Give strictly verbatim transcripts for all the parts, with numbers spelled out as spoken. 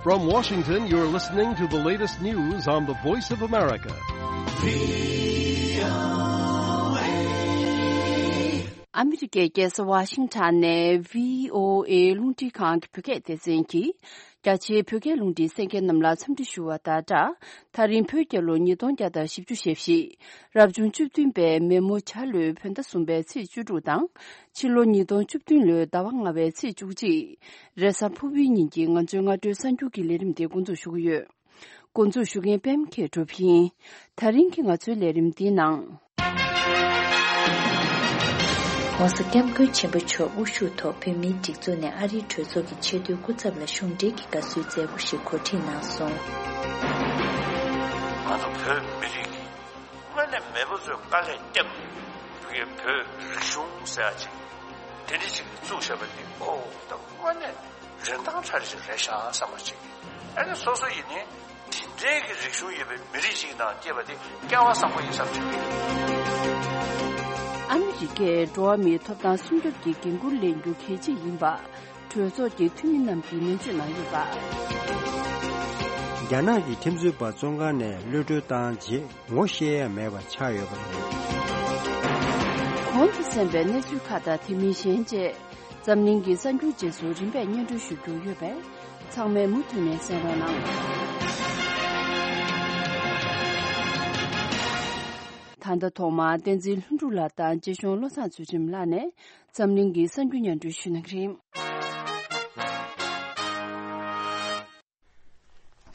From Washington, you're listening to the latest news on the Voice of America. ཨ་མི་རི་ཀའི་རྒྱལ་ས་ཝ་ཤིང་ཊོན་ནས་བྷི་ཨོ་ཨེ་རླུང་འཕྲིན་ཁང་གི་བོད་སྐད་སྡེ་ཚན་གྱིས། རྒྱ་ཆེའི་བོད་སྐད་རླུང་འཕྲིན་གསན་མཁན་རྣམས་ལ་འཚམས་འདྲི་ཞུ་བ་དང་སྦྲགས། ད་རིང་བོད་རྒྱལ་ལོ་ཉིས་སྟོང་བརྒྱ་དང་བཞི་བཅུ་ཞེ་བཞི། རབ་བྱུང་བཅུ་བདུན་པའི་མེ་མོ་བྱ་ལོའི་བོད་ཟླ་གསུམ་པའི་ཚེས་བཅུ་དྲུག་དང་། ཕྱི་ལོ་ཉིས་སྟོང་བཅུ་བདུན་ལོའི་ཟླ་བ་ལྔ་པའི་ཚེས་བཅུ་གཅིག་རེས་གཟའ་ཕུར་བུའི་ཉིན་གྱི་ང་ཚོའི་སྔ་དྲོའི་གསར་འགྱུར་གྱི་ལས་རིམ་དེ་འགོ་འཛུགས་ཞུ་གི་ཡོད། འགོ་འཛུགས་ཞུ་མཁན་པད་མ་མཁས་གྲུབ་ཡིན། ད་རིང་གི་ང་ཚོའི་ལས་རིམ་འདིའི་ནང་། ྋགོང་ས་ྋསྐྱབས་མགོན་ཆེན་པོ་མཆོག་དབུ་བཞུགས་ཐོག་བོད་མིའི་སྒྲིག་འཛུགས་ནས་ཨ་རིའི་གྲོས་ཚོགས་ཀྱི་ཆེས་མཐོའི་སྐུ་ཚབ་ལ་གཞུང་འབྲེལ་གྱི་དགའ་བསུའི་མཛད་སྒོ་ཞིག་གོ་སྒྲིག་གནང་སོང་། ང་ཚོ་བོད་མི་རིགས་ཀྱི་དངོས་གནས་མེས་པོ་ཚོས་དཀའ་ལས་བརྒྱབ་བོད་རིག་གཞུང་ཟེར་ཡ་ཅིག་དེ་འདྲ་ཅིག་བཙུགས་བཞག་པ་འདི་ཨོ་ད་དངོས་གནས་རིན་ཐང་ཚ་རེ་ཞིག་རེད་ཤག་བསམ་པ་ཅིག་ཨ་ནི་སོ་སོ་ཡིན་ནའི་དེ་འདྲའི་གི་རིག་གཞུང་ཡོད་པའི་མི་རིགས་ཤིག་ནང་སྐྱེས་པ་དེ་སྐལ་བ་བཟང་པོ་ཡིན་བསམ་བྱུང་། ཨ་མི་རི་ཀས་འགྲོ་བ་མིའི་ཐོབ་ཐང་སྲུང་སྐྱོབ་ཀྱི་འགན་འཁུར་ལེན་རྒྱུ་གལ་ཆེ་ཡིན་པ་གྲོས་ཚོགས་ཀྱི་འཐུས་མི་རྣམས་ཀྱིས་ནན་བརྗོད་གནང་ཡོད་པ། རྒྱ་ནག་གི་ཁྲིམས་རྩོད་པ་བཙོན་ཁང་ནས་གློད་གྲོལ་བཏང་རྗེས་ངོ་ཤེས་ཡ་མེད་པ་ཆགས་ཡོད་པ་རེད། གོང་དུ་གསན་པའི་གནས་ཚུལ་ཁག་དང་དེ་མིན་གཞན་བཅས། འཛམ་གླིང་གི་གསར་འགྱུར་རྗེས་སུ་རིམ་པས་སྙན་སྒྲོན་ཞུ་རྒྱུ་ཡོད་པས། ཚང་མས་མུ་མཐུད་ནས་གསན་རོགས་གནང་། ད་ལྟ་ཐོག་མར་བསྟན་འཛིན་ལྷུན་གྲུབ་ལགས་དང་རྗེ་གཞུང་བློ་བཟང་ཚུལ་ཁྲིམས་ལགས་ནས་འཛམ་གླིང་གི་གསར་འགྱུར་སྙན་སྒྲོན་ཞུ་གནང་གི་རེད།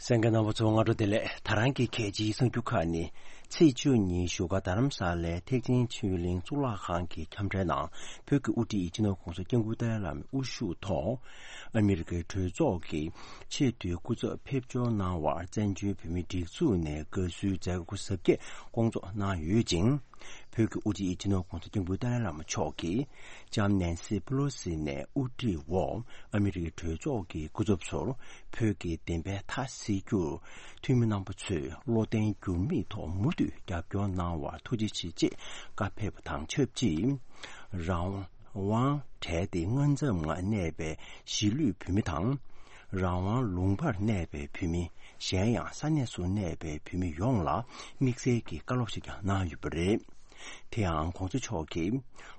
གསན་མཁན་རྣམ་པ་ཚོ་སྔ་དྲོ་བདེ་ལེགས། ད་རང་གི་གལ་ཆེའི་གསར་འགྱུར་ཁག་ནི། ཚེས་བཅུ་གཉིས་བཞུགས་སྒར་རྡ་རམ་ས་ལའི་ཐེག་ཆེན་ཆོས་གླིང་གཙུག་ལག་ཁང་གི་ཁྱམས་རའི་ནང་བོད་ཀྱི་དབུ་ཁྲིད་སྤྱི་ནོར་ྋགོང་ས་ྋསྐྱབས་མགོན་ཏཱ་ལའི་བླ་མའི་དབུ་བཞུགས་ཐོག་ཨ་མི་རི་ཀའི་གྲོས་ཚོགས་ཀྱི་ཆེས་མཐོའི་སྐུ་ཚབ་ཕེབས་འབྱོར་གནང་བར་བཙན་བྱོལ་བོད་མིའི་སྒྲིག་འཛུགས་ནས་དགའ་བསུའི་མཛད་སྒོ་གཟབ་རྒྱས་སྐོང་ཚོགས་གནང་ཡོད་ཅིང་། བོད་ཀྱི་དབུ་ཁྲིད་སྤྱི་ནོར་ྋགོང་ས་ྋསྐྱབས་མགོན་ཏཱ་ལའི་བླ་མ་མཆོག་གིས་ལྕམ་ནན་སི་པེ་ལོ་སི་ནས་དབུ་ཁྲིད་འོག་ཨ་མི་རི་ཀའི་གྲོས་ཚོགས་ཀྱི་སྐུ་ཚབ་ཚོར་བོད་ཀྱི་བདེན་པའི་མཐའ་གསལ་རྒྱུར་འཐུས་མི་རྣམ་པ་ཚོས་བློ་བརྟན་འགྱུར་མེད་ཐོག་མུ་མཐུད་རྒྱབ་སྐྱོར་གནང་བར་ཐུགས་རྗེ་ཆེ་ཅེས་བཀའ་ཕེབས་པ་དང་ཆབས་ཅིག་རང་དབང་བྲལ་ཏེ་མངའ་མཚམས་ནང་གནས་པའི་གཞིས་ལུས་བོད་མི་དང་། རང་དབང་ལུང་པར་གནས་པའི་བོད་མི། གཞན་ཡང་ས་གནས་སུ་གནས་པའི་བོད་མི་ཡོངས་ལ་དམིགས་བསལ་གྱི་བཀའ་སློབ་ཞིག་ཀྱང་གནང་ཡོད་པ་རེད། དེ་ཡང་ྋགོང་ས་མཆོག་གིས་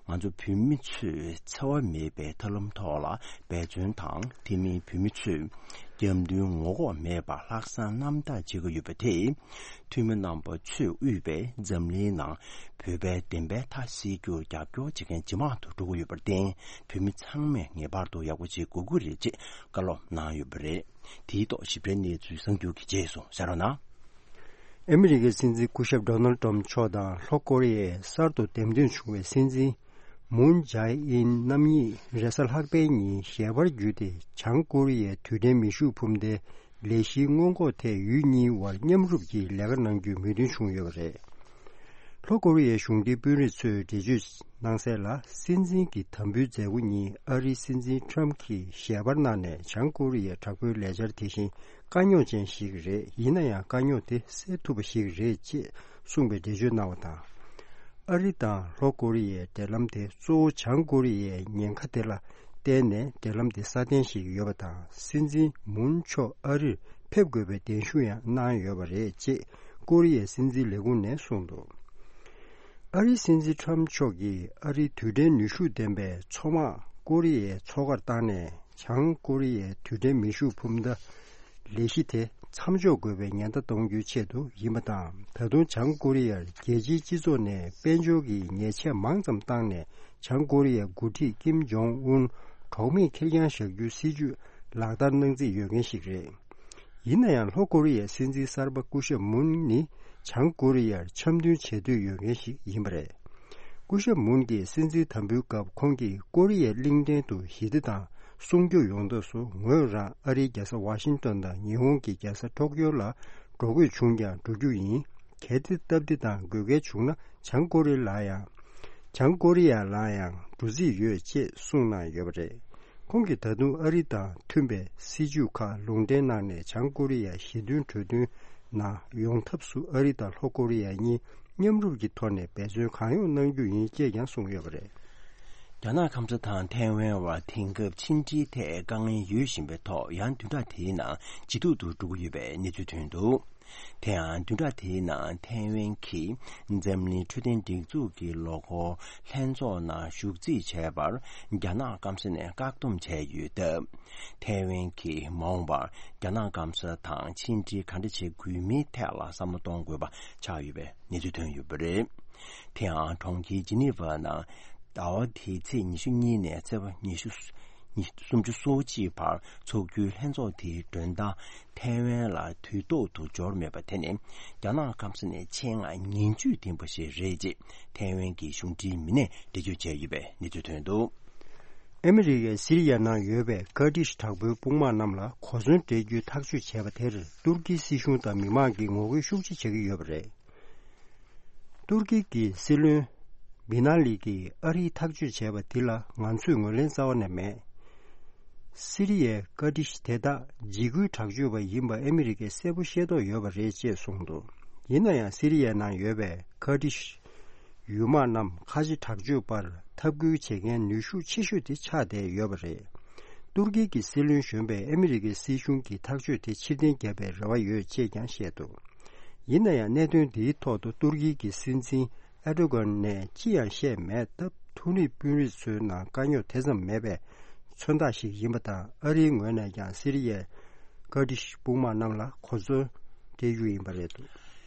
ང་ཚོ་བོད་མི་ཚོས་འཚེ་བ་མེད་པའི་ཐབས་ལམ་ཐོག་ལ་འབད་བརྩོན་དང་། དེ་མིན་བོད་མི་ཚོས་རྒྱབ་མདུན་ངོ་ལྐོག་མེད་པར་ལྷག་བསམ་རྣམ་དག་བྱེད་ཀྱི་ཡོད་པ་དེས། འཐུས་མི་རྣམ་པ་ཚོས་དབུས་པའི་འཛམ་གླིང་ནང་བོད་པའི་བདེན་པའི་མཐའ་གསལ་རྒྱུར་རྒྱབ་སྐྱོར་བྱེད་མཁན་ཇེ་མང་དུ་འགྲོ་གི་ཡོད་པར་བརྟེན། བོད་མི་ཚང་མས་ངེས་པར་དུ་ཡག་པོ་བྱེད་དགོས་ཀྱི་རེད་ཅེས་བཀའ་སློབ་གནང་ཡོད་པ་རེད། དེའི་ཐོག་ཞིབ་ཕྲའི་གནས་ཚུལ་གསར་འགྱུར་གྱི་རྗེས་སུ་གསན་རོགས་གནང་། ཨ་མི་རི་ཀའི་སྲིད་འཛིན་སྐུ་ཞབས་ཌོ་ནལ་ཏྲམ་མཆོག་དང་ལྷོ་ཀོ་རི་ཡའི་གསར་དུ་འདེམས་ཐོན་བྱུང་བའི་སྲིད་འཛིན་མུན་ཇའེ་ཨིན་རྣམ་གཉིས་རེས་གཟའ་ལྷག་པའི་ཉིན་ཞལ་པར་བརྒྱུད་དེ་བྱང་ཀོ་རི་ཡའི་དུས་དྲན་མེ་ཤུགས་འཕུར་མདའི་ལས་གཞིའི་སྔོན་འགོག་ཐད་ཡུལ་གཉིས་དབར་མཉམ་རུབ་ཀྱིས་ལས་ཀ་གནང་རྒྱུའི་མོས་མཐུན་བྱུང་ཡོད་པ་རེད། ལྷོ་ཀོ་རི་ཡའི་གཞུང་འབྲེལ་དཔོན་རིགས་ཚོས་འགྲེལ་བརྗོད་གནང་གསལ་ལ། སྲིད་འཛིན་གྱི་དམ་འབུལ་མཛད་སྒོ་ཉིན་ཨ་རིའི་སྲིད་འཛིན་ཁྲམ་གྱིས་ཞལ་པར་གནང་ནས་བྱང་ཀོ་རི་ཡའི་དྲག་པོའི་ལས་འཆར་དེ་བཞིན་དཀའ་རྙོག་ཅན་ཞིག་རེད། ཡིན་ན་ཡང་དཀའ་རྙོག་དེ་སེལ་ཐུབ་པ་ཞིག་རེད་ཅེས་གསུངས་པའི་འགྲེལ་བརྗོད་གནང་བ་དང་། ཨ་རི་དང་ལྷོ་ཀོ་རི་ཡའི་འབྲེལ་ལམ་དེ་གཙོ་བོ་བྱང་ཀོ་རི་ཡའི་ཉེན་ཁ་དེ་ལ་བརྟེན་ནས་འབྲེལ་ལམ་དེ་སྲ་བརྟན་ཞིག་ཡོད་པ་དང་། སྲིད་འཛིན་མུན་མཆོག་ཨ་རིར་ཕེབས་དགོས་པའི་གདན་ཞུ་ཡང་གནང་ཡོད་པ་རེད་ཅེས་ཀོ་རི་ཡའི་སྲིད་འཛིན་ལས་ཁུངས་ནས་གསུངས་འདུག་ཨ་རིའི་སྲིད་འཛིན་ཁྲམ་མཆོག་གིས་ཨ་རིའི་དུས་དྲན་ནུས་ཤུགས་ལྡན་པའི་མཚོ་དམག་ཀོ་རི་ཡའི་མཚོ་ཁར་བཏང་ནས། བྱང་ཀོ་རི་ཡའི་དུས་དྲན་མེ་ཤུགས་འཕུར་མདའ་ལས་གཞི་དེ་མཚམས་འཇོག་དགོས་པའི་ཉེན་བརྡ་གཏོང་རྒྱུའི་ཆེད་དུ་ཡིན་པ་དང་། ད་དུང་བྱང་ཀོ་རི་ཡར་རྒྱལ་སྤྱིའི་སྤྱི་ཚོགས་ནས་དཔལ་འབྱོར་གྱི་ཉེས་ཆད་མང་ཙམ་བཏང་ནས། བྱང་ཀོ་རི་ཡའི་འགོ་ཁྲིད་ཀིམ་ཇོང་ཨུན་གྲོགས་མེད་ཁེར་རྐྱང་བཞག་རྒྱུའི་སྲིད་ཇུས་ལག་བསྟར་གནང་རྩིས་ཡོད་མཁན་ཞིག་རེད། ཡིན་ན་ཡང་ལྷོ་ཀོ་རི་ཡའི་སྲིད་འཛིན་གསར་པ་སྐུ་ཞབས་མུན་ནི་བྱང་ཀོ་རི་ཡར་འཆམ་མཐུན་བྱེད་འདོད་ཡོད་མཁན་ཞིག་ཡིན་པ་རེད། སྐུ་ཞབས་མུན་གྱིས་སྲིད་འཛིན་དམ་འབུལ་སྐབས་ཁོང་གིས་ཀོ་རི་ཡའི་གླིང་ཕྲན་དུ་ཞི་བདེ་དང་སྲུང་སྐྱོབ་ཡོང་ཐབས་སུ་ངོས་རང་ཨ་རིའི་རྒྱལ་ས་ཝ་ཤིང་ཏོན་དང་ཉི་ཧོང་གི་རྒྱལ་ས་ཊོ་ཀྱོ་ལ་འགྲོ་དགོས་བྱུང་ཀྱང་འགྲོ་རྒྱུ་ཡིན། གལ་ཏེ་སྟབས་བདེ་དང་དགོས་གལ་བྱུང་ན་བྱང་ཀོ་རི་ལ་ཡང་། བྱང་ཀོ་རི་ཡ་ལ་ཡང་འགྲོ་རྩིས་ཡོད་ཅེས་གསུངས་གནང་ཡོད་པ་རེད། ཁོང་གིས་ད་དུང་ཨ་རི་དང་མཐུན་པའི་སྲིད་ཇུས་ཁག་ལུང་འདྲེན་གནང་ནས་བྱང་ཀོ་རི་ཡ་ཞི་མཐུན་གྲོས་མཐུན་ནང་ཡོང་ཐབས་སུ་ཨ་རི་དང་ལྷོ་ཀོ་རི་ཡ་གཉིས་མཉམ་རུབ་ཀྱི་ཐོག་ནས་འབད་བརྩོན་གང་ཡོང་གནང་རྒྱུ་ཡིན་ཅེས་ཀྱང་གསུངས་ཡོད་པ་རེད། རྒྱ་ནག་སྐམ་ས་དང་ཐའེ་ཝན་བར་དེང་སྐབས་ཕྱི་འབྲེལ་ཐད་དཀའ་ངལ་ཡོད་བཞིན་པའི་ཐོག་ཡང་བདུན་ཕྲག་དེའི་ནང་ཇེ་སྡུག་ཏུ་འགྲོ་གི་ཡོད་པའི་གནས་ཚུལ་ཐོན་འདུག་དེ་ཡང་བདུན་ཕྲག་དེའི་ནང་ཐའེ་ཝན་གྱིས་འཛམ་གླིང་འཕྲོད་བསྟེན་སྒྲིག་འཛུགས་ཀྱི་ལོ་འཁོར་ལྷན་ཚོགས་ནང་ཞུགས་རྩིས་བྱས་པར་རྒྱ་ནག་སྐམ་ས་ནས་བཀག་སྡོམ་བྱས་ཡོད་སྟབས། ཐའེ་ཝན་གྱིས་མ་འོངས་པར་རྒྱ་ནག་སྐམ་ས་དང་ཕྱི་འབྲེལ་ག་འདྲ་བྱེད་དགོས་མིན་ཐད་ལ་བསམ་བློ་གཏོང་དགོས་པ་ཆགས་ཡོད་པའི་གནས་ཚུལ་ཐོན་ཡོད་པ་རེད། དེ་ཡང་གྲོང་ཁྱེར་ཇི་ནི་ཝ་ནང་ཟླ་བ་འདིའི་ཚེས་ཉི་ཤུ་གཉིས་ནས་ཚེས་པ་ཉི་ཤུ། ཉི་སུམ་ཅུ་སོ་གཅིག་བར་འཚོགས་རྒྱུའི་ལྷན་ཚོགས་དེའི་མགྲོན་བདག་ཐའེ་ཝན་ལ་དུས་ཐོག་ཏུ་འབྱོར་མེད་པ་དེ་ནི་རྒྱ་ནག་སྐམ་ས་ནས་ཆེད་མངགས་ངན་ཇུས་ལྡན་པ་ཞིག་རེད་ཅེས་ཐའེ་ཝན་གྱི་གཞུང་འབྲེལ་མི་སྣས་འགྲེལ་བརྗོད་བྱས་ཡོད་པའི་གནས་ཚུལ་ཐོན་འདུག་ཨ་མི་རི་ཀས་སི་རི་ཡའི་ནང་ཡོད་པའི་ཀར་ཏིཤ་དྲག་པོའི་དཔུང་དམག་རྣམས་ལ་གོ་མཚོན་སྤྲད་རྒྱུའི་ཐག་གཅོད་བྱས་པ་དེར་ཏུར་ཀིའི་སྲིད་གཞུང་དང་མི་མང་གིས་ངོ་རྒོལ་ཤུགས་ཆེ་བྱེད་ཀྱི་ཡོད་པ་རེད། ཏུར་ཀི་གི་སྲིད་བློན་བི་ན་ལི་གིས་ཨ་རིའི་ཐག་གཅོད་བྱས་པ་འདི་ལ་ང་ཚོས་ངོས་ལེན་རྩ་བ་ནས་མེད། སི་རི་ཡའི་ཀར་ཏིཤ་དེ་དག་འཇིགས་སྐུལ་དྲག་སྤྱོད་པ་ཡིན་པ་ཨ་མི་རི་ཀས་གསལ་པོ་ཤེས་རྟོགས་ཡོད་པ་རེད་ཅེས་གསུངས་འདུག་ཡིན་ན་ཡང་སི་རི་ཡའི་ནང་ཡོད་པའི་ཀར་ཏིཤ་ཡུལ་དམག་རྣམས་ཁ་ཆེ་དྲག་སྤྱོད་པར་འཐབ་རྒོལ་བྱེད་མཁན་ནུས་ཤུགས་ཆེ་ཤོས་དེ་ཆགས་བསྡད་ཡོད་པ་རེད། ཏུར་ཀི་གི་སྲིད་བློན་གཞོན་པས་ཨ་མི་རི་ཀའི་སྲིད་གཞུང་གི་ཐག་གཅོད་དེ་ཕྱིར་འཐེན་བརྒྱབ་པའི་རེ་བ་ཡོད་ཅེས་ཀྱང་བཤད་འདུག་ཡིན་ན་ཡང་གནད་དོན་འདིའི་ཐོག་ཏུ་ཏུར་ཀི་གི་སྲིད་འཛིན་ཨེར་ཏོ་གྷན་ནས་ཅི་ཡང་བཤད་མེད་སྟབས། མཐོ་རིམ་དཔོན་རིགས་ཚོའི་ནང་དཀའ་རྙོག་དེ་ཙམ་མེད་པའི་མཚོན་རྟགས་ཤིག་ཡིན་པ་དང་། ཨ་རིའི་ངོས་ནས་ཀྱང་སི་རི་ཡའི་ཀར་ཏིཤ་དཔུང་དམག་རྣམས་ལ་གོ་མཚོན་སྤྲད་རྒྱུ་ཡིན་པ་རེད་འདུག་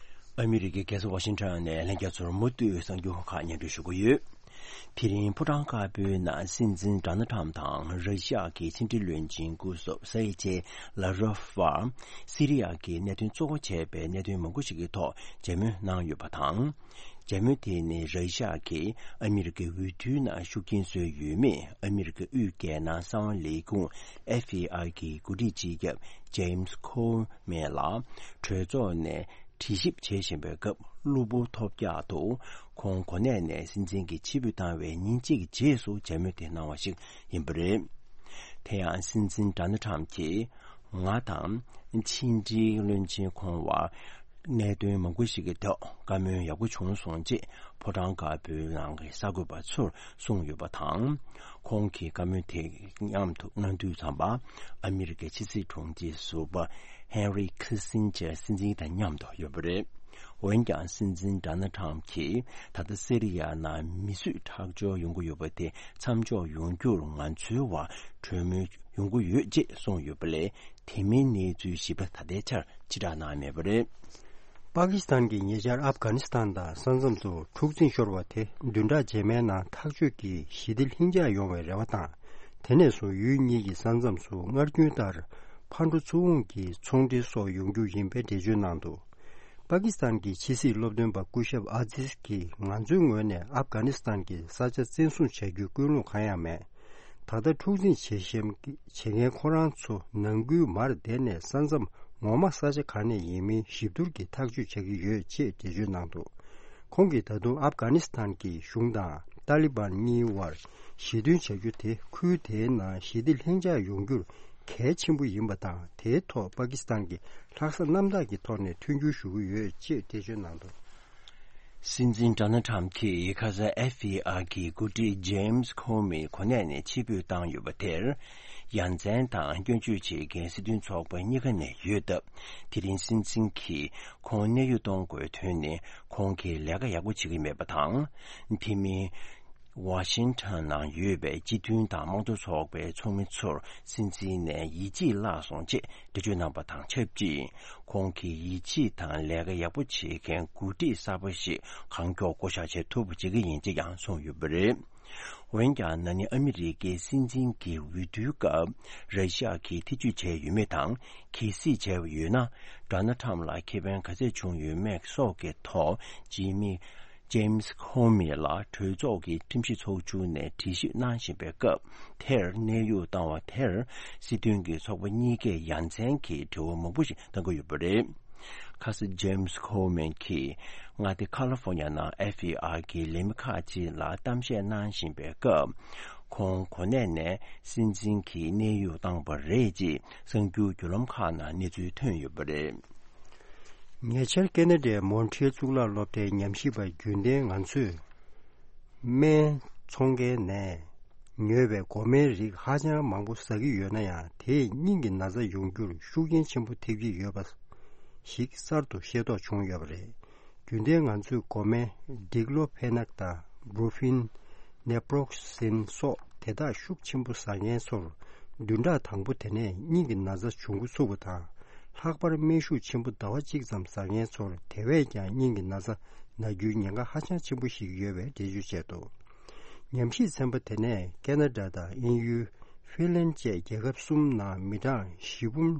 ཨ་མི་རི་ཀའི་རྒྱལ་ས་ཝ་ཤིང་ཊོན་ནས་ལྷན་རྒྱས་ཚོར་མུ་མཐུད་གསར་འགྱུར་ཁག་སྙན་སྒྲོན་ཞུ་གི་ཡོད། དེ་རིང་ཕོ་བྲང་དཀར་པོའི་ནང་སྲིད་འཛིན་ཌོ་ནལ་ཊམ་དང་ར་ཤི་ཡ་གི་ཕྱི་འབྲེལ་བློན་ཆེན་སྐུ་ཞབས་སེར་ཇེ་ལ་རོབ་བར་སི་རི་ཡ་གི་གནད་དོན་གཙོ་བོ་བྱས་པའི་གནད་དོན་མང་པོ་ཞིག་གི་ཐོག་མཇལ་མོལ་གནང་ཡོད་པ་དང་། མཇལ་མོལ་དེ་ནི་ར་ཤི་ཡ་གིས་ཨ་མི་རི་ཀའི་འོས་བསྡུའི་ནང་ཤུགས་རྐྱེན་བཟོས་ཡོད་མེད་ཨ་མི་རི་ཀའི་དབུས་རྒྱལ་ནང་གསང་བ་ལས་ཁུངས་ཨེཕ་བི་ཨའི་གི་འགོ་ཁྲིད་སྤྱི་ཁྱབ་ཇེམ་སི་ཁོ་མེ་ལ་གྲོས་ཚོགས་ནས་དྲི་ཞིབ་བྱེད་བཞིན་པའི་སྐབས། གློ་བུར་ཐོལ་རྒྱག་ཏུ་ཁོང་གོ་གནས་ནས་སྲིད་འཛིན་གྱི་ཕྱིར་འབུད་བཏང་བའི་ཉིན་གཅིག་རྗེས་སུ་མཇལ་མོལ་དེ་གནང་བ་ཞིག་ཡིན་པ་རེད། དེ་ཡང་སྲིད་འཛིན་ཌོ་ནལ་ཊམ་གྱིས་ང་དང་ཕྱི་འབྲེལ་བློན་ཆེན་ཁོང་བར་གནད་དོན་མང་པོ་ཞིག་གི་ཐོག་བཀའ་མོལ་ཡག་པོ་བྱུང་སོང་ཅེས་ཕོ་བྲང་དཀར་པོའི་ནང་གི་གསར་འགོད་པ་ཚོར་གསུངས་ཡོད་པ་དང་། ཁོང་གིས་བཀའ་མོལ་དེ་མཉམ་དུ་གནང་དུས་ཙམ་པ། ཨ་མི་རི་ཀའི་ཕྱི་སྲིད་དྲུང་ཆེ་ཟུར་པ་ཧེན་རི་ཁི་སིན་ཇར་སྲིད་འཛིན་དང་མཉམ་དུ་ཡོད་པ་རེད། འོན་ཀྱང་སྲིད་འཛིན་ཌོ་ནལ་ཊམ་གྱིས་ད་ལྟ་སི་རི་ཡ་ནང་མི་གསོད་ཁྲག་སྦྱོར་ཡོང་གི་ཡོད་པ་དེ་མཚམས་འཇོག་ཡོང་རྒྱུར་ང་ཚོའི་བར་གྲོས་མོལ་ཡོང་གི་ཡོད་ཅེས་གསུངས་ཡོད་པ་ལས། དེ་མིན་གནས་ཚུལ་ཞིབ་ཕྲ་ད་ལྟའི་ཆར་ཕྱིར་བསྒྲགས་གནང་མེད་པ་རེད། པ་ཀི་སི་ཐན་གྱིས་ཉེ་ཆར་ཨབ་གྷ་ནི་སི་ཐན་དང་ས་མཚམས་སུ་འཁྲུག་འཛིང་ཤོར་བ་དེ་བདུན་ཕྲག་རྗེས་མའི་ནང་ཐག་གཅོད་ཀྱིས་ཞི་བདེ་ལྷིང་འཇགས་ཡོང་བའི་རེ་བ་དང་། དེ་ནས་བཟུང་ཡུལ་གཉིས་ཀྱི་ས་མཚམས་སུ་སྔར་རྒྱུན་ལྟར་ཕར་འགྲོ་ཚུར་འོང་གི་ཚོང་འབྲེལ་སོགས་ཡོང་རྒྱུ་ཡིན་པའི་འགྲེལ་བརྗོད་གནང་འདུག་པ་ཀི་སི་ཐན་གྱི་ཕྱི་སྲིད་སློབ་སྟོན་པ་སྐུ་ཞབས་ཨ་ཛིས་ཀྱིས་ང་ཚོའི་ངོས་ནས་ཨབ་གྷ་ནི་སི་ཐན་གྱི་ས་ཆ་བཙན་བཟུང་བྱ་རྒྱུའི་ཀུན་སློང་གང་ཡང་མེད། ད་ལྟ་འཁྲུག་འཛིང་བྱེད་བཞིན་བྱེད་མཁན་ཁོ་རང་ཚོ་ནང་ཁུལ་མར་བསྡད་ནས་ས་མཚམས་ངོ་མ་ས་ཆ་གང་ནས་ཡིན་མིན་ཞིབ་བསྡུར་གྱིས་ཐག་གཅོད་བྱ་གི་ཡོད་ཅེས་འགྲེལ་བརྗོད་གནང་འདུག་ཁོང་གིས་ད་དུང་ཨབ་གྷ་ནི་སི་ཐན་གྱི་གཞུང་དང་ཏཱ་ལི་བན་གཉིས་བར་ཞི་མཐུན་བྱ་རྒྱུ་དེ་ཁུལ་དེའི་ནང་ཞི་བདེ་ལྷིང་འཇགས་ཡོང་རྒྱུར་གལ་ཆེན་པོ་ཡིན་པ་དང་། དེའི་ཐོག་པ་ཀི་སི་ཐན་གྱིས་ལྷག་བསམ་རྣམ་དག་གི་ཐོག་ནས་མཐུན་འགྱུར་ཞུ་གི་ཡོད་ཅེས་འགྲེལ་བརྗོད་གནང་འདུག་སྲིད་འཛིན་ཌོ་ནལ་ཊམ་གྱིས་ཁ་སང་ཨེཕ་བྷི་ཨའི་གི་འགོ་ཁྲིད་ཇེམ་སི་ཁོ་མི་གོ་གནས་ནས་ཕྱིར་འབུད་བཏང་ཡོད་པ་དེར། ཡ་མཚན་དང་སྐྱོན་བརྗོད་བྱེད་མཁན་སྲིད་དོན་ཚོགས་པ་གཉིས་ཀ་ནས་ཡོད་སྟབས། དེ་རིང་སྲིད་འཛིན་གྱིས་ཁོང་གནས་དབྱུང་གཏོང་དགོས་དོན་ནི་ཁོང་གིས་ལས་ཀ་ཡག་པོ་བྱེད་ཀྱི་མེད་པ་དང་། དེ་མིན། ཝ་ཤིང་ཊོན་ནང་ཡོད་པའི་སྤྱི་མཐུན་དང་དམངས་གཙོ་ཚོགས་པའི་ཚོགས་མི་ཚོར་སྲིད་འཛིན་ནས་ཡིད་ཆེས་བརླག་སོང་ཅེས་འགྲེལ་བརྗོད་གནང་པ་དང་ཆབས་ཅིག་ཁོང་གིས་ཡིད་ཆེས་དང་ལས་ཀ་ཡག་པོ་བྱེད་མཁན་འགོ་ཁྲིད་གསར་པ་ཞིག་གང་མགྱོགས་བསྐོ་བཞག་བྱེད་ཐུབ་པ་བྱེད་ཀྱི་ཡིན་ཅེས་ཀྱང་གསུངས་ཡོད་པ་རེད། འོན་ཀྱང་ན་ནིང་ཨ་མི་རི་ཀའི་སྲིད་འཛིན་གྱི་འོས་བསྡུའི་སྐབས་ར་ཤི་ཡ་གིས་ཐེ་ཇུས་བྱས་ཡོད་མེད་དང་། གལ་སྲིད་བྱས་པ་ཡོད་ན། ཌོ་ནལ་ཊམ་ལ་ཁེ་ཕན་ག་ཚད་བྱུང་ཡོད་མེད་སོགས་ཀྱི་ཐོག་ཇི་མི། ཇེམ་སི་ཁོ་མི་ལ་གྲོས་ཚོགས་ཀྱི་ཁྲིམས་ཞིབ་ཚོགས་ཆུང་ནས་དྲི་ཞིབ་གནང་བཞིན་པའི་སྐབས་དེར་གནས་དབྱུང་བཏང་བ་དེར་སྲིད་དོན་གྱི་ཚོགས་པ་གཉིས་ཀས་ཡ་མཚན་གྱི་དྲི་བ་མང་པོ་ཞིག་བཏང་གི་ཡོད་པ་རེད། ཁ་སང་ཇེམ་སི་ཁོ་མན་གྱིས་མངའ་སྡེ་ཁ་ལི་ཧྥོ་ནི་ཡ་ནང་ཨེཕ་བི་ཨའི་གི་ལས་མི་ཁག་ཅིག་ལ་གཏམ་བཤད་གནང་བཞིན་པའི་སྐབས། ཁོང་གོ་གནས་ནས་སྲིད་འཛིན་གྱིས་གནས་དབྱུང་བཏང་པ་རེད་ཅེས་གསར་འགྱུར་བརྒྱུད་ལམ་ཁག་ནང་གནས་ཚུལ་ཐོན་ཡོད་པ་རེད། ཉེ་ཆར་ཁེ་ན་ཌའི་མོན་ཊི་ཡལ་གཙུག་ལག་སློབ་གྲྭའི་ཉམས་ཞིབ་པ་རྒྱུན་ལྡན་ང་ཚོས་སྨན་འཚོང་མཁན་ནས་ ཉོས་པའི་འགོག་སྨན་རིགས་ཧ་ཅང་མང་པོ་ཟ་གི་ཡོད་ན་ཡང་། དེས་སྙིང་གི་ན་ཚ་ཡོང་རྒྱུར་ཤུགས་རྐྱེན་ཆེན་པོ་ཐེབས་ཀྱི་ཡོད་པ་ཞིག་གསར་དུ་ཤེས་རྟོགས་བྱུང་ཡོད་པ་རེད། རྒྱུན་ལྡན་ང་ཚོས་འགོག་སྨན་ཌི་ཀློ་ཕེ་ནག་དང་བྷུ་རུ་ཕིན། ནེ་པྲོག་སིན་སོགས་དེ་དག་ཤུགས་ཆེན་པོ་ཟ་མཁན་ཚོར་བདུན་ཕྲག་དང་པོ་དེ་ནས་སྙིང་གི་ན་ཚ་འབྱུང་འགོ་ཚུགས་པ་དང་། ལྷག་པར་སྨན་ཤུགས་ཆེན་པོ་ཟླ་བ་གཅིག་ཙམ་ཟ་མཁན་ཚོར་དེ་བས་ཀྱང་སྙིང་གི་ན་ཚ་ན་རྒྱུའི་ཉེན་ཁ་ཧ་ཅང་ཆེན་པོ་ཞིག་ཡོད་པའི་འགྲེལ་བརྗོད་བྱས་འདུག། ཉམས་ཞིབ་ཚན་པ་དེ་ནས་ཁེ་ན་ཌ་དང་དབྱིན་ཡུལ། ཧྥིན་ལན་བཅས་རྒྱལ་ཁབ་གསུམ་ནང་མི་གྲངས་བཞི་འབུམ་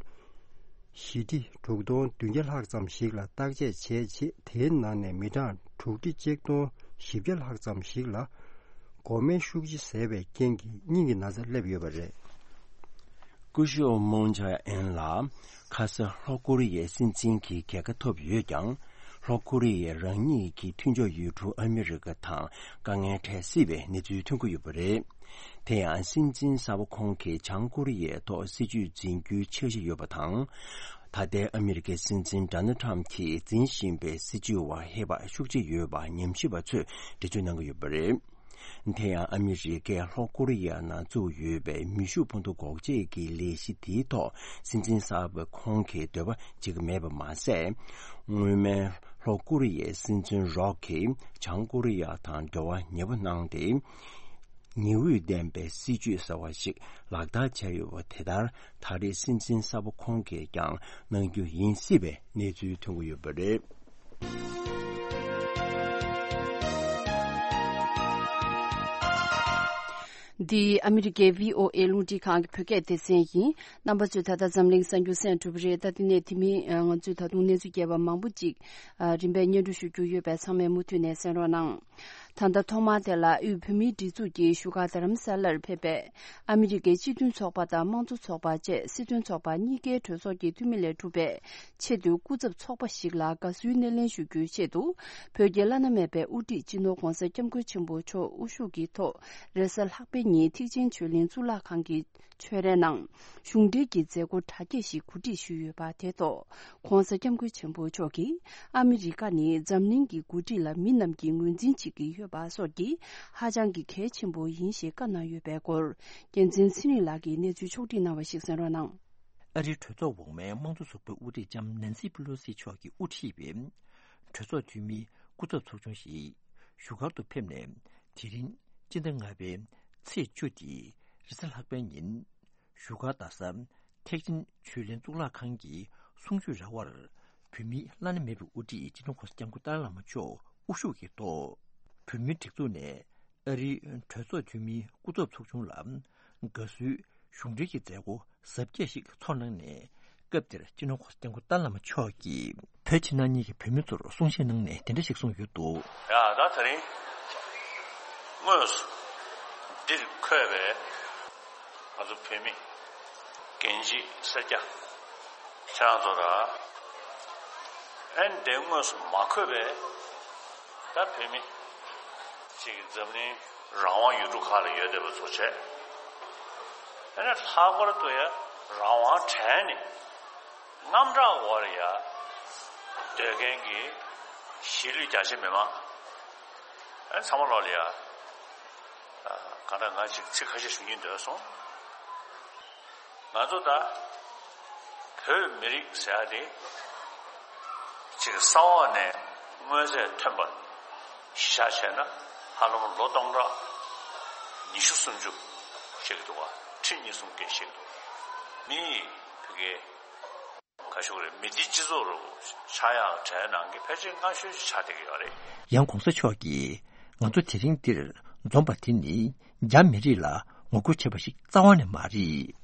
བཞི་ཁྲི་དྲུག་སྟོང་བདུན་བརྒྱ་ལྷག་ཙམ་ཞིག་ལ་བརྟག་དཔྱད་བྱས་རྗེས། དེའི་ནང་ནས་མི་གྲངས་དྲུག་ཁྲི་གཅིག་སྟོང་བཞི་བརྒྱ་ལྷག་ཙམ་ཞིག་ལ་འགོག་སྨན་ཤུགས་ཆེ་བཟས་པའི་རྐྱེན་གྱིས་སྙིང་གི་ན་ཚ་སླེབས་ཡོད་པ་རེད། སྐུ་ཞབས་མོང་ཇ་ཨེན་ལ་ཁ་ས་ལྷོ་ཀོ་རི་ཡའི་སྲིད་འཛིན་གྱི་རྒྱལ་ཁ་ཐོབ་ཡོད་ཀྱང་། ལྷོ་ཀོ་རི་ཡས་རང་ཉིད་ཀྱི་མཐུན་ཕྱོགས་ཡུལ་གྲུ་ཨ་མི་རི་ཀ་དང་དཀའ་ངལ་འཕྲད་སྲིད་པའི་གནས་ཚུལ་ཐོན་གྱི་ཡོད་པ་རེད། དེ་ཡང་སྲིད་འཛིན་གསར་པ་ཁོང་གིས་བྱང་ཀོ་རི་ཡའི་ཐོག་སྲིད་ཇུས་འཛིན་རྒྱུའི་འཆར་གཞི་ཡོད་པ་དང་། ད་ལྟའི་ཨ་མི་རི་ཀའི་སྲིད་འཛིན་ཌོ་ནལ་ཊམ་གྱིས་འཛིན་བཞིན་པའི་སྲིད་ཇུས་བར་ཧེ་བག་ཤུགས་ཆེ་ཡོད་པ་ཉམས་ཞིབ་པ་ཚོས་འགྲེལ་བརྗོད་གནང་གི་ཡོད་པ་རེད། དེ་ཡང་ཨ་མི་རི་ཀས་ལྷོ་ཀོ་རི་ཡ་ནང་བཙུགས་ཡོད་པའི་མེ་ཤུགས་འཕུར་མདའ་འགོག་བྱེད་ཀྱི་ལས་གཞི་དེའི་ཐོག་སྲིད་འཛིན་གསར་པ་ཁོང་གིས་འདོད་པ་བྱེད་ཀྱི་མེད་པ་མ་ཟད། སྔོན་མའི་ལྷོ་ཀོ་རི་ཡའི་སྲིད་འཛིན་རོག་གིས་བྱང་ཀོ་རི་ཡ་དང་འབྲེལ་བ་ཉེ་པོ་གནང་སྟེ། ཉི་འོད་ལྡན་པའི་སྲིད་ཇུས་ཟེར་བ་ཞིག་ལག་བསྟར་བྱས་ཡོད་པ་དེ་ལྟར་ད་རེས་སྲིད་འཛིན་གསར་པ་ཁོང་གིས་ཀྱང་གནང་རྒྱུ་ཡིན་སྲིད་པའི་གནས་ཚུལ་ཐོན་གྱི་ཡོད་པ་རེད། འདི་ཨ་མི་རི་ཀའི་བྷི་ཨོ་ཨེ་རླུང་འཕྲིན་ཁང་གི་བོད་སྐད་སྡེ་ཚན་ཡིན། རྣམ་པ་ཚོས་ད་ལྟ་འཛམ་གླིང་གསར་འགྱུར་གསན་གྲུབ་རེད། ད་དེ་ནས་དེ་མིན་ང་ཚོས་ད་དུང་གནས་ཚུལ་རྒྱས་པ་མང་པོ་ཅིག་རིམ་པས་སྙན་སྒྲོན་ཞུ་རྒྱུ་ཡོད་པས། ཚང་མས་མུ་མཐུད་ནས་གསན་རོགས་གནང་། ད་ལྟ་ཐོག་མར་དེ་ལ་དབུས་བོད་མིའི་སྒྲིག་འཛུགས་ཀྱི་བཞུགས་སྒར་རྡ་རམ་ས་ལར་ཕེབས་པའི་ཨ་མི་རི་ཀའི་སྤྱི་མཐུན་ཚོགས་པ་དང་དམངས་གཙོ་ཚོགས་པ་བཅས་སྲིད་དོན་ཚོགས་པ་གཉིས་ཀའི་གྲོས་ཚོགས་ཀྱི་འཐུས་མི་ལས་གྲུབ་པའི་ཆེས་མཐོའི་སྐུ་ཚབ་ཚོགས་པ་ཞིག་ལ་དགའ་བསུའི་སྣེ་ལེན་ཞུ་རྒྱུའི་ཆེད་དུ། བོད་ཀྱི་བླ་ན་མེད་པའི་དབུ་ཁྲིད་སྤྱི་ནོར་༧གོང་ས་༧སྐྱབས་མགོན་ཆེན་པོ་མཆོག་དབུ་བཞུགས་ཀྱི་ཐོག་རེས་གཟའ་ལྷག་པའི་ཉིན་ཐེག་ཆེན་ཆོས་གླིང་གཙུག་ལག་ཁང་གི་ཆོས་རའི་ནང་གཞུང་འབྲེལ་གྱི་མཛད་སྒོ་གྲ་རྒྱས་ཤིག་གོ་སྒྲིག་ཞུས་ཡོད་པ་དེ་ཐོག ༧གོང་ས་༧སྐྱབས་མགོན་ཆེན་པོ་མཆོག་གིས། ཨ་མི་རི་ཀ་ནི་འཛམ་གླིང་གི་འགོ་ཁྲིད་ལ་མི་རྣམས་ཀྱིས་ངོས་འཛིན་བྱེད་ཀྱི་ཡོད་པ་སོགས་ཀྱིས་ཧ་ཅང་གི་གལ་ཆེན་པོ་ཡིན་ཞེས་བཀའ་གནང་ཡོད་པའི་སྐོར། རྒྱལ་མཚན་ཚེ་རིང་ལགས་ཀྱིས་གནས་ཚུལ་ཕྱོགས་བསྒྲིགས་གནང་བ་ཞིག་གསན་རོགས་གནང་། ཨ་རིའི་གྲོས་ཚོགས་འོག་མའི་དམངས་གཙོ་ཚོགས་པའི་དབུ་ཁྲིད་ལྕམ་ནན་སི་པི་ལོ་སི་མཆོག་གིས་དབུ་ཁྲིད་པའི་གྲོས་ཚོགས་འཐུས་མིའི་སྐུ་ཚབ་ཚོགས་ཆུང་ཞིག་བཞུགས་སྒར་དུ་ཕེབས་ནས། དེ་རིང་སྤྱི་ཟླ་ལྔ་པའི་ཚེས་བཅུ་སྟེ་རེས་གཟའ་ལྷག་པའི་ཉིན། བཞུགས་སྒར་རྡ་ས་ཐེག་ཆེན་ཆོས་གླིང་གཙུག་ལག་ཁང་གི་གསུང་ཆོས་ར་བར། བོད་མིའི་བླ་ན་མེད་པའི་དབུ་ཁྲིད་སྤྱི་ནོར་༧གོང་ས་༧སྐྱབས་མགོན་ཏཱ་ལའི་བླ་མ་མཆོག་དབུ་བཞུགས་ཀྱི་ཐོག་བོད་མིའི་སྒྲིག་འཛུགས་ནས་ཨ་རིའི་གྲོས་ཚོགས་འཐུས་མིའི་སྐུ་ཚབ་ཚོགས་ཆུང་ལ་དགའ་བསུའི་གཞུང་འབྲེལ་གྱི་མཛད་སྒོ་གཟབ་རྒྱས་ཤིག་ཚོགས་གནང་ནས། སྐབས་དེར་སྤྱི་ནོར་༧གོང་ས་༧སྐྱབས་མགོན་ཏཱ་ལའི་བླ་མ་མཆོག་གིས་བོད་ཕྱི་ནང་གཉིས་ཀྱི་བོད་མི་ཚོར་གསུང་བཤད་གནང་ནས་དེ་འདྲ་ཞིག་གསུངས་ཡོད་འདུག། ཡ་ད་དེ་རིང་དངོས་སུ་འདིར་འཁོད་པའི་ང་ཚོ་བོད་མི་རྒན་བྱིས་སེར་སྐྱ་ཁྱེད་རང་ཚོ་ར་ཨན་དེ་དངོས་སུ་མ་འཁོད་པའི་ད་བོད་མི་ཅིག་འཛམ་གླིང་རང་དབང་ཡུལ་གྲུ་ཁག་ལ་ཡོད་བསྡད་པ་ཚོ་བྱས། ཨ་ནི་ལྷག་པར་དུ་ཡ་རང་དབང་བྲལ་ནས་དངངས་སྐྲག་འོག་ལ་ཡ་སྡོད་མཁན་གྱི་གཞིས་ལུས་རྒྱ་ཆེ་མི་མང་ཨ་ནི་ཚང་མ་ལོག་ལ་ཡ་གང་ལྟར་ང་ཅིག་ཚིག་ཁ་ཤས་ཞུ་སྙིང་འདོད་སོང་། ང་ཚོ་ད་བོད་མི་རིགས་ཟེར་ཡ་དེ་ཅིག་ས་འོག་ནས་མངོན་ཚད་ཐོན་པ་གཞི་བཞག་བྱས་ན་ཧ་ལམ་ལོ་སྟོང་ཕྲག་ཉི་ཤུ་སུམ་ཅུ་ཞིག་འདུག་བ། ཁྲི་གཉིས་གསུམ་བརྒལ་ཞིག་འདུག། མི་ཡིས་བོད་སྐད་ག་ཞུ་རེད། མི་སྡེ་སྤྱི་ཚོགས་རུ་ཆགས་ཡག་གྲས་ནང་གི་ཕལ་ཆེར་སྔ་ཤོས་ཤིག་ཆགས་བསྡད་ཀྱི་ཡོད་རེད། ཡང་གོང་ས་མཆོག་གིས་ང་ཚོ་དེ་རིང་འདིར་འཛོམས་པ་དེ་ནི་རྒྱ་མི་རིགས་ལ་ངོ་རྒོལ་བྱས་པ་ཞིག་རྩ་བ་ནས་མ་རེད།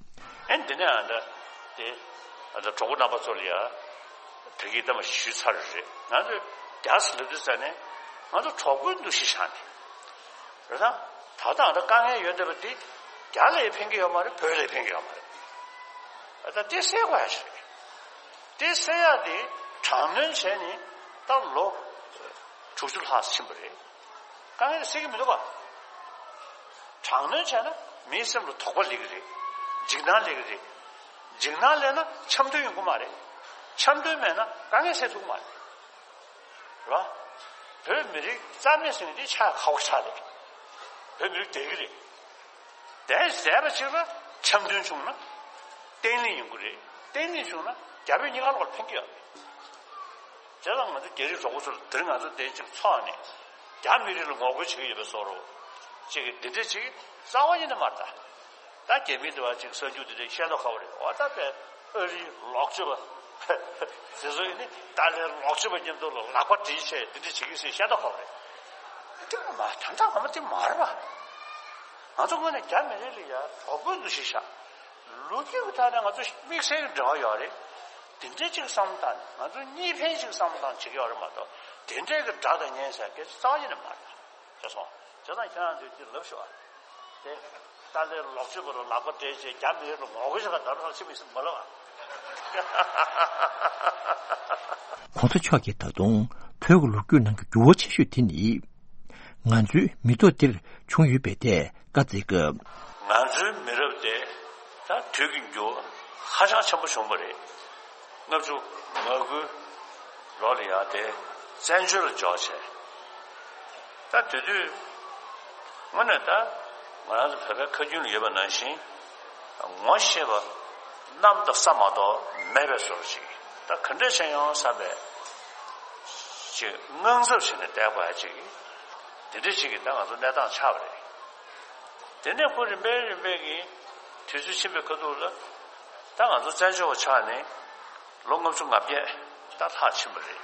ཨེ་འདི་ནས་ཨ་ད་དེ་ཨ་ད་གྲོགས་པོ་རྣམ་པ་ཚོ་ལ་ཡ་བོད་སྐད་ཐ་མ་ཞུས་ཚར་རེད། ང་ཚོས་རྒྱ་སེ་ལབ་དུས་ཙ་ནས་ང་ཚོ་གྲོགས་པོའི་འདུ་ཤེས་བཞག་ནས་རེད་ད། ད་ལྟ་ཨ་ད་དཀའ་ངལ་ཡོད་བསྡད་པ་འདི་རྒྱ་ལ་ཡ་ཕན་གྱི་ཡོད་མ་རེད། བོད་ལ་ཡ་ཕན་གྱི་ཡོད་མ་རེད། ཨ་ད་དེ་སེལ་དགོས་ཡ་ཞིག་རེད། དེ་སེལ་ཡ་དེ་དྲག་གནོན་བྱས་ནས་ད་ལོ་དྲུག་ཅུ་ལྷག་ཕྱིན་པ་རེད། དཀའ་ངལ་སེལ་གྱི་མི་འདུག་ག། དྲག་གནོན་བྱས་ན་མིའི་སེམས་ལ་དོགས་པ་སླེབས་ཀྱི་རེད། འཇིགས་སྣང་སླེབས་ཀྱི་རེད། འཇིགས་སྣང་སླེབས་ན་འཆམ་མཐུན་ཡོང་གི་མ་རེད། འཆམ་མཐུན་མེད་ན་དཀའ་ངལ་སེལ་ཐུབ་ཀྱི་མ་རེད། རེད་བ། བོད་མི་རིགས་རྩ་མེད་ཟེར་མཁན་དེ་ཆགས་ཁག་པོ་ཆགས་རེད། བོད་མི་རིགས་བསྡད་ཀྱི་རེད། དེ་བཟས་པ་ཅིག་ལ་འཆམ་མཐུན་བྱུང་ན་བརྟན་ལྷིང་ཡོང་གི་རེད། བརྟན་ལྷིང་བྱུང་ན་རྒྱ་བོད་གཉིས་ཀ་ལོག་ལ་ཕན་གྱི་ཡོད་རེད། དེ་ལ་ང་ཚོ་རྒྱ་རིགས་གྲོགས་པོ་ཚོ་ལ་དེ་རིང་ང་ཚོ་དེ་གཅིག་ཚོགས་ནས་རྒྱ་མི་རིགས་ལ་ངོ་རྒོལ་བྱེད་ཀྱི་ཡོད་པའི་བཟོ་འདྲ་ཅིག་གི་འདི་འདྲ་ཅིག་རྩ་བ་ཉིད་ནས་མ་རེད་ད། ད་རྒྱ་མི་འདི་བ་ཅིག་གསར་འགྱུར་འདི་འདྲ་བཤད་མདོག་ཁ་པོ་རེད། འོ་ད་པའི་ཨ་རིའི་ལོག་སྤྱོད་པ་དེ་ཚོ་ཡིན་ནི་ཏཱ་ལའི་ལོག་སྤྱོད་པ་མཉམ་དུ་ལ་ལག་པ་སྦྲེལ་བྱས་འདི་འདྲ་བྱེད་ཀྱི་ཟེར་བཤད་མདོག་ཁ་པོ་རེད། དེ་མ་ད་ལྟ་ངོ་མ་དེ་མ་རེད་པ། ང་ཚོ་ངོས་ནས་རྒྱ་མི་རིགས་ལ་ཡ་གྲོགས་པོའི་འདུ་ཤེས་བཞག་ལོ་རྒྱུས་ཀྱི་ཐད་ནས་ང་ཚོ་དམིགས་བསལ་གྱི་འབྲེལ་བ་ཡོད་རེད། དེ་འདྲའི་ཅིག་བསམ་བློ་བཏང་ནས་ང་ཚོ་གཉིས་ཕན་ཅིག་བསམ་བློ་བཏང་བྱེད་ཀྱི་ཡོད་རེད་མ་གཏོགས་དེ་འདྲའི་གི་དགྲ་དང་གཉེན་ཟེར་སྐད་ཆ་རྩ་བ་ཉིད་ནས་མ་རེད། ཤེས་སོང་། བྱས་ཙང་ཁྱེད་རང་ཚོས་དེ་ལབ་ཤོག་ཨ། དེ་ཏཱ་ལའི་ལོག་སྤྱོད་པ་ལ་ལག་པ་སྦྲེལ་བྱས་རྒྱ་མི་རིགས་ལ་ངོ་རྒོལ་བྱེད་ག་ད་རང་ཕྱི་མི་སེམས་མ་ལབ་ཨ། གོང་ས་མཆོག་གིས་ད་དུང་བོད་ཀྱི་ལོ་རྒྱུས་ནང་གི་འགྱུར་བ་ཆེ་ཤོས་དེ་ནི། ང་ཚོའི་མི་ཐོག་འདིར་བྱུང་ཡོད་པའི་ཐད་བཀའ་སྩལ་སྐབས། ང་ཚོའི་མི་རབས་དེ་ད་དུས་ཀྱི་འགྱུར་བ་ཧ་ཅང་ཆེན་པོ་བྱུང་བ་རེད། ལྔ་བཅུ་ང་དགུའི་ལོ་ལ་ཡང་དེ་བཙན་བྱོལ་ལ་འབྱོར་བྱས། ད་དེ་དུས་དངོས་གནས་ད་ང་རང་ཚོ་བོད་པའི་ཁ་རྒྱུན་ལ་ཡོད་པ་ནང་བཞིན་ངོ་ཤེས་པ་གནམ་དང་ས་མ་གཏོགས་མེད་པའི་བཟོ་འདྲ་ཅིག་ད་ག་འདྲས་བྱས་ཡོང་བསམ་པའི་ཅིག་དངངས་འཚབ་བྱས་ནས་བསྡད་དགོས་ཡ་ཅིག་དེ་འདྲས་ཅིག་གི་ད་ང་ཚོ་གནས་སྟངས་ཆགས་པ་རེད། དེ་ནས་ཁོ་རིམ་པས་རིམ་པས་ཀྱིས་དུས་ཚོད་ཕྱིན་པའི་ཁ་ཐུག་ལ་ད་ང་ཚོ་བཙན་བྱོལ་བ་ཆགས་ནས་ལོ་ལྔ་བཅུ་ང་བརྒྱད་ད་ལྷག་ཕྱིན་པ་རེད།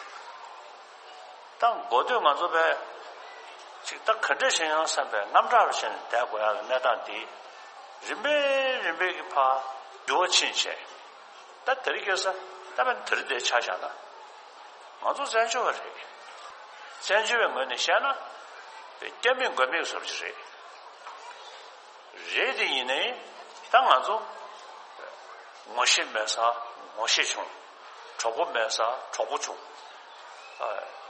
ད་འགོ་སྟོད་ང་ཚོ་བས་ཅིག་ད་ག་འདྲས་བྱས་ཡང་བསམ་པའི་དངངས་སྐྲག་རུ་བྱས་ནས་བསྡད་དགོས་ཡག་གི་གནས་སྟངས་འདི་རིམ་པས་རིམ་པས་ཀྱི་ཕར་འགྱུར་བ་ཕྱིན་བྱས། ད་དེ་རིང་ཁ་སང་ད་དཔེར་ན་དེ་རིང་འདིར་ཆ་བཞག་ན། ང་ཚོ་བཙན་བྱོལ་བ་རེད། བཙན་བྱོལ་བའི་ངོས་ནས་བཤད་ན། དཔེ་སྐྱབས་མེད་མགོན་མེད་བཟོ་འདྲ་ཅིག་རེད། རེད་དེ་ཡིན་ནའི་ད་ང་ཚོ་ངོ་ཤེས་མེད་སར་ངོ་ཤེས་བྱུང་། གྲོགས་པོ་མེད་སར་གྲོགས་པོ་བྱུང་།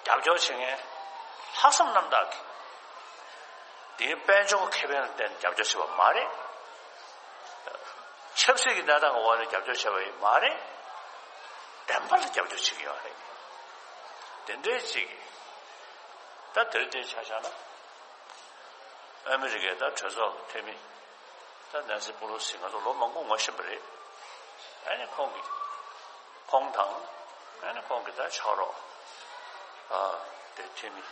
ཨ། རྒྱབ་སྐྱོར་བྱེད་མཁན་ལྷག་བསམ་རྣམ་དག་གིས། དེའི་དཔལ་འབྱོར་ཁེ་ཕན་ལ་བརྟེན་ནས་རྒྱབ་སྐྱོར་བྱས་པ་མ་རེད། ཆབ་སྲིད་ཀྱི་གནས་སྟངས་ཀྱི་འོག་ནས་རྒྱབ་སྐྱོར་བྱས་པ་ཡིན་མ་རེད། བདེན་པ་ལ་རྒྱབ་སྐྱོར་བྱེད་ཀྱི་ཡོད་རེད། དེ་འདྲའི་ཅིག་གིས་ད་དེ་རིང་འདིར་ཆ་བཞག་ན། ཨ་མི་རི་ཀའི་ད་གྲོས་ཚོགས་ཀྱི་འཐུས་མི་ད་ནན་སི་པོ་ལོ་སི་ང་ཚོ་ལོ་མང་པོ་ངོ་ཤེས་པ་རེད། ཨ་ནི་ཁོང་གིས་ཁོང་དང་ཨ་ནི་ཁོང་གི་ད་ཕྱག་རོགས་ཨ་དེ་འཐུས་མི་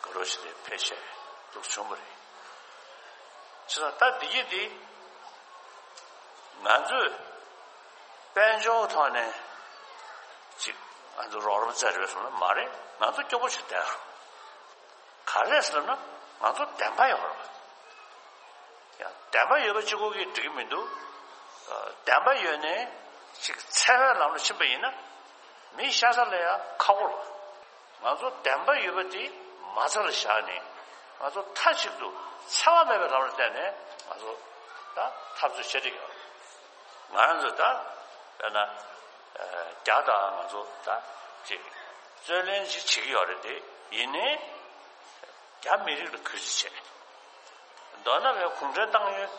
དགའ་རབ་ཞིག་དེ་ཕེབས་བྱས་འདུག་བྱུང་བ་རེད། བྱས་ཙང་ད་འདི་ཡིན་འདི་ང་ཚོས་དཔལ་འབྱོར་ཐོག་ནས་ཅིག་ང་ཚོ་རོགས་རམ་བཙལ་རེད་སོང་ན་མ་རེད། ང་ཚོ་སྐྱོ་པོ་ཞིག་བསྡད་རོགས། ག་རེ་ཟེར་ན་ང་ཚོ་བདེན་པ་ཡོད་རེད། ཡང་བདེན་པ་ཡོད་པ་གཅིག་པོ་གིས་འགྲིག་གི་མི་འདུག་བདེན་པ་ཡོད་ནའི་ཅིག་འཚེ་བའི་ལམ་ལ་ཕྱིན་པ་ཡིན་ན་མི་ཤ་ཚ་ལ་ཡང་ཁག་པོ་རེད། ང་ཚོ་བདེན་པ་ཡོད་པ་དེ་མ་རྩ་ལ་བཞག་ནས་ང་ཚོ་མཐའ་གཅིག་ཏུ་འཚེ་བ་མེད་པའི་ལམ་ལ་བསྟན་ནས་ང་ཚོ་ད་འཐབ་རྩོད་བྱེད་ཀྱི་ཡོད་རེད། ང་རང་ཚོ་ད་དཔེར་ན་རྒྱ་དང་ང་ཚོ་ད་ཅིག་རྩོད་ལེན་ཅིག་བྱེད་ཀྱི་ཡོད་རེད་དེ་ཡིན་ནའི། རྒྱ་མི་རིགས་ལ་གུས་བརྩི་བྱས། མདོར་ན་བའི་གུང་ཁྲན་ཏང་ཡོན་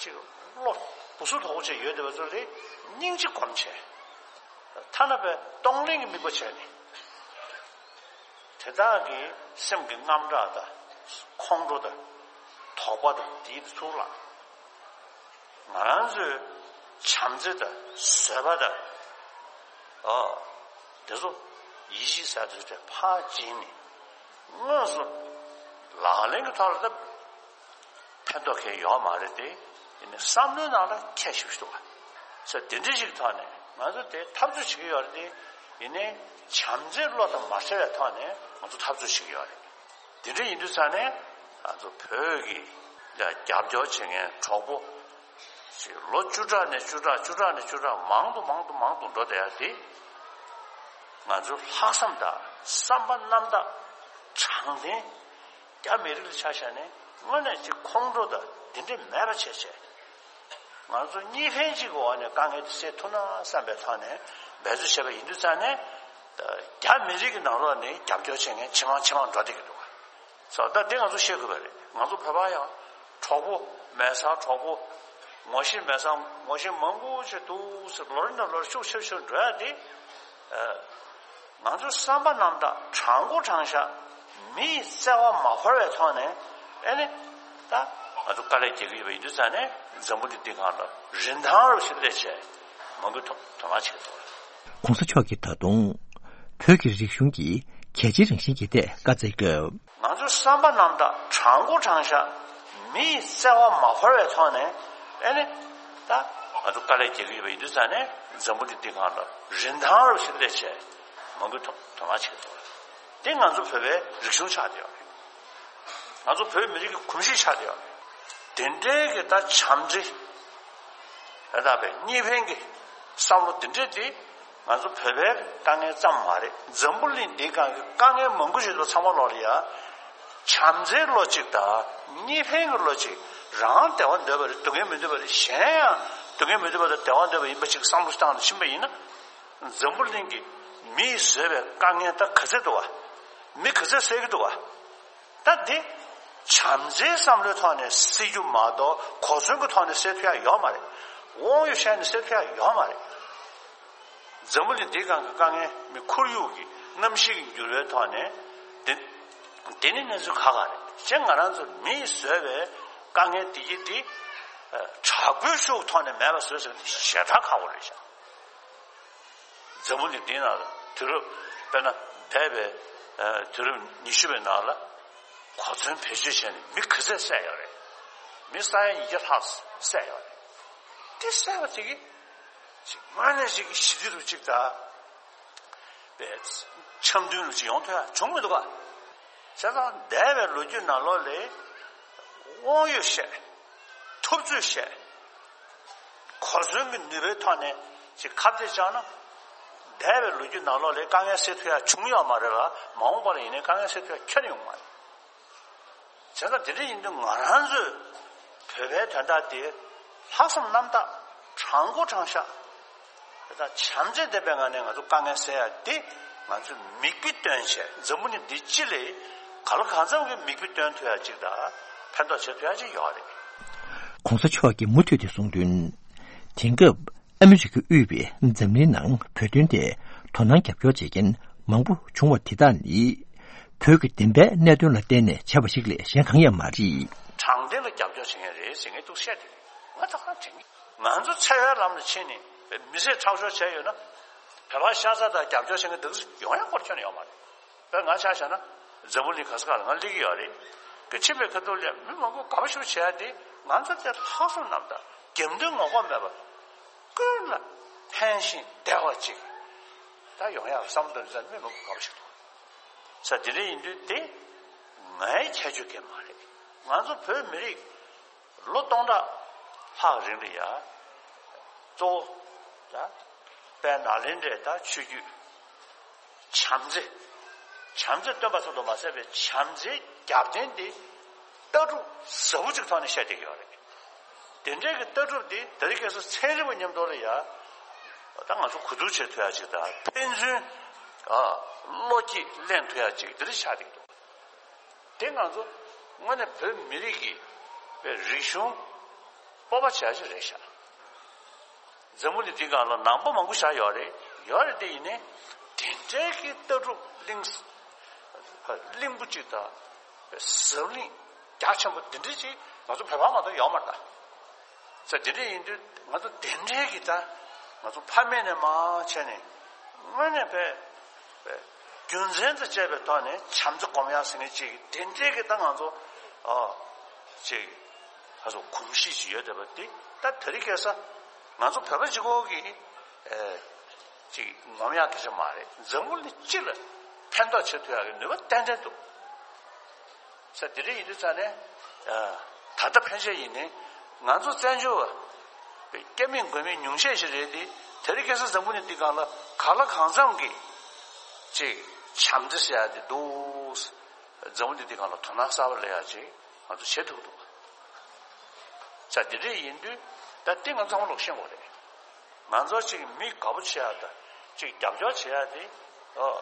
ཅིག་བློ་སྦུ་སུ་དོག་པོ་བྱས་ཡོད་བསྡད་པ་ཚོ་ལ་སྙིང་རྗེ་སྒོམ་བྱས། ཐ་ན་བའི་གཏོང་ལེན་གྱི་དམིགས་པ་བྱས་ནས། དེ་དག་གི་སེམས་ཀྱི་དངངས་སྐྲག་དང་ཁོང་ཁྲོ་དང་དོགས་པ་དང་དེའི་ཚུར་ལ། ང་རང་ཚོའི་བྱམས་བརྩེ་དང་བཟོད་པ་དང་། ཨ། དེ་ཚོ་ཡིད་ཆེས་ཟེར་དུས་དེ་ཕར་བྱིན་ནས་དངོས་སུ་ལག་ལེན་གྱི་ཐོག་ལ་ད་ཕན་ཐོགས་གང་ཡོད་མ་རེད་དེ། ཡིན་ནའི་བསམ་བློའི་ནང་ལ་ཁྱད་ཞིབ་ཞིག་འདུག་བ། ས་དེ་འདྲ་ཞིག་ཐོག་ནས་ང་ཚོ་དེ་འཐབ་རྩོད་བྱེད་ཀྱི་ཡོད་རེད་དེ། ཡིན་ནའི་བྱམས་བརྩེའི་བློ་དང་མ་བྲལ་བའི་ཐོག་ནས་ང་ཚོ་འཐབ་རྩོད་བྱེད་ཀྱི་ཡོད་རེད། དེ་འདྲ་ཡིན་དུས་ཙང་ནས་ང་ཚོ་བོད་ཀྱི་ཡ་རྒྱབ་སྐྱོར་བྱེད་མཁན་གྲོགས་པོ་ཞིག་ལོ་བཅུ་ཕྲག་ནས་བཅུ་ཕྲག་བཅུ་ཕྲག་ནས་བཅུ་ཕྲག་མང་དུ་མང་དུ་མང་དུ་འགྲོ་བསྡད་ཡ་དེ་ང་ཚོའི་ལྷག་བསམ་དང་བསམ་པ་རྣམ་དག་དྲང་བདེན་རྒྱ་མི་རིགས་ལ་ཆ་བཞག་ནས་དངོས་གནས་ཀྱི་ཁོང་ཁྲོ་དང་དེ་འདྲ་མེད་པ་བྱས་བྱས། ང་ཚོ་གཉིས་ཕན་གཅིག་གི་འོག་ནས་དཀའ་ངལ་དེ་སེལ་ཐུབ་ན་བསམ་པའི་ཐོག་ནས་འབད་རྩོལ་བྱས་པ་ཡིན་དུས་ཙང་ནས། རྒྱ་མི་རིགས་ཀྱི་ནང་ལོགས་ནས་རྒྱབ་སྐྱོར་བྱེད་མཁན་ཇེ་མང་ཇེ་མང་འགྲོ་བསྡད་ཀྱི་འདུག་བ། ས་ད་དེ་ང་ཚོ་ཤེས་དགོས་པ་རེད། ང་ཚོ་བོད་པ་ཡང་གྲོགས་པོ་མེད་སར་གྲོགས་པོ། ངོ་ཤེས་མེད་སར་ངོ་ཤེས་མང་པོ་ཞིག་འདུག་ཟེར་ལོ་རེ་ནས་ལོ་རེ་ཤུགས་ཆེ་ཆེར་འགྲོ་ཡ་དེ། ང་ཚོའི་བསམ་པ་རྣམ་དག་དྲང་པོ་དྲང་བཞག་མི་ཡི་བརྩེ་བ་མ་བོར་བའི་ཐོག་ནས་ཨེ་ནི་ད་ ང་ཚོ་དཀའ་ལས་རྒྱག་གི་ཡོད་པ་ཡིན་དུས་ཙང་ནས་འཛམ་བུ་གླིང་འདི་སྒང་ལ་རིན་ཐང་རུ་ཞིག་སླེབས་བྱས་མང་པོས་དོ་དོ་སྣང་བྱེད་ཀྱི་འདུག། གོང་ས་མཆོག་གིས་ད་དུང་བོད་ཀྱི་རིག་གཞུང་གི་གལ་ཆེའི་རང་བཞིན་གྱི་ཐད་བཀའ་སྩལ་སྐབས། ང་ཚོའི་བསམ་པ་རྣམ་དག་དྲང་པོ་དྲང་བཞག་མི་ཡི་བརྩེ་བ་མ་འཕོར་བའི་ཐོག་ནས། ཨེ་ནི། ད་ང་ཚོ་དཀའ་ལས་རྒྱག་གི་ཡོད་པ་ཡིན་དུས་ཙང་ནས་འཛམ་བུ་གླིང་འདི་སྒང་ལ་རིན་ཐང་རུ་ཞིག་སླེབས་བྱས་མང་པོས་དོ་དོ་སྣང་བྱེད་ཀྱི་འདུག། འདི་ང་ཚོ་བོད་པའི་རིག་གཞུང་ཆགས་བསྡད་ཡོད་རེད། ང་ཚོ་བོད་མི་རིགས་ཀྱི་གོམས་གཤིས་ཆགས་བསྡད་ཡོད་རེད། དེ་འདྲའི་གི་ད་བྱམས་བརྩེ། ད་ལྟ་བའི་གཉིས་ཕན་གྱི་བསམ་བློ་དེ་འདྲས་དེ་ང་ཚོ་བོད་པའི་དཀའ་ངལ་ཙམ་མ་རེད། འཛམ་བུ་གླིང་འདིའི་སྒང་གི་དཀའ་ངལ་མང་པོ་ཞིག་ལ་ཚང་མ་ལོག་ལ་ཡ། བྱམས་བརྩེའི་བློ་གཅིག་དང་གཉིས་ཕན་གྱི་བློ་གཅིག་རང་བདེ་བ་འདོད་པ་རེད། སྡུག་བསྔལ་མི་འདོད་པ་རེད། གཞན་ཡང་སྡུག་བསྔལ་མི་འདོད་པ་དང་བདེ་བ་འདོད་པ་ཡིན་པ་གཅིག་བསམ་བློ་བཏང་ནས་ཕྱིན་པ་ཡིན་ན། འཛམ་བུ་གླིང་གི་མི་ཡིས་བཟོས་པའི་དཀའ་ངལ་ད་ག་ཚད་འདུག་བ། མི་ག་ཚད་བསལ་གྱི་འདུག་བ། ད་འདི་བྱམས་བརྩེའི་བསམ་བློའི་ཐོག་ནས་སེལ་རྒྱུ་མ་གཏོགས་གོ་མཚོན་གྱི་ཐོག་ནས་སེལ་ཐུབ་ཡ་ཡོད་མ་རེད། དབང་ཡོད་བཤད་ནས་སེལ་ཐུབ་ཡ་ཡོད་མ་རེད། འཛམ་བུ་གླིང་འདིའི་སྒང་གི་དཀའ་ངལ་མི་ཁོར་ཡུག་གི་གནམ་གཤིས་ཀྱི་འགྱུར་བའི་ཐོག་ནས་དེ་དེ་ནི་གནས་ཚུལ་ཁག་ཁག་རེད། གཞན་ང་རང་ཚོ་མིས་བཟོས་པའི་དཀའ་ངལ་འདི་ཡི་འདི་དྲག་པོའི་ཤུགས་ཐོག་ནས་མེད་པ་བཟོས་ཟེར་ན་ཞེ་དྲག་ཁག་པོ་རེད་ཤག། འཛམ་བུ་གླིང་འདིའི་ནང་ལ་དུས་རབས་དཔེར་ན་འདས་པའི་ཨ་དུས་རབས་ཉི་ཤུ་པའི་ནང་ལ་གོ་མཚོན་བེད་སྤྱོད་བྱས་ནས་མི་ག་ཚད་བསད་ཡོད་རེད། མི་ས་ཡ་ཉིས་བརྒྱ་ལྷག་བསད་ཡོད་རེད། དེ་བསད་པ་དེ་གི་ཅིག་དངོས་གནས་ཅིག་གི་ཞི་བདེ་རུ་ཅིག་དང་འཆམ་མཐུན་རུ་ཅིག་ཡོང་ཐུབ་ཡ་བྱུང་མི་འདུག་ག། བྱས་ཙང་འདས་པའི་ལོ་རྒྱུས་ནང་ལོགས་ལ་དབང་ཡོད་བཤད། ཐུབ་ཚོད་བཤད། གོ་མཚོན་གྱི་ནུས་པའི་ཐོག་ནས་ཅིག་ཁ་གཏད་བཅག་ན། འདས་པའི་ལོ་རྒྱུས་ནང་ལོགས་ལ་དཀའ་ངལ་སེལ་ཐུབ་ཡ་བྱུང་ཡོད་མ་རེད་ལ། མ་འོངས་པ་ལ་ཡིན་ནའི་དཀའ་ངལ་སེལ་ཐུབ་ཡ་ཁྱོན་ནས་ཡོང་མ་རེད། བྱས་ཙང་དེ་འདྲ་ཡིན་དུས་ང་རང་ཚོས་བོད་པའི་དོན་དག་དེ་ལྷག་བསམ་རྣམ་དག་དྲང་པོ་དྲང་བཞག། དེ་དག་བྱམས་བརྩེ་ལྡན་པའི་ངང་ནས་ང་ཚོ་དཀའ་ངལ་སེལ་ཡ་དེ་ང་ཚོས་མིག་དཔེ་སྟོན་བྱས། འཛམ་བུ་གླིང་འདི་སྤྱི་ལ་གང་ལ་གང་འཚམ་གྱི་མིག་དཔེ་སྟོན་ཐུབ་ཡ་ཅིག་དང་ཕན་ཐོགས་བྱེད་ཐུབ་ཡ་ཅིག་ཡོད་རེད། གོང་ས་མཆོག་གིས་མུ་མཐུད་དེ་གསུངས་དོན། དེང་སྐབས་ཨ་མི་རི་ཀ་དབུས་པས་འཛམ་གླིང་ནང་བོད་དོན་ཐད་དོ་སྣང་རྒྱབ་སྐྱོར་བྱེད་མཁན་མང་པོ་བྱུང་བ་དེ་དག་ནི། བོད་ཀྱི་བདེན་པའི་གནད་དོན་ལ་བརྟེན་ནས་བྱས་པ་ཞིག་ལས་གཞན་གང་ཡང་མ་རེད། དྲང་བདེན་ལ་རྒྱབ་སྐྱོར་བྱེད་མཁན་རེད་ཟེར་མཁན་འདུག་བཤད་དེ། ང་ད་ག་དྲན་གི། ང་ཚོ་འཚེ་བའི་ལམ་ལ་ཕྱིན་ནས་མི་ཚེ་ཁྲག་སྦྱོར་བྱས་ཡོད་ན། བོད་པ་ཤ་ཚ་དང་རྒྱབ་སྐྱོར་བྱེད་མཁན་འདུག་ཡོང་ཡ་སྐོར་ཁྱོན་ནས་ཡོད་མ་རེད། དཔེར་ང་ཆ་བཞག་ན་འཛམ་བུ་གླིང་ག་ས་ག་ལ་ང་སླེབས་ཀྱི་ཡོད་རེད། ཀྱི་ཕྱིན་པའི་ཁ་ཐུག་ལ་མི་མང་པོ་དགའ་པོ་ཞིག་བྱས་ཏེ། ང་ཚོ་དེ་ལྷག་བསམ་རྣམ་དག་རྒྱབ་མདུན་ངོ་ལྐོག་མེད་པ། ཀུན་ལ་ཕན་ཞིང་བདེ་བ་ཅིག་ད་ཡོང་ཡག་བསམ་དོན་ཙམ་མི་མང་པོ་དགའ་པོ་ཞིག་འདུག་ས། དེ་འདྲ་ཡིན་དུས་དེ་ངའི་ཁྱད་ཆོས་གང་མ་རེད། ང་ཚོ་བོད་མི་རིགས་ལོ་སྟོང་ཕྲག་ལྷག་རིང་ལ་ཡ། གཙོ་བོ་ད་དཔལ་ནཱ་ལེནྡྲའི་ད་ཆོས་བརྒྱུད། བྱམས་བརྩེ། བྱམས་བརྩེ་སྟོན་པ་ཙམ་དུ་མ་ཟད་པའི་བྱམས་བརྩེའི་རྒྱབ་རྟེན་དེ་ལྟ་གྲུབ་ཟབ་པོ་ཅིག་ཐོག་ནས་བཤད་བསྡད་ཀྱི་ཡོད་རེད། དེ་འདྲའི་གི་ལྟ་གྲུབ་དེ་དེ་རིང་ཁ་སང་ཚན་རིག་པ་མཉམ་དུ་ལ་ཡ། ད་ང་ཚོ་གོ་བསྡུར་བྱེད་ཐུབ་ཡ་ཅིག་དང་ཕན་ཚུན་ཨ་བློ་སྐྱེད་ལེན་ཐུབ་ཡ་ཅིག་དེ་འདྲ་ཆགས་བསྡད་ཀྱི་འདུག། དེ་ང་ཚོ་དངོས་གནས་བོད་མི་རིགས་ཀྱི་པའི་རིག་གཞུང་སྤོབས་པ་བྱ་ཞིག་རེད་ཤག། འཛམ་བུ་གླིང་འདི་སྒང་ལ་ནང་པ་མང་པོ་ཞིག་ཡོད་རེད། ཡོད་རེད། དེ་ཡིན་ནའི་དེ་འདྲའི་གི་ལྟ་གྲུབ་གླིང་གླིང་བུ་གཅིག་དང་ཟབ་བརླིང་རྒྱ་ཆེན་པོ་དེ་འདྲ་ཅིག་ང་ཚོ་བོད་པ་མ་གཏོགས་ཡོད་མ་རེད་ད། ས་དེ་འདྲ་ཡིན་དུས་ང་ཚོ་དེ་འདྲའི་གི་ད་ང་ཚོ་ཕ་མེས་ནས་མར་བྱས་ནས་དངོས་གནས་པའི་པའི་རྒྱུ་མཚན་དང་བཅས་པའི་ཐོག་ནས་བྱམས་བརྩེ་སྒོམ་ཡག་ཟེར་མཁན་ཅིག་དེ་འདྲའི་གི་ད་ང་ཚོ་ཨ་ཅིག་ཁ་སོ་གོམས་གཤིས་ཅིག་ཡོད་བསྡད་པ་དེ་ད་དེ་རིང་ཁ་སང་ང་ཚོ་བོད་པ་གཅིག་པོ་གི་ཨེ་ཅིག་ངོམ་ཡག་གི་ཅིག་མ་རེད། འཛམ་བུ་གླིང་སྤྱི་ལ་ཕན་ཐོགས་བྱེད་ཐུབ་ཡག་གི་ནུས་པ་ཏན་ཏན་འདུག། ས་དེ་འདྲ་ཡིན་དུས་ཙང་ནས། ད་ལྟ་ཕན་ཆད་ཡིན་ནའི་ང་ཚོ་བཙན་བྱོལ་བ་སྐྱ་མིན་མགོ་མིན་ཉུང་ཤས་ཤིག་རེད་དེ། དེ་རིང་ཁ་སང་འཛམ་བུ་གླིང་འདི་སྒང་ལ་གང་ལ་གང་འཚམ་གྱི་ཅིག་བྱམས་བརྩེ་ཟེར་ཡ་དེ་འདུག། འཛམ་བུ་གླིང་འདི་སྒང་ལ་དོ་སྣང་གསར་པ་སླེབས་ཡ་ཅིག་ང་ཚོ་བྱེད་ཐུབ་འདུག། ས་དེ་འདྲ་ཡིན་དུས་ད་འདི་ང་ཚང་མ་ལོག་ཤེས་དགོས་རེད། ང་ཚོ་གཅིག་མི་དགའ་པོ་བྱེད་ཡ་དང་གཅིག་རྒྱབ་སྐྱོར་བྱེད་ཡ་དེ། ཨོ།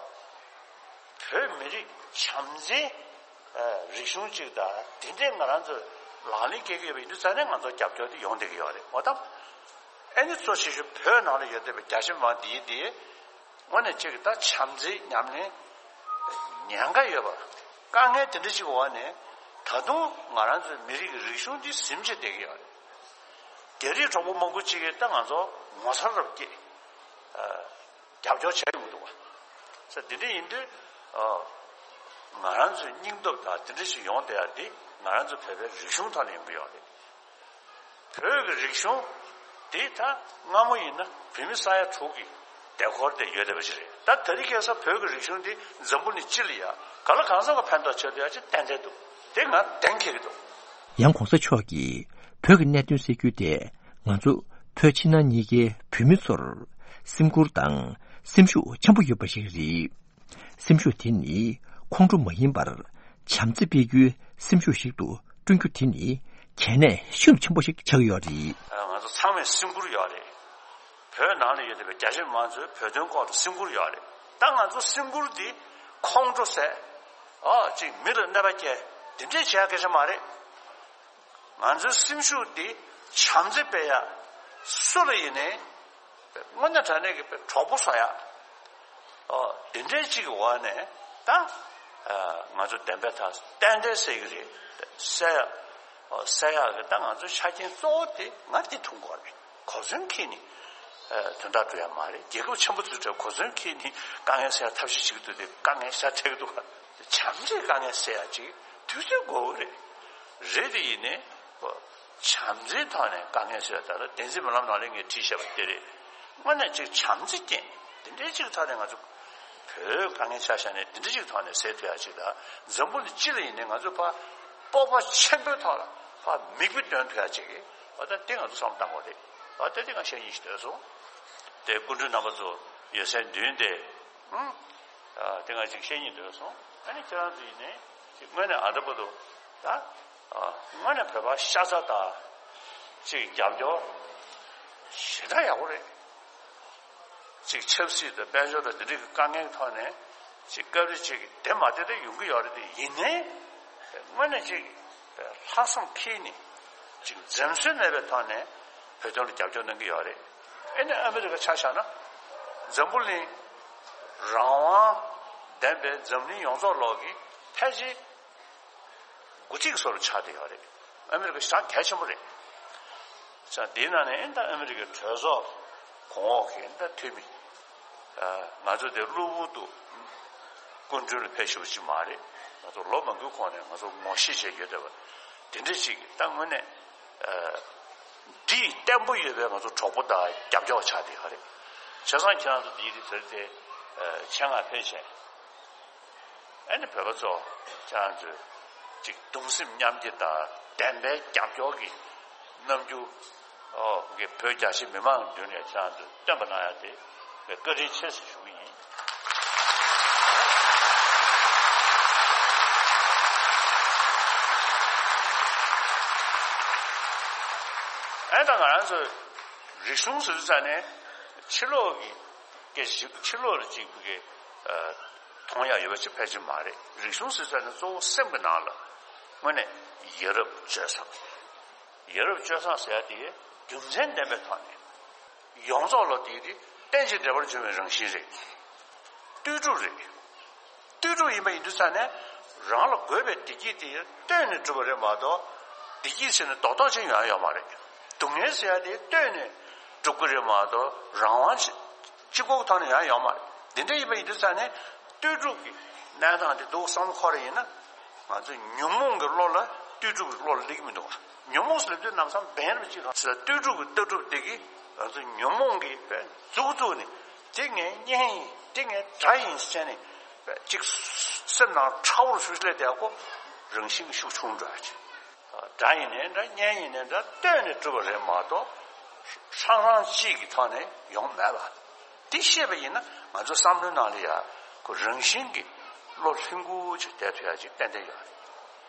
བོད་མི་རིགས་བྱམས་བརྩེའི་ཨ་རིག་གཞུང་གཅིག་དང་དེ་འདྲའི་ང་རང་ཚོ་ལག་ལེན་འཁེལ་གྱི་ཡོད་པ་ཡིན་དུས་ཙང་ནས་ང་ཚོ་རྒྱབ་སྐྱོར་དེ་ཡོང་བསྡད་ཀྱི་ཡོད་རེད། འོ་ད་ཨ་ནི་གཙོ་ཆེ་ཤོས་བོད་ནང་ལ་ཡོད་བསྡད་པའི་རྒྱ་ཆེ་མི་མང་འདིའི་འདི་དངོས་གནས་གཅིག་ད་བྱམས་བརྩེའི་ཉམས་ལེན་ཉེན་ཁ་ཡོད་པ། དཀའ་ངལ་དེ་འདྲ་ཞིག་འོག་ནས་ ད་དུང་ང་རང་ཚོའི་མི་རིགས་ཀྱི་རིག་གཞུང་འདི་ཟིན་བྱས་བསྡད་ཀྱི་ཡོད་རེད། རྒྱ་རིགས་གྲོགས་པོ་མང་པོ་ཅིག་གིས་ད་ང་ཚོ་ངོ་མཚར་རབ་སྐྱེས། རྒྱབ་སྐྱོར་བྱས་ཡོང་གི་འདུག་བ། ས་འདི་འདྲ་ཡིན་དུས། ང་རང་ཚོའི་སྙིང་སྟོབས་དང་འདི་འདྲ་ཞིག་ཡོང་བསྡད་ཡ་འདི་ང་རང་ཚོ་བོད་པའི་རིག་གཞུང་ཐོག་ནས་ཡོང་གི་ཡོད་རེད། བོད་ཀྱི་རིག་གཞུང་འདི་ད་སྔ་མོ་ཡིན་ན་བོད་མི་ས་ཡ་དྲུག་གི་ཟློས་གར་དེ་ཡོད་བསྡད་པ་ཞིག་རེད། ད་དེ་རིང་ཁ་སང་བོད་ཀྱི་རིག་གཞུང་འདི་འཛམ་བུ་གླིང་སྤྱི་ལ་ཡ་ག་ལ་གང་འཚམ་གྱི་ཕན་ཐོགས་བྱེད་བསྡད་ཡ་ཅིག་ཏན་ཏན་འདུག་དེ་ང་གཏན་འཁེལ་གྱི་འདུག་ཡང་གོང་ས་མཆོག་གིས་བོད་ཀྱི་གནད་དོན་སེལ་རྒྱུ་དེ་ང་ཚོ་བོད་ཕྱི་ནང་གཉིས་ཀའི་བོད་མི་ཚོར་སེམས་ཁུར་དང་སེམས་ཤུགས་ཆེན་པོ་ཡོད་པ་ཞིག་རེད། སེམས་ཤུགས་དེ་ནི་ཁོང་ཁྲོ་མ་ཡིན་པར་བྱམས་བརྩེ་སྤེལ་རྒྱུའི་སེམས་ཤུགས་ཤིག་ཏུ་བསྐྲུན་རྒྱུ་དེ་ནི་གལ་གནད་ཤུགས་ཆེན་པོ་ཞིག་ཆགས་ཀྱི་ཡོད་རེད། ང་ཚོ་ཚང་མས་སེམས་ཁུར་ཡོད་རེད། བོད་ནང་ལ་ཡོད་བསྡད་པའི་རྒྱ་ཆེ་མང་ཚོས་བོད་དོན་སྐོར་དུ་སེམས་ཁུར་ཡོད་རེད། ད་ང་ཚོ་སེམས་ཁུར་འདི་ཁོང་ཁྲོ་ཟ། ཨ་ཅིག་མི་ལ་གནོད་པ་སྐྱེལ། འདི་འདྲས་བྱེད་ཡ་སྐད་ཆ་མ་རེད། ང་ཚོའི་སེམས་ཤུགས་འདི་བྱམས་བརྩེ་སྤེལ་ཡ། སུ་ལ་ཡིན་ནའི་དངོས་གནས་དྲང་གནས་ཀྱི་གྲོགས་པོ་བཟོ་ཡ། ཨོ་དེ་འདྲའི་གཅིག་གི་འོག་ནས་ད་ང་ཚོ་བདེན་པའི་ཐག་ཏན་ཏན་གསལ་གྱི་རེད། གསལ་ཡ། ཨོ་གསལ་ཡག་གི་ད་ང་ཚོའི་ཆ་རྐྱེན་གཙོ་བོ་དེ་ང་འདི་མཐོང་གི་རེད། གོ་མཚོན་འཁྱེར་ནས་དོན་དག་འགྲོ་ཡ་མ་རེད། རྒྱལ་ཁབ་ཆེན་པོ་ཚོའི་གྲས་གོ་མཚོན་འཁྱེར་ནས་དཀའ་ངལ་སེལ་ཡ་ཐབས་ཤེས་བྱེད་ཀྱི་འདུག་དེ་དཀའ་ངལ་ཤ་ཐེག་གི་འདུག་བྱམས་བརྩེས་དཀའ་ངལ་སེལ་ཡ་ཅིག་དུས་ཚོད་དགོས་ཀྱི་རེད། རེད་དེ་ཡིན་ནའི། བྱམས་བརྩེའི་ཐོག་ནས་དཀའ་ངལ་སེལ་ཡ་ད་ལྟ་བདེན་ཚིག་སྨོན་ལམ་ནང་ལ་ངས་བྲིས་བཞག་པ་དེ་རེད། དངོས་གནས་ཅིག་བྱམས་བརྩེ་ཅན་དེ་འདྲའི་ཅིག་ཐོག་ནས་ང་ཚོ་བོད་དཀའ་ངལ་ཆ་བཞག་ནས་དེ་འདྲའི་ཅིག་ཐོག་ནས་སེལ་ཐུབ་ཡ་ཅིག་དང་འཛམ་བུ་གླིང་སྤྱི་ལ་ཡིན་ནའི་ང་ཚོ་ཕར་སྤོབས་པ་ཆེན་པོའི་ཐོག་ལ་ཕར་མིག་དཔེ་སྟོན་ཐུབ་ཡ་ཅིག་གི་ཨ་ད་དེ་ང་ཚོ་བསམ་བློ་བཏང་དགོས་རེད། ཨ་ད་དེ་ང་བཤད་སྙིང་ཞིག་འདོད་སོང་། དེ་སྐུ་མགྲོན་རྣམ་པ་ཚོ་ཡོད་སའི་མདུན་དེ། ཨང་། ཨ་དེ་ང་ཅིག་བཤད་སྙིང་འདོད་སོང་། ཨ་ནི་ཁྱེད་རང་ཚོ་ཡིན་ནའི་ཅིག་དངོས་གནས་ཨ་ད་པ་དུ་ད་ཨ་དངོས་གནས་བོད་པ་ཤ་ཚ་དང་ཅིག་རྒྱབ་སྐྱོར་ཞེ་དྲག་ཡག་པོ་རེད། ཅིག་ཆབ་སྲིད་དང་དཔལ་འབྱོར་དང་འདི་འདྲའི་དཀའ་ངལ་ཐོག་ནས་ཅིག་སྐབས་རེ་ཅིག་བདེ་མ་བདེ་དེ་ཡོང་གི་ཡོད་རེད་དེ་ཡིན་ནའི་དངོས་གནས་ཅིག་ལྷག་བསམ་འཁྱེར་ནས་ཅིག་འཛེམ་ཟོན་མེད་པའི་ཐོག་ནས་བོད་དོན་ལ་རྒྱབ་སྐྱོར་གནང་གི་ཡོད་རེད། ཨེ་ནས་ཨ་མི་རི་ཀ་ཆ་བཞག་ན་འཛམ་བུ་གླིང་རང་དབང་ལྡན་པའི་འཛམ་གླིང་ཡོངས་རྫོགས་ལོག་གི་ཕལ་ཆེར་དགུ་གཅིག་སོར་ཆགས་བསྡད་ཡོད་རེད། ཨ་མི་རི་ཀ་ཞེ་དྲག་གལ་ཆེན་པོ་རེད། ས་དེའི་ནང་ནས་ཨེ་ད་ཨ་མི་རི་ཀའི་གྲོས་ཚོགས་གོང་འོག་གི་ཨེ་ད་འཐུས་མི། ང་ཚོ་དེ་གློ་བུར་དུ་སྐུ་མདུན་ལ་ཕེབས་ཞུ་བ་ཅིག་མ་རེད། ང་ཚོ་ལོ་མང་པོའི་གོང་ནས་ང་ཚོ་ངོ་ཤེས་བྱས་ཡོད་བསྡད་པ་དེ་འདྲ་ཅིག་ད་དངོས་གནས་འདི་བརྟན་པོ་ཡོད་པའི་ང་ཚོ་གྲོགས་པོ་དང་རྒྱབ་སྐྱོར་བ་ཆགས་བསྡད་ཡོད་རེད། བྱས་ཙང་ཁྱེད་རང་ཚོ་འདིའི་རིགས་ཚོར་དེ་ཆེད་མངགས་ཕེབས་བྱས། ཨ་ནི་བོད་པ་ཚོ་ཁྱེད་རང་ཚོས་ཅིག་གདུང་སེམས་མཉམ་སྐྱེད་དང་བདེན་པའི་རྒྱབ་སྐྱོར་གྱི་རྣམ་འགྱུར་ཨོ་གི་བོད་རྒྱ་ཆེ་མི་མང་མདུན་ནས་ཁྱེད་རང་ཚོས་སྟོན་པ་གནང་ཡ་དེ་བཀའ་དྲིན་ཆེ་ཞེས་ཞུ་གི་ཡིན། ཨ་ད་ང་རང་ཚོས་རིག་གཞུང་ཟེར་དུས་ཙ་ནས་ཕྱི་ལོགས་ཀྱི་སྐད་ཆ་ཞིག་ཕྱི་ལོགས་ལ་ཅིག་གི་མཐོང་ཡག་ཡོད་པ་ཅིག་ཕལ་ཆེར་མ་རེད། རིག་གཞུང་ཟེར་ཙང་ནི་གཙོ་བོ་སེམས་ཀྱི་ནང་ལ་དངོས་གནས་ཡ་རབས་སྤྱོད་བཟང་། ཡ་རབས་སྤྱོད་བཟང་ཟེར་ཡ་དེ་རྒྱུ་མཚན་ལྡན་པའི་ཐོག་ནས་ཡོངས་རྫོགས་ལ་དེ་དེ་རྟེན་ཅིང་འབྲེལ་བར་འབྱུང་བའི་རང་བཞིན་རེད། ལྟོས་གྲུབ་རེད། ལྟོས་གྲུབ་ཡིན་པ་ཡིན་དུས་ཙང་ནས་རང་ལ་དགོས་པའི་བདེ་སྐྱིད་དེ་ལྟོས་ནས་གྲུབ་པ་རེད་མ་གཏོགས་བདེ་སྐྱིད་ཟེར་ནས་རྡོག་རྡོག་ཅིག་ཡོང་ཡ་ཡོད་མ་རེད། སྡུག་བསྔལ་ཟེར་ཡ་དེ་ལྟོས་ནས་གྲུབ་ཀྱི་རེད་མ་གཏོགས་རང་དབང་ཅིག་གཅིག་པོ་གི་ཐོག་ནས་ཡང་ཡོད་མ་རེད། འདི་འདྲ་ཡིན་པ་ཡིན་དུས་ཙང་ནས་ལྟོས་གྲུབ་ཀྱི་གནས་སྟངས་དེ་འདུག་བསམ་བློ་འཁོར་ཡིན་ན་ང་ཚོས་ཉོན་མོངས་ཀྱི་བློ་ལ་ལྟོས་གྲུབ་ཀྱི་བློ་ལ་སླེབས་ཀྱི་མི་འདུག་ཉོན་མོངས་སུ་སླེབས་དུས་ལམ་སང་འབེན་རེ་ཅིག་རང་ལྟོས་གྲུབ་ཀྱི་ལྟ་གྲུབ་དེ་གིས་ང་ཚོ་ཉོན་མོངས་ཀྱི་དཔེ་མཛུབ་བཙུགས་ནས་དེ་ངའི་གཉེན་ཡིན་དེ་ངའི་དགྲ་ཡིན་ཟེར་ནས་དཔེ་གཅིག་སེམས་ནང་ཁྲ་བོར་ཤུགས་སླེབས་བསྡད་ཀོ་རང་བཞིན་གྱི་ཤུགས་ཆུང་འགྲོ་ཡ་ཅིག་དགྲ་ཡིན་ནའི་འདྲ་གཉེན་ཡིན་ནའི་འདྲ་ལྟོས་ནས་གྲུབ་པ་རེད་མ་གཏོགས་ཧྲང་ཧྲང་གཅིག་གི་ཐོག་ནས་ཡོང་མེད་པ། འདི་ཤེས་པ་ཡིན་ན་ང་ཚོ་བསམ་བློའི་ནང་ལ་ཡ་ཁོ་རང་བཞིན་གྱིས་བློ་ལྷིང་པོ་ཅིག་བསྡད་ཐུབ་ཡ་ཅིག་ཏན་ཏན་ཡོད་རེད།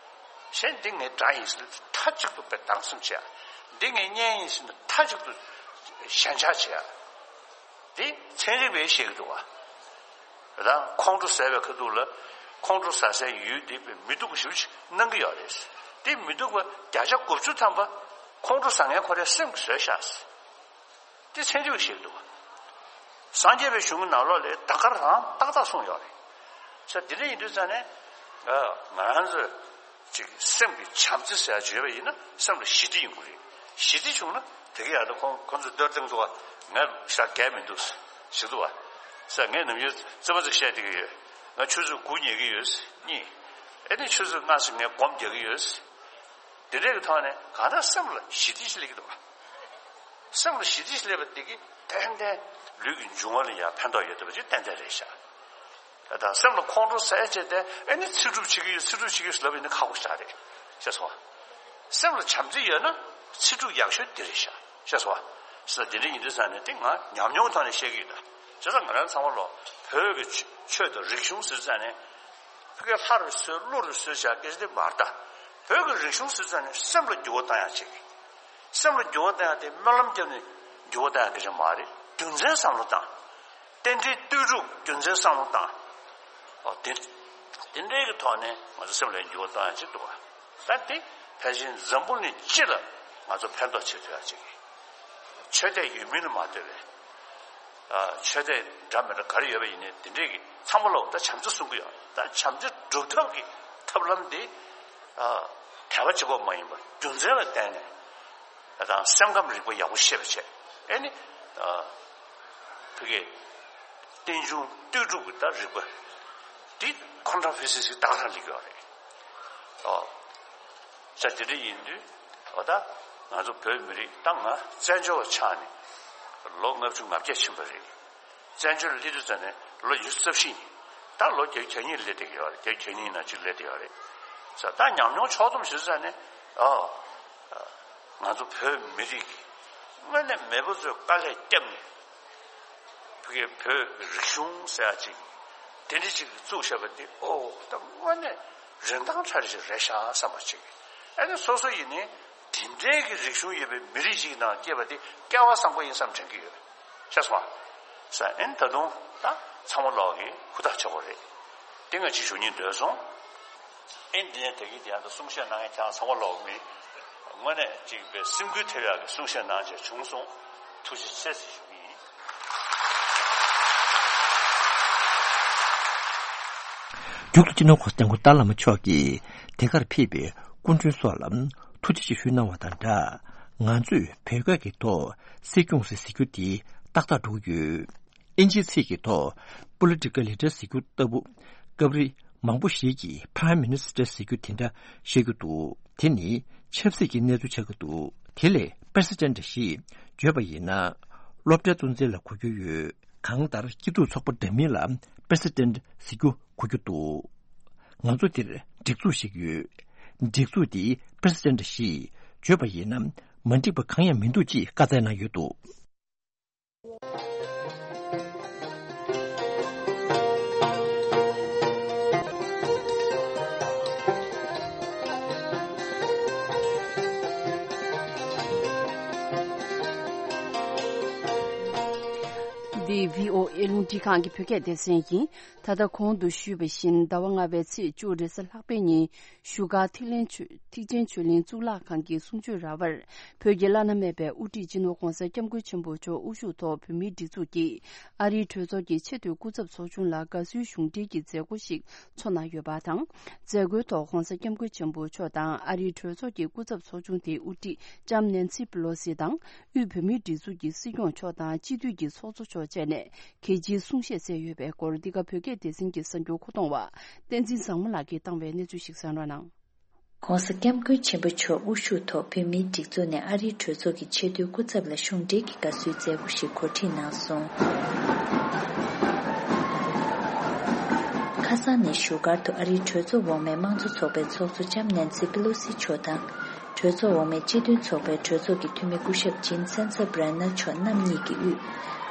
གཞན་འདི་ངའི་དགྲ་ཡིན་ཟེར་ན་མཐའ་གཅིག་ཏུ་དཔེ་སྡང་སེམས་བྱེད་ཡ། འདི་ངའི་གཉེན་ཡིན་ཟེར་ན་མཐའ་གཅིག་ཏུ་ཞེན་ཆགས་བྱེད་ཡ། འདི་ཚན་རིག་པས་བཤད་ཀྱི་འདུག་བ། ད་ཁོང་ཁྲོ་ཟ་བའི་ཁ་ཐུག་ལ་ཁོང་ཁྲོ་ཟ་སའི་ཡུལ་འདི་མི་སྡུག་པ་ཞེ་པོ་ཅིག་སྣང་གི་ཡོད་རེད། འདི་མི་སྡུག་པ་བརྒྱ་ཆ་དགུ་བཅུ་ཐམ་པ་ཁོང་ཁྲོ་ཟ་མཁན་ཁོ་རའི་སེམས་ཀྱིས་བཟོས་བཞག་འདི་ཚན་རིག་པས་བཤད་ཀྱི་འདུག་བ། སངས་རྒྱས་པའི་གཞུང་གི་ནང་ལོགས་ལ་ད་ག་རང་ཏག་ཏག་གསུངས་ཡོད་རེད། ས་འདི་འདྲ་ཡིན་དུས་ཙང་ནས་ང་རང་ཚོས་ ཅིག་སེམས་ཀྱི་བྱམས་བརྩེ་ཟེར་ཡ་བརྗོད་པ་ཡིན་ན་སེམས་ལ་ཞི་བདེ་ཡོང་གི་རེད། ཞི་བདེ་བྱུང་ན་དེ་ག་ཡར་དུ་ཁོང་ཁོང་ཚོས་མདོར་བསྟན་འདུག་བ། ང་ཤ་གས་མི་འདུག་ཟེར་འདུག་བ། ཟེར་ངས་ནམ་རྒྱུན་རྩེད་མོ་ཅིག་བཤད་བསྡད་ཀྱི་ཡོད། ང་ཆུ་ཚོད་དགུ་ཉལ་གྱི་ཡོད་ཟེར་གཉིས། ཨེ་ནི་ཆུ་ཚོད་ལྔ་ཙམ་ངས་སྒོམ་རྒྱག་གི་ཡོད་ཟེར། དེ་འདྲས་ཀྱི་ཐོག་ནས་གང་ལྟར་སེམས་ལ་ཞི་བདེ་ཞིག་སླེབས་ཀྱི་འདུག་བ། སེམས་ལ་ཞི་བདེ་ཞིག་སླེབས་པ་དེ་གིས་ཏན་ཏན་ལུས་ཀྱི་འབྱུང་བ་ལ་ཡང་ཕན་ཐོགས་ཡོད་བསྡད་པ་ཅིག་ཏན་ཏན་རེད་ཤག་ད་སེམས་ལ་ཁོང་ཁྲོ་ཟ་བྱས་ཏེ་ཨེ་ནི་ཚིག་སྒྲུབ་བྱེད་ཀྱི་ཡོད་ཚིག་སྒྲུབ་བྱེད་ཀྱི་ཡོད་ཟེར་ལབ་ཡིན་ན་ཁག་པོ་ཞིག་རེད། ཤེས་སོང་ང་། སེམས་ལ་བྱམས་བརྩེ་ཡོད་ན་ཚིག་སྒྲུབ་ཡག་ཤོས་དེ་རེད་ཤག་ཤེས་སོང་ང་། ཟེར་དེ་འདྲ་ཡིན་དུས་ཙང་ནས་དེ་ང་ཉམས་མྱོང་ཐོག་ནས་བཤད་ཀྱི་ཡོད་ད། བྱས་ཙང་ང་རང་ཚང་མ་ལོ་བོད་ཀྱི་ཆོས་དང་རིག་གཞུང་ཟེར་ཙང་ནས་ཕ་གི་ལྷ་རུ་གསོལ་ཀླུ་རུ་གསོལ་བྱ་སྐད་ཆ་དེ་མ་རེད་ད། བོད་ཀྱི་རིག་གཞུང་ཟེར་ཙང་ནས་སེམས་ལ་འགྱུར་བ་བཏང་ཡག་ཅིག་སེམས་ལ་འགྱུར་བ་བཏང་ཡག་དེ་སྨོན་ལམ་བརྒྱབ་ནས་འགྱུར་བ་བཏང་ཡག་སྐད་ཆ་མ་རེད། རྒྱུ་མཚན་བསམ་བློ་བཏང་། རྟེན་འབྲེལ་ལྟོས་གྲུབ་རྒྱུ་མཚན་བསམ་བློ་བཏང་། ཨོ་དེ་དེ་འདྲའི་གི་ཐོག་ནས་ང་ཚོ་སེམས་ལ་འགྱུར་བ་བཏང་ཡག་ཅིག་འདུག་བ། ད་དེ་ཕལ་ཆེར་འཛམ་བུ་གླིང་སྤྱི་ལ་ང་ཚོ་ཕན་ཐོགས་བྱེད་ཐུབ་ཡག་ཅིག་ཆོས་དད་ཡོད་མིན་ལ་མ་ལྟོས་པའི། ཨ་ཆོས་དད་འདྲ་མི་འདྲ་ག་རེ་ཡོད་པ་ཡིན་ནའི་དེ་འདྲའི་གི་ཚང་མ་ལ་ད་བྱམས་བརྩེ་གསུང་གི་ཡོད། ད་བྱམས་བརྩེ་སྒྲུབ་ཐབས་ཀྱི་ཐབས་ལམ་དེ་ཨ་དད་པ་གཅིག་པོ་མ་ཡིན་པར་རྒྱུ་མཚན་ལ་བརྟེན་ནས་ད་སེམས་ཁམས་རིག་པ་ཡག་པོ་ཤེས་པ་བྱས། ཨེ་ནི་ཨ་ཕ་གི་རྟེན་འབྱུང་ལྟོས་གྲུབ་ཀྱི་ད་རིག་པ་འདི་ཁོང་ཁྲ་ཕི་སི་སི་ཏག་ཏག་སླེབས་ཡོད་རེད། ཨོ། ས་དེ་འདྲ་ཡིན་དུས་ཨོ་ད་ང་ཚོ་བོད་མི་རིགས་ད་ང་བཙན་བྱོལ་བ་ཆགས་ནས་ལོ་ལྔ་བཅུ་ང་བརྒྱད་ཕྱིན་པ་རེད། བཙན་བྱོལ་སླེབས་དུས་ཙམ་ནས་ལོ་ཉི་ཤུ་རྩ་བཞི་ཡིན། ད་ལོ་བརྒྱད་ཅུ་གྱ་གཉིས་སླེབས་བསྡད་ཀྱི་ཡོད་རེད། བརྒྱད་ཅུ་གྱ་གཉིས་ནང་གཅིག་སླེབས་བསྡད་ཡོད་རེད། ས་ད་ཉམས་མྱོང་ཕྱོགས་བསྡོམས་ཞུ་ཙམ་ནས་ཨོ། ང་ཚོ་བོད་མི་རིགས་ཀྱི་དངོས་གནས་མེས་པོ་ཚོས་དཀའ་ལས་བརྒྱབ་ནས་ཕ་གི་བོད་རིག་གཞུང་ཟེར་ཡག་ཅིག་དེ་འདྲ་ཅིག་བཙུགས་བཞག་པ་དེ་ཨོ་ད་དངོས་གནས་རིན་ཐང་ཕྲ་རེ་ཞིག་རེད་ཤག་བསམ་པ་ཅིག་ཨ་ནི་སོ་སོ་ཡིན་ནའི་དེ་འདྲའི་གི་རིག་གཞུང་ཡོད་པའི་མི་རིགས་ཤིག་ནང་སྐྱེས་པ་དེ་སྐལ་བ་བཟང་པོ་ཡིན་བསམ་དྲན་གྱི་ཡོད། ཤེས་སོང་ང་། ས་ཨེ་ནི་ད་དུང་ད་ཚང་མ་ལོག་གི་ཧུར་ཐག་ཆེ་བོ་རེད། དེ་ང་ཅིག་ཞུ་སྙིང་འདོད་སོང་། ཨེ་འདི་ནས་དེ་གི་དེ་ཡང་དུ་གསུང་བཤད་གནང་མཁན་ཁྱེད་རང་ཚང་མ་ལོག་མི་དངོས་གནས་ཅིག་པའི་སེམས་འགུལ་ཐེབས་ཡག་གི་གསུང་བཤད་གནང་བྱས་བྱུང་སོང་། ཐུགས་རྗེ་ཆེ་ཟེར་ཞུ་གི་ཡིན། མཇུག་ཏུ་སྤྱི་ནོར་༸གོང་ས་༸སྐྱབས་མགོན་ཏཱ་ལའི་བླ་མ་མཆོག་གིས་དེ་གར་ཕེབས་པའི་སྐུ་མགྲོན་སོགས་ལ་ཐུགས་རྗེ་ཆེ་ཞུས་གནང་བ་དང་སྦྲགས། ང་ཚོས་བོད་སྐད་ཀྱི་ཐོག་སྲིད་སྐྱོང་ཟེར་ཟེར་རྒྱུ་དེ་ཏག་ཏག་འགྲོ་གི་ཡོད། ཨིན་ཇིའི་ཚིག་གི་ཐོག་Political Leader ཟེར་རྒྱུ་ལྟ་བུ། སྐབས་རེ་མང་པོ་ཞིག་གིས་Prime Minister ཟེར་རྒྱུ་དེ་འདྲ་བཤད་རྒྱུ་འདུག་དེ་ནི་ཆབ་སྲིད་ཀྱི་གནས་ཚུལ་ཆགས་ཀྱི་འདུག་དེ་ལས་President ཞེས་བརྗོད་པ་ཡིན་ན། སློབ་གྲྭའི་གཙོ་འཛིན་ལ་གོ་རྒྱུ་ཡོད། གང་ལྟར་སྐྱིད་སྡུག་ཚོགས་པ་འདྲ་མིན་ལ་President ཟེར་རྒྱུ་གོ་རྒྱུ་འདུག་ང་ཚོ་འདིར་སྒྲིག་འཛུགས་ཤིག་ཡོད། སྒྲིག་འཛུགས་འདིའི་President ཞེས་བརྗོད་པ་ཡིན་ན་མ་འགྲིག་པ་གང་ཡང་མི་འདུག་ཅེས་བཀའ་སྩལ་གནང་ཡོད་འདུག་འདི་བྷི་ཨོ་ཨེ་རླུང་འཕྲིན་ཁང་གི་བོད་སྐད་སྡེ་ཚན་ཡིན། ད་ལྟ་གོང་དུ་ཞུས་པ་བཞིན་ཟླ་བ་ལྔ་པའི་ཚེས་བཅུ་རེས་གཟའ་ལྷག་པའི་ཉིན། བཞུགས་སྒར་ཐིག་ལེན་ཆོས་ཐེག་ཆེན་ཆོས་གླིང་གཙུག་ལག་ཁང་གི་གསུང་ཆོས་ར་བར། བོད་ཀྱི་བླ་ན་མེད་པའི་དབུ་ཁྲིད་སྤྱི་ནོར་༸གོང་ས་༸སྐྱབས་མགོན་ཆེན་པོ་མཆོག་དབུ་བཞུགས་ཐོག་བོད་མིའི་སྒྲིག་འཛུགས་ཀྱི་ཨ་རིའི་གྲོས་ཚོགས་ཀྱི་ཆེས་མཐོའི་སྐུ་ཚབ་ཚོགས་ཆུང་ལ་དགའ་བསུའི་གཞུང་འབྲེལ་གྱི་མཛད་སྒོ་ཞིག་ཚོགས་གནང་ཡོད་པ་དང་། མཛད་སྒོའི་ཐོག་༸གོང་ས་༸སྐྱབས་མགོན་ཆེན་པོ་མཆོག་དང་ཨ་རིའི་གྲོས་ཚོགས་ཀྱི་སྐུ་ཚབ་ཚོགས་ཆུང་དེའི་དབུ་ཁྲིད་ལྕམ་ནེན་སི་པི་ལོ་སི་དང་། དབུས་བོད་མིའི་སྒྲིག་འཛུགས་ཀྱི་སྲིད་སྐྱོང་མཆོག་དང་སྤྱི་འཐུས་ཀྱི་ཚོགས་གཙོ་མཆོག་བཅས་ནས་གལ་ཆེའི་གསུང་བཤད་སྩལ་ཡོད་པའི་སྐོར། འདི་ག་བོད་སྐད་སྡེ་ཚན་གྱི་གསར་འགྱུར་མཁོ་གཏོང་བ་བསྟན་འཛིན་བཟང་མོ་ལགས་ཀྱིས་བཏང་བའི་གནས་ཚུལ་ཞིག་གསན་རོགས་གནང་། ༸གོང་ས་༸སྐྱབས་མགོན་ཆེན་པོ་མཆོག་དབུ་བཞུགས་ཐོག་བོད་མིའི་སྒྲིག་འཛུགས་ནས་ཨ་རིའི་གྲོས་ཚོགས་ཀྱི་ཆེས་མཐོའི་སྐུ་ཚབ་ལ་གཞུང་འབྲེལ་གྱི་དགའ་བསུའི་མཛད་སྒོ་ཞིག་གོ་སྒྲིག་གནང་སོང་། ཁ་སང་ནས་བཞུགས་སྒར་དུ་ཨ་རིའི་གྲོས་ཚོགས་འོག་མའི་དམངས་གཙོ་ཚོགས་པའི་ཚོགས་གཙོ་ལྕམ་ནེན་སི་པི་ལོ་སི་མཆོག་དང་། གྲོས་ཚོགས་འོག་མའི་སྤྱི་མཐུན་ཚོགས་པའི་གྲོས་ཚོགས་ཀྱི་འཐུས་མི་སྐུ་ཞབས་ཇིམ་སེན་སར་བྷི་རན་ནར་མཆོག་རྣམ་གཉིས་ཀྱི་དབུས།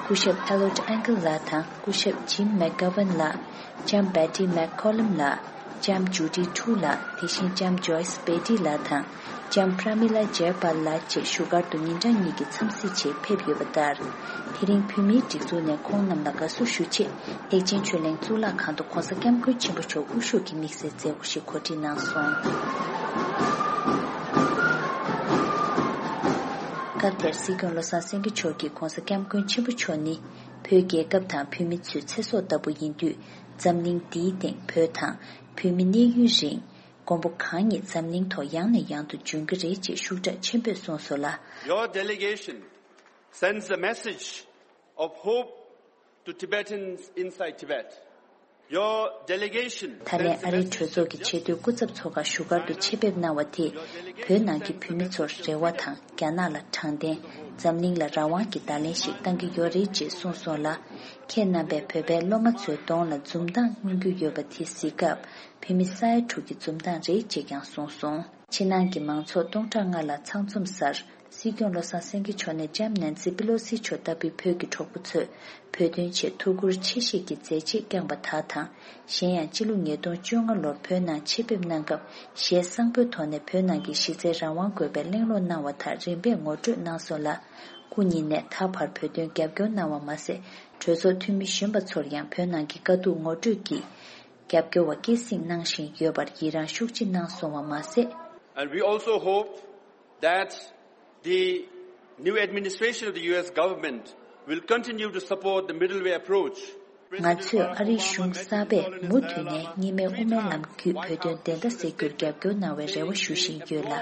སྐུ་ཞབས་ཨེ་ལོཌ་ཨན་ཀལ་ལགས་དང་སྐུ་ཞབས་ཇིམ་མེག་གྷ་ཝན་ལགས། ལྕམ་བེ་ཏི་མེག་ཁོ་ལམ་ལགས། ལྕམ་ཇུ་ཌི་ཁྲུ་ལགས། དེ་བཞིན་ལྕམ་ཇོའི་སི་བེ་ཏི་ལགས་དང་། ལྕམ་པྲ་མི་ལ་ཇེ་པཱལ་ལགས་བཅས་བཞུགས་སྒར་དུ་ཉིན་གྲངས་གཉིས་ཀྱི་འཚམས་གཟིགས་ཆེད་ཕེབས་ཡོད་པ་ལྟར། དེ་རིང་བོད་མིའི་སྒྲིག་འཛུགས་ནས་ཁོང་རྣམས་ལ་དགའ་བསུ་ཞུ་ཆེད་ཐེག་ཆེན་ཆོས་གླིང་གཙུག་ལག་ཁང་དུ་༸གོང་ས་༸སྐྱབས་མགོན་ཆེན་པོ་མཆོག་དབུ་བཞུགས་ཀྱི་དམིགས་བསལ་མཛད་སྒོ་ཞིག་གོ་སྒྲིག་གནང་སོང་། སྐབས་དེར་སྲིད་སྐྱོང་བློ་བཟང་སེང་གེ་མཆོག་གིས་༸གོང་ས་༸སྐྱབས་མགོན་ཆེན་པོ་མཆོག་ནི་བོད་རྒྱལ་ཁབ་དང་བོད་མི་ཚོའི་ཚེ་སྲོག་ལྟ་བུ་ཡིན་དུས། འཛམ་གླིང་འདིའི་སྟེང་བོད་དང་བོད་མི་གནས་ཡུན་རིང་། མགོན་པོ་གང་ཉིད་འཛམ་གླིང་ཐོག་ཡང་ནས་ཡང་དུ་འབྱོན་གྱི་རེད་ཅེས་ཤུགས་དྲག་ཆེན་པོས་གསུངས་སོང་ལ། Your delegation sends a message of hope to Tibetans inside Tibet. Your delegation ད་ལན་ཨ་རིའི་གྲོས་ཚོགས་ཀྱི་ཆེས་མཐོའི་སྐུ་ཚབ་ཚོགས་ཁང་བཞུགས་སྒར་དུ་ཆེད་ཕེབས་གནང་བ་དེས། བོད་ནང་གི་བོད་མི་ཚོར་རེ་བ་དང་། རྒྱ་ནག་ལ་དྲང་བདེན། འཛམ་གླིང་ལ་རང་དབང་གི་བརྡ་ལན་ཞིག་བཏང་གི་ཡོད་རེད་ཅེས་གསུངས་སོང་ལ། ཁྱེད་རྣམ་པས་བོད་པའི་སློབ་མ་ཚོའི་གདོང་ལ་འཛུམ་མདངས་མངོན་གྱི་ཡོད་པ་དེ་གཟིགས་སྐབས། བོད་མི་ས་ཡ་དྲུག་གི་འཛུམ་མདངས་རེད་ཅེས་ཀྱང་གསུངས་སོང་། ཕྱི་ནང་གི་མང་ཚོགས་སྟོང་ཕྲག་ལྔ་ལ་ཚང་འཛོམས་སར། སྲིད་སྐྱོང་བློ་བཟང་སེང་གེ་མཆོག་ནས་ལྕམ་ནན་སི་པི་ལོ་སི་མཆོག་ལྟ་བུའི་བོད་ཀྱི་གྲོགས་པོ་ཚོས་བོད་དོན་ཆེད་ཐུགས་ཁུར་ཆེ་བཞེས་ཀྱིས་མཛད་རྗེས་བསྐྱངས་པ་དག་དང་། གཞན་ཡང་། སྤྱི་ལོ་ཉིས་སྟོང་བཅོ་ལྔ་ལོར་བོད་ནང་ཆེད་ཕེབས་གནང་སྐབས། ཞལ་བཟང་པོའི་ཐོག་ནས་བོད་ནང་གི་གཞི་རྩའི་རང་དབང་དགོས་པའི་གླེང་སློང་གནང་བ་དག་རིམ་པས་ངོ་སྤྲོད་གནང་སོང་ལ། སྐུ་ཉིད་ནས་ད་བར་བོད་དོན་རྒྱབ་སྐྱོར་གནང་བ་མ་ཟད། གྲོས་ཚོགས་འཐུས་མི་གཞོན་པ་ཚོར་ཡང་བོད་ནང་གི་དཀའ་སྡུག་ངོ་སྤྲོད་ཀྱིས། རྒྱབ་སྐྱོར་བ་སྐྱེད་སྲིང་གནང་བཞིན་ཡོད་པར་ཡི་རངས་ཤུགས་ཆེ་གནང་སོང་བ་མ་ཟད། And we also hope that the new administration of the U S government will continue to support the middle way approach. ང་ཚོས་ཨ་རིའི་གཞུང་གསར་པས་མུ་མཐུད་ནས་གཉིས་སྨན་དབུ་མའི་ལམ་བརྒྱུད་བོད་དོན་བདེན་མཐའ་གསལ་རྒྱུར་རྒྱབ་སྐྱོར་གནང་བའི་རེ་བ་ཞུ་བཞིན་ཡོད་ལ།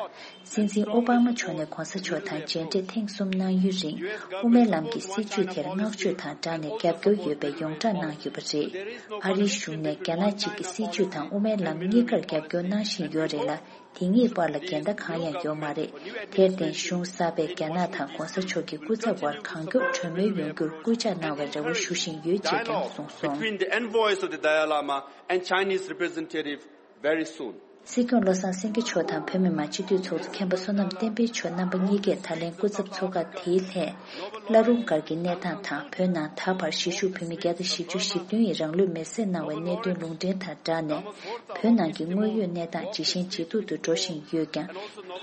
སྲིད་འཛིན་ཨོ་བྷ་མ་མཆོག་ནས་གོང་ས་མཆོག་དང་མཇལ་འཕྲད་ཐེངས་གསུམ་གནང་ཡུན་རིང་། དབུ་མའི་ལམ་གྱི་སྲིད་བྱུས་དེར་བསྔགས་བརྗོད་དང་སྦྲགས་ནས་རྒྱབ་སྐྱོར་ཡོད་པའི་ཡོངས་གྲགས་གནང་ཡོད་པ་རེད། ཨ་རིའི་གཞུང་ནས་རྒྱ་ནག་གཅིག་གི་སྲིད་བྱུས་དང་དབུ་མའི་ལམ་གཉིས་ཀར་རྒྱབ་སྐྱོར་གནང་བཞིན་ཡོད་རེད་ལ། དེ་གཉིས་བར་ལ་འགལ་ཟླ་གང་ཡང་ཡོད་མ་རེད། དེར་བརྟེན། གཞུང་གསར་པས་རྒྱ་ནག་དང་གོང་ས་མཆོག་གི་སྐུ་ཚབ་དབར་གང་མགྱོགས་གྲོས་མོལ་ཡོང་རྒྱུར་སྐུལ་ལྕག་གནང་བའི་རེ་བ་ཞུ་བཞིན་ཡོད་ཅེས་ཀྱང་གསུངས་སོང་། Between the envoys of the Dalai Lama and Chinese representative very soon. སྲིད་སྐྱོང་བློ་བཟང་སེང་གེ་མཆོག་དང་བོད་མི་མང་སྤྱི་འཐུས་ཚོགས་གཙོ་མཁན་པོ་བསོད་ནམས་བསྟན་འཕེལ་མཆོག་རྣམ་པ་གཉིས་ཀས་ད་ལན་སྐུ་ཚབ་ཚོགས་ཁག་དེའི་ལྷན། བླ་རུང་སྒར་གྱི་གནས་སྟངས་དང་། བོད་ནང་ད་བར་གཞིས་བཞུགས་བོད་མི་བརྒྱ་དང་བཞི་བཅུ་ཞེ་བདུན་ཡིས་རང་ལུས་མེར་སྲེག་གནང་བའི་གནད་དོན་ལུང་འདྲེན་དང་སྦྲགས་ནས། བོད་ནང་གི་དངོས་ཡོད་གནས་སྟངས་ཇེ་ཞན་ཇེ་སྡུག་ཏུ་འགྲོ་བཞིན་ཡོད་ཀྱང་།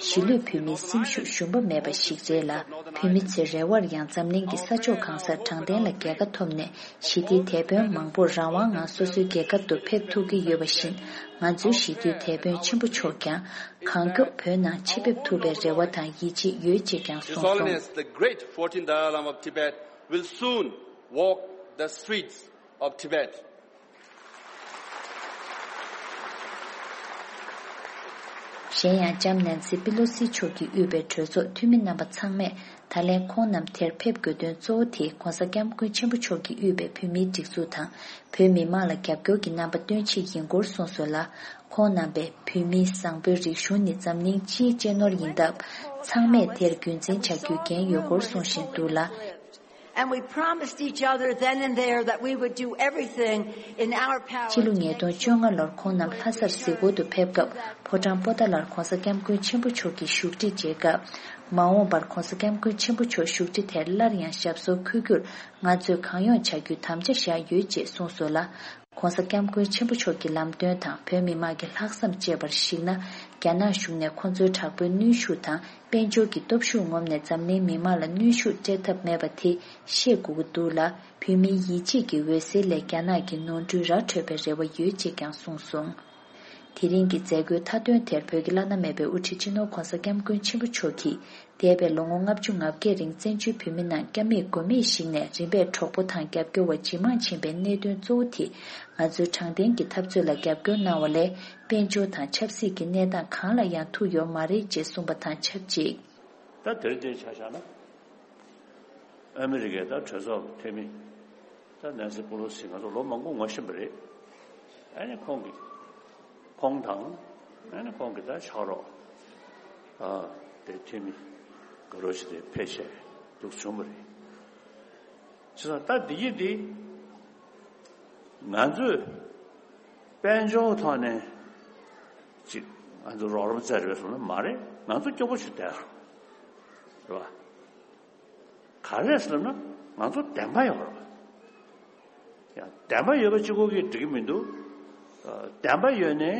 གཞིས་ལུས་བོད་མིའི་སེམས་ཤུགས་ཞུམ་པ་མེད་པ་ཞིག་རེད་ལ། བོད་མི་ཚོའི་རེ་བར་ཡང་འཛམ་གླིང་གི་ས་ཕྱོགས་གང་སར་དྲང་བདེན་ལ་རྒྱལ་ཁ་ཐོབ་ནས། ཞི་བདེའི་དེད་དཔོན་མང་པོར་རང་དབང་ངང་སོ་སོའི་རྒྱལ་ཁབ་ཏུ་ཕེབས་ཐུབ་ཀྱི་ཡོད་པ་བཞིན། ང་ཚོའི་ཞི་བདེའི་དེད་དཔོན་ཆེན་པོ་མཆོག་ཀྱང་། གང་མགྱོགས་བོད་ནང་ཆེད་ཕེབས་ཐུབ་པའི་རེ་བ་དང་ཡིད་ཆེས་ཡོད་ཅེས་ཀྱང་གསུངས་སོང་། His Holiness the Great Fourteenth Dalai Lama of Tibet will soon walk the streets of Tibet. གཞན་ཡང་ལྕམ་ནན་སི་པི་ལོ་སི་མཆོག་གིས་དབུས་པའི་གྲོས་ཚོགས་འཐུས་མི་རྣམ་པ་ཚང་མས། ད་ལན་ཁོང་རྣམས་དེར་ཕེབས་དགོས་དོན་གཙོ་བོ་དེ། ྋགོང་ས་ྋསྐྱབས་མགོན་ཆེན་པོ་མཆོག་གིས་དབུས་པའི་བོད་མིའི་སྒྲིག་འཛུགས་དང་། བོད་མི་མང་ལ་རྒྱབ་སྐྱོར་གྱི་རྣམ་པ་སྟོན་ཆེད་ཡིན་སྐོར་གསུངས་སོང་ལ། ཁོང་རྣམ་པས། བོད་མིའི་བཟང་པོའི་རིག་གཞུང་ནི་འཛམ་གླིང་སྤྱིའི་གཅེས་ནོར་ཡིན་སྟབས། ཚང་མས་དེར་རྒྱུན་འཛིན་བྱ་རྒྱུའི་འགན་ཡོད་སྐོར་གསུང་བཞིན་འདུག་ལ། And we promised each other then and there that we would do everything in our power. སྤྱི་ལོ་ཉིས་སྟོང་བཅོ་ལྔ་ལོར་ཁོང་རྣམས་ལྷ་སར་གཟིགས་སྐོར་དུ་ཕེབས་སྐབས། ཕོ་བྲང་པོ་ཏཱ་ལར་ྋགོང་ས་ྋསྐྱབས་མགོན་ཆེན་པོ་མཆོག་གིས་བཞུགས་ཁྲི་མཇལ་སྐབས། མ་འོངས་པར་ྋགོང་ས་ྋསྐྱབས་མགོན་ཆེན་པོ་མཆོག་བཞུགས་ཁྲི་དེར་སླར་ཡང་ཞབས་སོར་འཁོད་རྒྱུར། ང་ཚོས་གང་ཡོང་བྱ་རྒྱུའི་དམ་བཅའ་བཞག་ཡོད་ཅེས་གསུངས་སོང་ལ། ྋགོང་ས་ྋསྐྱབས་མགོན་ཆེན་པོ་མཆོག་གི་ལམ་སྟོན་དང་བོད་མི་མང་གི་ལྷག་བསམ་བཅས་པར་གཞིགས་ན། རྒྱ་ནག་གཞུང་ནས་ཁོང་ཚོའི་དྲག་པོའི་གནོན་ཤུགས་དང་། དཔལ་འབྱོར་གྱི་སྟོབས་ཤུགས་ངོམས་ནས་འཛམ་གླིང་མི་མང་ལ་གནོན་ཤུགས་སྤྲད་ཐབས་མེད་པ་དེ་ཤེས་དགོས་ཀྱི་འདུག་ལ། བོད་མིའི་ཡིད་ཆེས་ཀྱི་འོད་ཟེར་ལས་རྒྱ་ནག་གི་ནོར་འཁྲུལ་ར་འཕྲོད་པའི་རེ་བ་ཡོད་ཅེས་ཀྱང་གསུངས་སོང་། དེ་རིང་གི་མཛད་སྒོའི་མཐའ་དོན་དེར་བོད་ཀྱི་བླ་ན་མེད་པའི་དབུ་ཁྲིད་སྤྱི་ནོར་ྋགོང་ས་ྋསྐྱབས་མགོན་ཆེན་པོ་མཆོག་གིས། འདས་པའི་ལོ་ངོ་ལྔ་བཅུ་ང་བརྒྱད་རིང་བཙན་བྱོལ་བོད་མི་རྣམས་སྐྱབས་མེད་མགོན་མེད་ཞིག་ནས་རིམ་པས་གྲོགས་པོ་དང་རྒྱབ་སྐྱོར་བ་ཇེ་མང་ཕྱིན་པའི་གནད་དོན་གཙོ་བོ་དེ། ང་ཚོའི་དྲང་བདེན་གྱི་འཐབ་རྩོད་ལ་རྒྱབ་སྐྱོར་གནང་བ་ལས། དཔལ་འབྱོར་དང་ཆབ་སྲིད་ཀྱི་གནས་སྟངས་གང་ལ་ཡང་ཐུག་ཡོད་མ་རེད་ཅེས་གསུངས་པ་དང་ཆབས་ཅིག། ད་དེར་བལྟས་ཆ་བཞག་ན། ཨ་མི་རི་ཀའི་ད་གྲོས་ཚོགས་ཀྱི་འཐུས་མི། ད་ནན་སི་པོ་ལོ་སི་ང་ཚོ་ལོ་མང་པོ་ངོ་ཤེས་པ་རེད། ཨ་ནི་ཁོང་གིས། ཁོང་དང་། ཨ་ནི་ཁོང་གི་ད་ཕྱག་རོགས། ཨ། དེ་འཐུས་མི་དགའ་རོགས་ཅིག་དེ་ཕེབས་བྱས་འདུག་བྱུང་བ་རེད། བྱས་ཙང་ད་འདི་ཡིག་འདི་ང་ཚོས་དཔལ་འབྱོར་ཐོག་ནས་ཅིག་ང་ཚོ་རོགས་རམ་བཙལ་རེད་པས་གསུངས་ན་མ་རེད། ང་ཚོ་སྐྱོ་པོ་ཞིག་བསྡད་རེད་པ། ག་རེ་ཟེར་ན་ང་ཚོ་བདེན་པ་ཡོད་རེད་པ། ཡང་བདེན་པ་ཡོད་པ་གཅིག་པོ་གིས་འགྲིག་གི་མི་འདུག། ཨ། བདེན་པ་ཡོད་ནའི་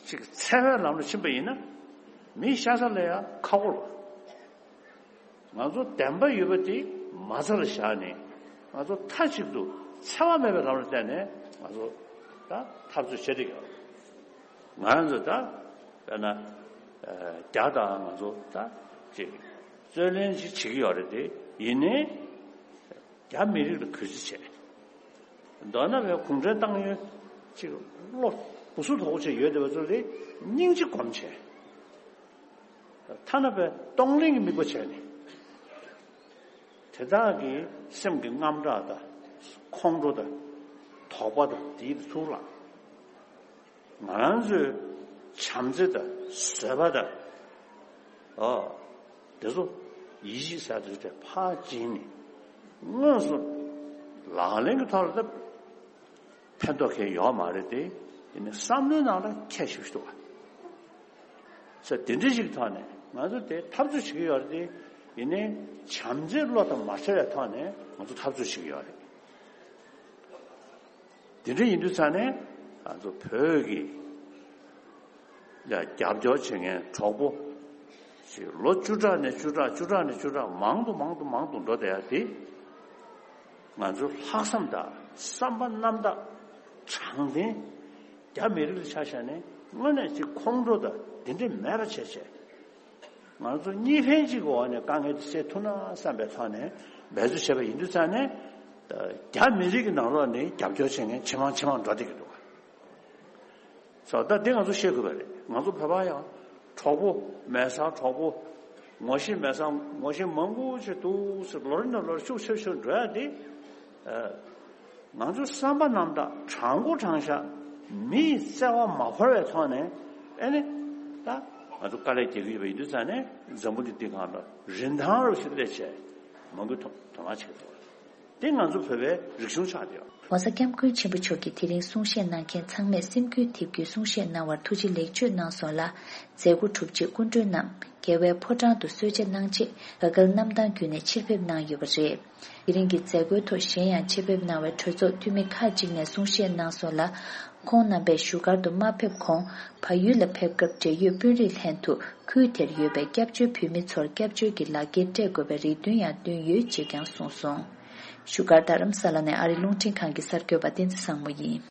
ཅིག་འཚེ་བའི་ལམ་ལ་ཕྱིན་པ་ཡིན་ན་མི་ཤ་ཚ་ལ་ཡང་ཁག་པོ་རེད་པ། ང་ཚོ་བདེན་པ་ཡོད་པ་དེ་མ་རྩ་ལ་བཞག་ནས་ང་ཚོ་མཐའ་གཅིག་ཏུ་འཚེ་བ་མེད་པའི་ལམ་ལ་བསྟན་ནས་ང་ཚོ་ད་འཐབ་རྩོད་བྱེད་བསྡད་ཀྱི་ཡོད་རེད། ང་ཚོ་ད་དཔེར་ན་ཨ། རྒྱ་དང་ང་ཚོ་ད་ཅིག་རྩོད་ལེན་ཅིག་བྱེད་ཀྱི་ཡོད་རེད་དེ། ཡིན་ནའི། རྒྱ་མི་རིགས་ལ་གུས་བརྩི་བྱས། མདོར་ན་བའི་གུང་ཁྲན་ཏང་ཡོན་ཅིག་བློ་ སྐུ་གཟུགས་དོག་པོ་བྱས་ཡོད་བསྡད་པ་ཚོ་དེ་སྙིང་རྗེ་སྒོམ་བྱས། ཐ་ན་པའི་གཏོང་ལེན་གྱི་དམིགས་པ་བྱས་ནས། དེ་དག་གི་སེམས་ཀྱི་དངངས་སྐྲག་དང་། ཁོང་ཁྲོ་དང་། དོགས་པ་དང་། དེའི་ཚུར་ལ། ང་རང་ཚོའི་བྱམས་བརྩེ་དང་བཟོད་པ་དང་། ཨོ། དེ་ཚོ་ཡིད་ཆེས་ཟེར་དེ་ཚོ་ཕར་བྱིན་ནས་དངོས་སུ་ལག་ལེན་གྱི་ཐོག་ལ་ད་ཕན་ཐོགས་ཁེལ་ཡོད་མ་རེད་དེ། ཡིན་ནའི་བསམ་བློའི་ནང་ལ་ཁྱད་ཞུགས་ཤིག་འདུག་བ། ས་དེ་འདྲ་ཞིག་ཐོག་ནས་ང་ཚོ་དེ་འཐབ་རྩོད་བྱེད་ཀྱི་ཡོད་རེད་དེ། ཡིན་ནའི་བྱམས་བརྩེའི་བློ་དང་མ་བྲལ་བའི་ཐོག་ནས་ང་ཚོ་འཐབ་རྩོད་བྱེད་ཀྱི་ཡོད་རེད། དེ་འདྲ་ཡིན་དུས་ཙང་ནས་ང་ཚོ་བོད་ཀྱི་ཡ་རྒྱབ་སྐྱོར་བྱེད་མཁན་གྲོགས་པོ་ཞིག་ལོ་བཅུ་ཕྲག་ནས་བཅུ་ཕྲག་བཅུ་ཕྲག་ནས་བཅུ་ཕྲག་མང་དུ་མང་དུ་མང་དུ་འགྲོ་བསྡད་ཡ་དེ། ང་ཚོའི་ལྷག་བསམ་དང་བསམ་པ་རྣམ་དག་དྲང་བདེན། རྒྱ་མི་རིགས་ལ་ཆ་བཞག་ནས་དངོས་གནས་ཅིག་ཁོང་ཁྲོ་དང་དེ་འདྲ་མེད་པ་བྱས་བྱས། ང་ཚོ་གཉིས་ཕན་གཅིག་གི་འོག་ནས་དཀའ་ངལ་དེ་སེལ་ཐུབ་ན་བསམ་པའི་ཐོག་ནས་འབད་རྩོལ་བྱས་པ་ཡིན་དུས་ཙང་ནས། རྒྱ་མི་རིགས་ཀྱི་ནང་ལོགས་ནས་རྒྱབ་སྐྱོར་བྱེད་མཁན་ཇེ་མང་ཇེ་མང་འགྲོ་བསྡད་ཀྱི་འདུག་བ། སོ་ད་དེ་ང་ཚོ་ཤེས་དགོས་པ་རེད། ང་ཚོ་བོད་པ་ཡང་གྲོགས་པོ་མེད་སར་གྲོགས་པོ། ངོ་ཤེས་མེད་སར་ངོ་ཤེས་མང་པོ་ཅིག་འདུག་ཟེར། ལོ་རེ་ནས་ལོ་རེ་ཤུགས་ཆེ་ཤུགས་འགྲོ་ཡ་དེ། ཨ། ང་ཚོ་བསམ་པ་རྣམ་དག་དྲང་པོ་དྲང་བཞག་མིའི་བརྩེ་བ་མ་བོར་བའི་ཐོག་ནས། ཨེ་ནི། ད་ང་ཚོ་དཀའ་ལས་རྒྱག་གི་ཡོད་པ་ཡིན་དུས་ཙང་ནས་འཛམ་བུ་གླིང་འདི་སྒང་ལ་རིན་ཐང་རུ་ཞིག་སླེབས་བྱས་མང་པོས་དོ་དོ་སྣང་བྱེད་ཀྱི་འདུག་དེ་ང་ཚོ་བོད་པའི་རིག་གཞུང་ཆགས་བསྡད་ཡོད། ྋགོང་ས་ྋསྐྱབས་མགོན་ཆེན་པོ་མཆོག་གིས་དེ་རིང་གསུང་བཤད་གནང་མཁན་ཚང་མས་སེམས་འགུལ་ཐེབས་རྒྱུའི་གསུང་བཤད་གནང་བར་ཐུགས་རྗེ་ལེགས་བརྗོད་གནང་སོང་ལ། མཛད་སྒོ་གྲུབ་རྗེས་སྐུ་མགྲོན་རྣམས་རྒྱལ་བའི་ཕོ་བྲང་དུ་གསོལ་ཇ་གནང་རྗེས་ག་གལ་གནམ་ཐང་བརྒྱུད་ནས་ཕྱིར་ཕེབས་གནང་ཡོད་པ་རེད། དེ་རིང་གི་མཛད་སྒོའི་ཐོག་གཞན་ཡང་ཆེད་ཕེབས་གནང་བའི་གྲོས་ཚོགས་འཐུས་མི་ཁག་ཅིག་ནས་གསུང་བཤད་གནང་སོང་ལ། ཁོང་རྣམ་པས་བཞུགས་སྒར་དུ་མ་ཕེབས་གོང་བལ་ཡུལ་ལ་ཕེབས་སྐབས་འབྲེལ་ཡོད་དཔོན་རིགས་ལྷན་དུ་ཁུལ་དེར་ཡོད་པའི་སྐྱབས་བཅོལ་བོད་མི་ཚོར་སྐྱབས་བཅོལ་གྱི་ལག་འཁྱེར་སྤྲད་དགོས་པའི་རེ་འདུན་ཡང་བཏོན་ཡོད་ཅེས་ཀྱང་གསུངས་སོང་། བཞུགས་སྒར་རྡ་རམ་ས་ལ་ནས་ཨ་རི་རླུང་འཕྲིན་ཁང་གི་གསར་འགོད་པ་བསྟན་འཛིན་བཟང་མོ་ཡིན།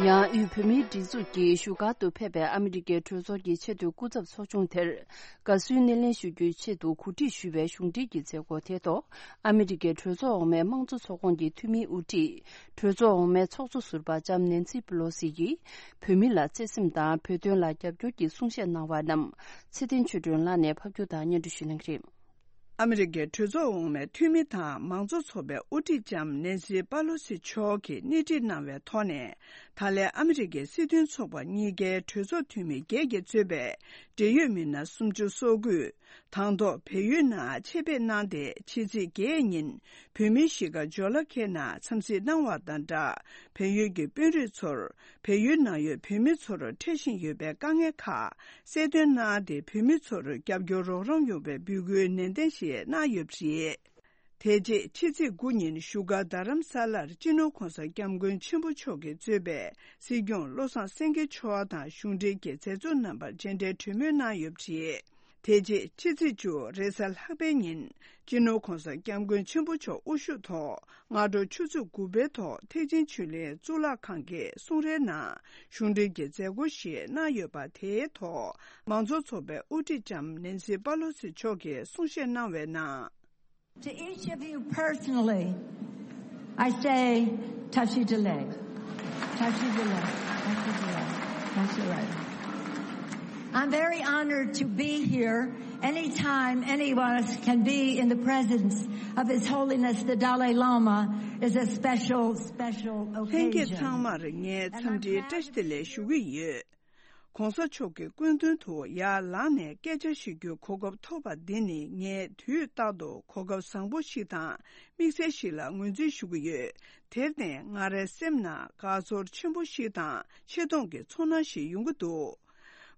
ཡང་དབུས་བོད་མིའི་སྒྲིག་འཛུགས་ཀྱིས་བཞུགས་སྒར་དུ་ཕེབས་པའི་ཨ་མི་རི་ཀའི་གྲོས་ཚོགས་ཀྱི་ཆེས་མཐོའི་སྐུ་ཚབ་ཚོགས་ཆུང་དེར་དགའ་བསུའི་སྣེ་ལེན་ཞུ་རྒྱུའི་ཆེད་དུ་གོ་སྒྲིག་ཞུས་པའི་གཞུང་འབྲེལ་གྱི་མཛད་སྒོ་དེའི་ཐོག་ཨ་མི་རི་ཀའི་གྲོས་ཚོགས་འོག་མའི་དམངས་གཙོ་ཚོགས་ཁོངས་ཀྱི་འཐུས་མིའི་དབུ་ཁྲིད། གྲོས་ཚོགས་འོག་མའི་ཚོགས་གཙོ་ཟུར་པ་ལྕམ་ནེན་སི་པི་ལོ་སི་ཡིས་བོད་མི་ལ་བརྩེ་སེམས་དང་བོད་དོན་ལ་རྒྱབ་སྐྱོར་གྱི་གསུང་བཤད་གནང་བ་རྣམས་ཚེ་བརྟན་ཆོས་སྒྲོན་ལགས་ནས་ཕབ་སྒྱུར་དང་སྙན་སྒྲོན་ཞུ་གནང་གི་རེད། ཨ་མི་རི་ཀའི་གྲོས་ཚོགས་འོག་མའི་འཐུས་མི་དང་མང་གཙོ་ཚོགས་པའི་དབུ་ཁྲིད་ལྕམ་ནེན་སི་པ་ལོ་སི་མཆོག་གིས་སྣེ་ཁྲིད་གནང་བའི་ཐོག་ནས། ད་ལན་ཨ་མི་རི་ཀའི་སྲིད་དོན་ཚོགས་པ་གཉིས་ཀའི་གྲོས་ཚོགས་འཐུས་མི་བརྒྱད་ཀྱིས་གཙོས་པའི་འབྲེལ་ཡོད་མི་སྣ་སུམ་ཅུ་སོ་དགུས། དང་ཐོག་བལ་ཡུལ་ནང་ཆེད་ཕེབས་གནང་སྟེ། ཕྱི་ཚེས་བརྒྱད་ཉིན་བོད་མིའི་གཞིས་ཀ་ཇོ་ལ་ཁེ་ནང་འཚམས་གཟིགས་གནང་བ་དང་སྦྲགས། བལ་ཡུལ་གྱི་དཔོན་རིགས་ཚོར་བལ་ཡུལ་ནང་ཡོད་བོད་མི་ཚོར་འཕྲད་བཞིན་ཡོད་པའི་དཀའ་ངལ་ཁག་གསལ་སྟོན་གནང་སྟེ། བོད་མི་ཚོར་རྒྱབ་སྐྱོར་རོགས་རམ་ཡོང་བའི་འབོད་སྐུལ་ནན་ཏན་ཞིག་གནང་ཡོད་པ་རེད། དེ་རྗེས་ཕྱི་ཚེས་དགུ་ཉིན་བཞུགས་སྒར་རྡ་རམ་ས་ལར་སྤྱི་ནོར་༧གོང་ས་༧སྐྱབས་མགོན་ཆེན་པོ་མཆོག་གིས་གཙོས་པའི་སྲིད་སྐྱོང་བློ་བཟང་སེང་གེ་མཆོག་དང་གཞུང་འབྲེལ་གྱི་མཛད་གཙོ་རྣམ་པར་མཇལ་འཕྲད་གྲོས་མོལ་གནང་ཡོད་པ་རེད། དེ་རྗེས་ཕྱི་ཚེས་བཅུ་རེས་གཟའ་ལྷག་པའི་ཉིན་སྤྱི་ནོར་༧གོང་ས་༧སྐྱབས་མགོན་ཆེན་པོ་མཆོག་དབུ་བཞུགས་ཐོག་སྔ་དྲོ་ཆུ་ཚོད་དགུ་པའི་ཐོག་ཐེག་ཆེན་ཆོས་གླིང་གཙུག་ལག་ཁང་གི་གསུང་རའི་ནང་གཞུང་འབྲེལ་གྱི་མཛད་སྒོ་ཞིག་གནང་ཡོད་པ། དེའི་ཐོག་མང་གཙོ་ཚོགས་པའི་དབུ་ཁྲིད་ལྕམ་ནེན་སི་པ་ལོ་སི་མཆོག་གིས་གསུང་བཤད་གནང་བའི་ནང་། To each of you personally, I say, Tashi Delek. Tashi Delek. Tashi Delek. Tashi Delek. I'm very honored to be here. Anytime any of us can be in the presence of His Holiness the Dalai Lama is a special, special occasion. ལྷན་རྒྱས་ཚང་མར་ངས་འཚམས་འདྲིའི་བཀྲ་ཤིས་བདེ་ལེགས་ཞུ་གི་ཡོད། ྋགོང་ས་མཆོག་གི་སྐུ་མདུན་དུ་ཡར་ལངས་ནས་སྐད་ཆ་ཞུ་རྒྱུའི་གོ་སྐབས་ཐོབ་པ་འདི་ནི་ངས་དུས་རྟག་ཏུ་གོ་སྐབས་བཟང་པོ་ཞིག་དང་དམིགས་བསལ་ཞིག་ལ་ངོས་འཛིན་ཞུ་གི་ཡོད། དེར་བརྟེན་ང་རའི་སེམས་ནང་དགའ་ཚོར་ཆེན་པོ་ཞིག་དང་ཆེ་མཐོང་གི་ཚོར་སྣང་ཞིག་ཡོང་གི་འདུག་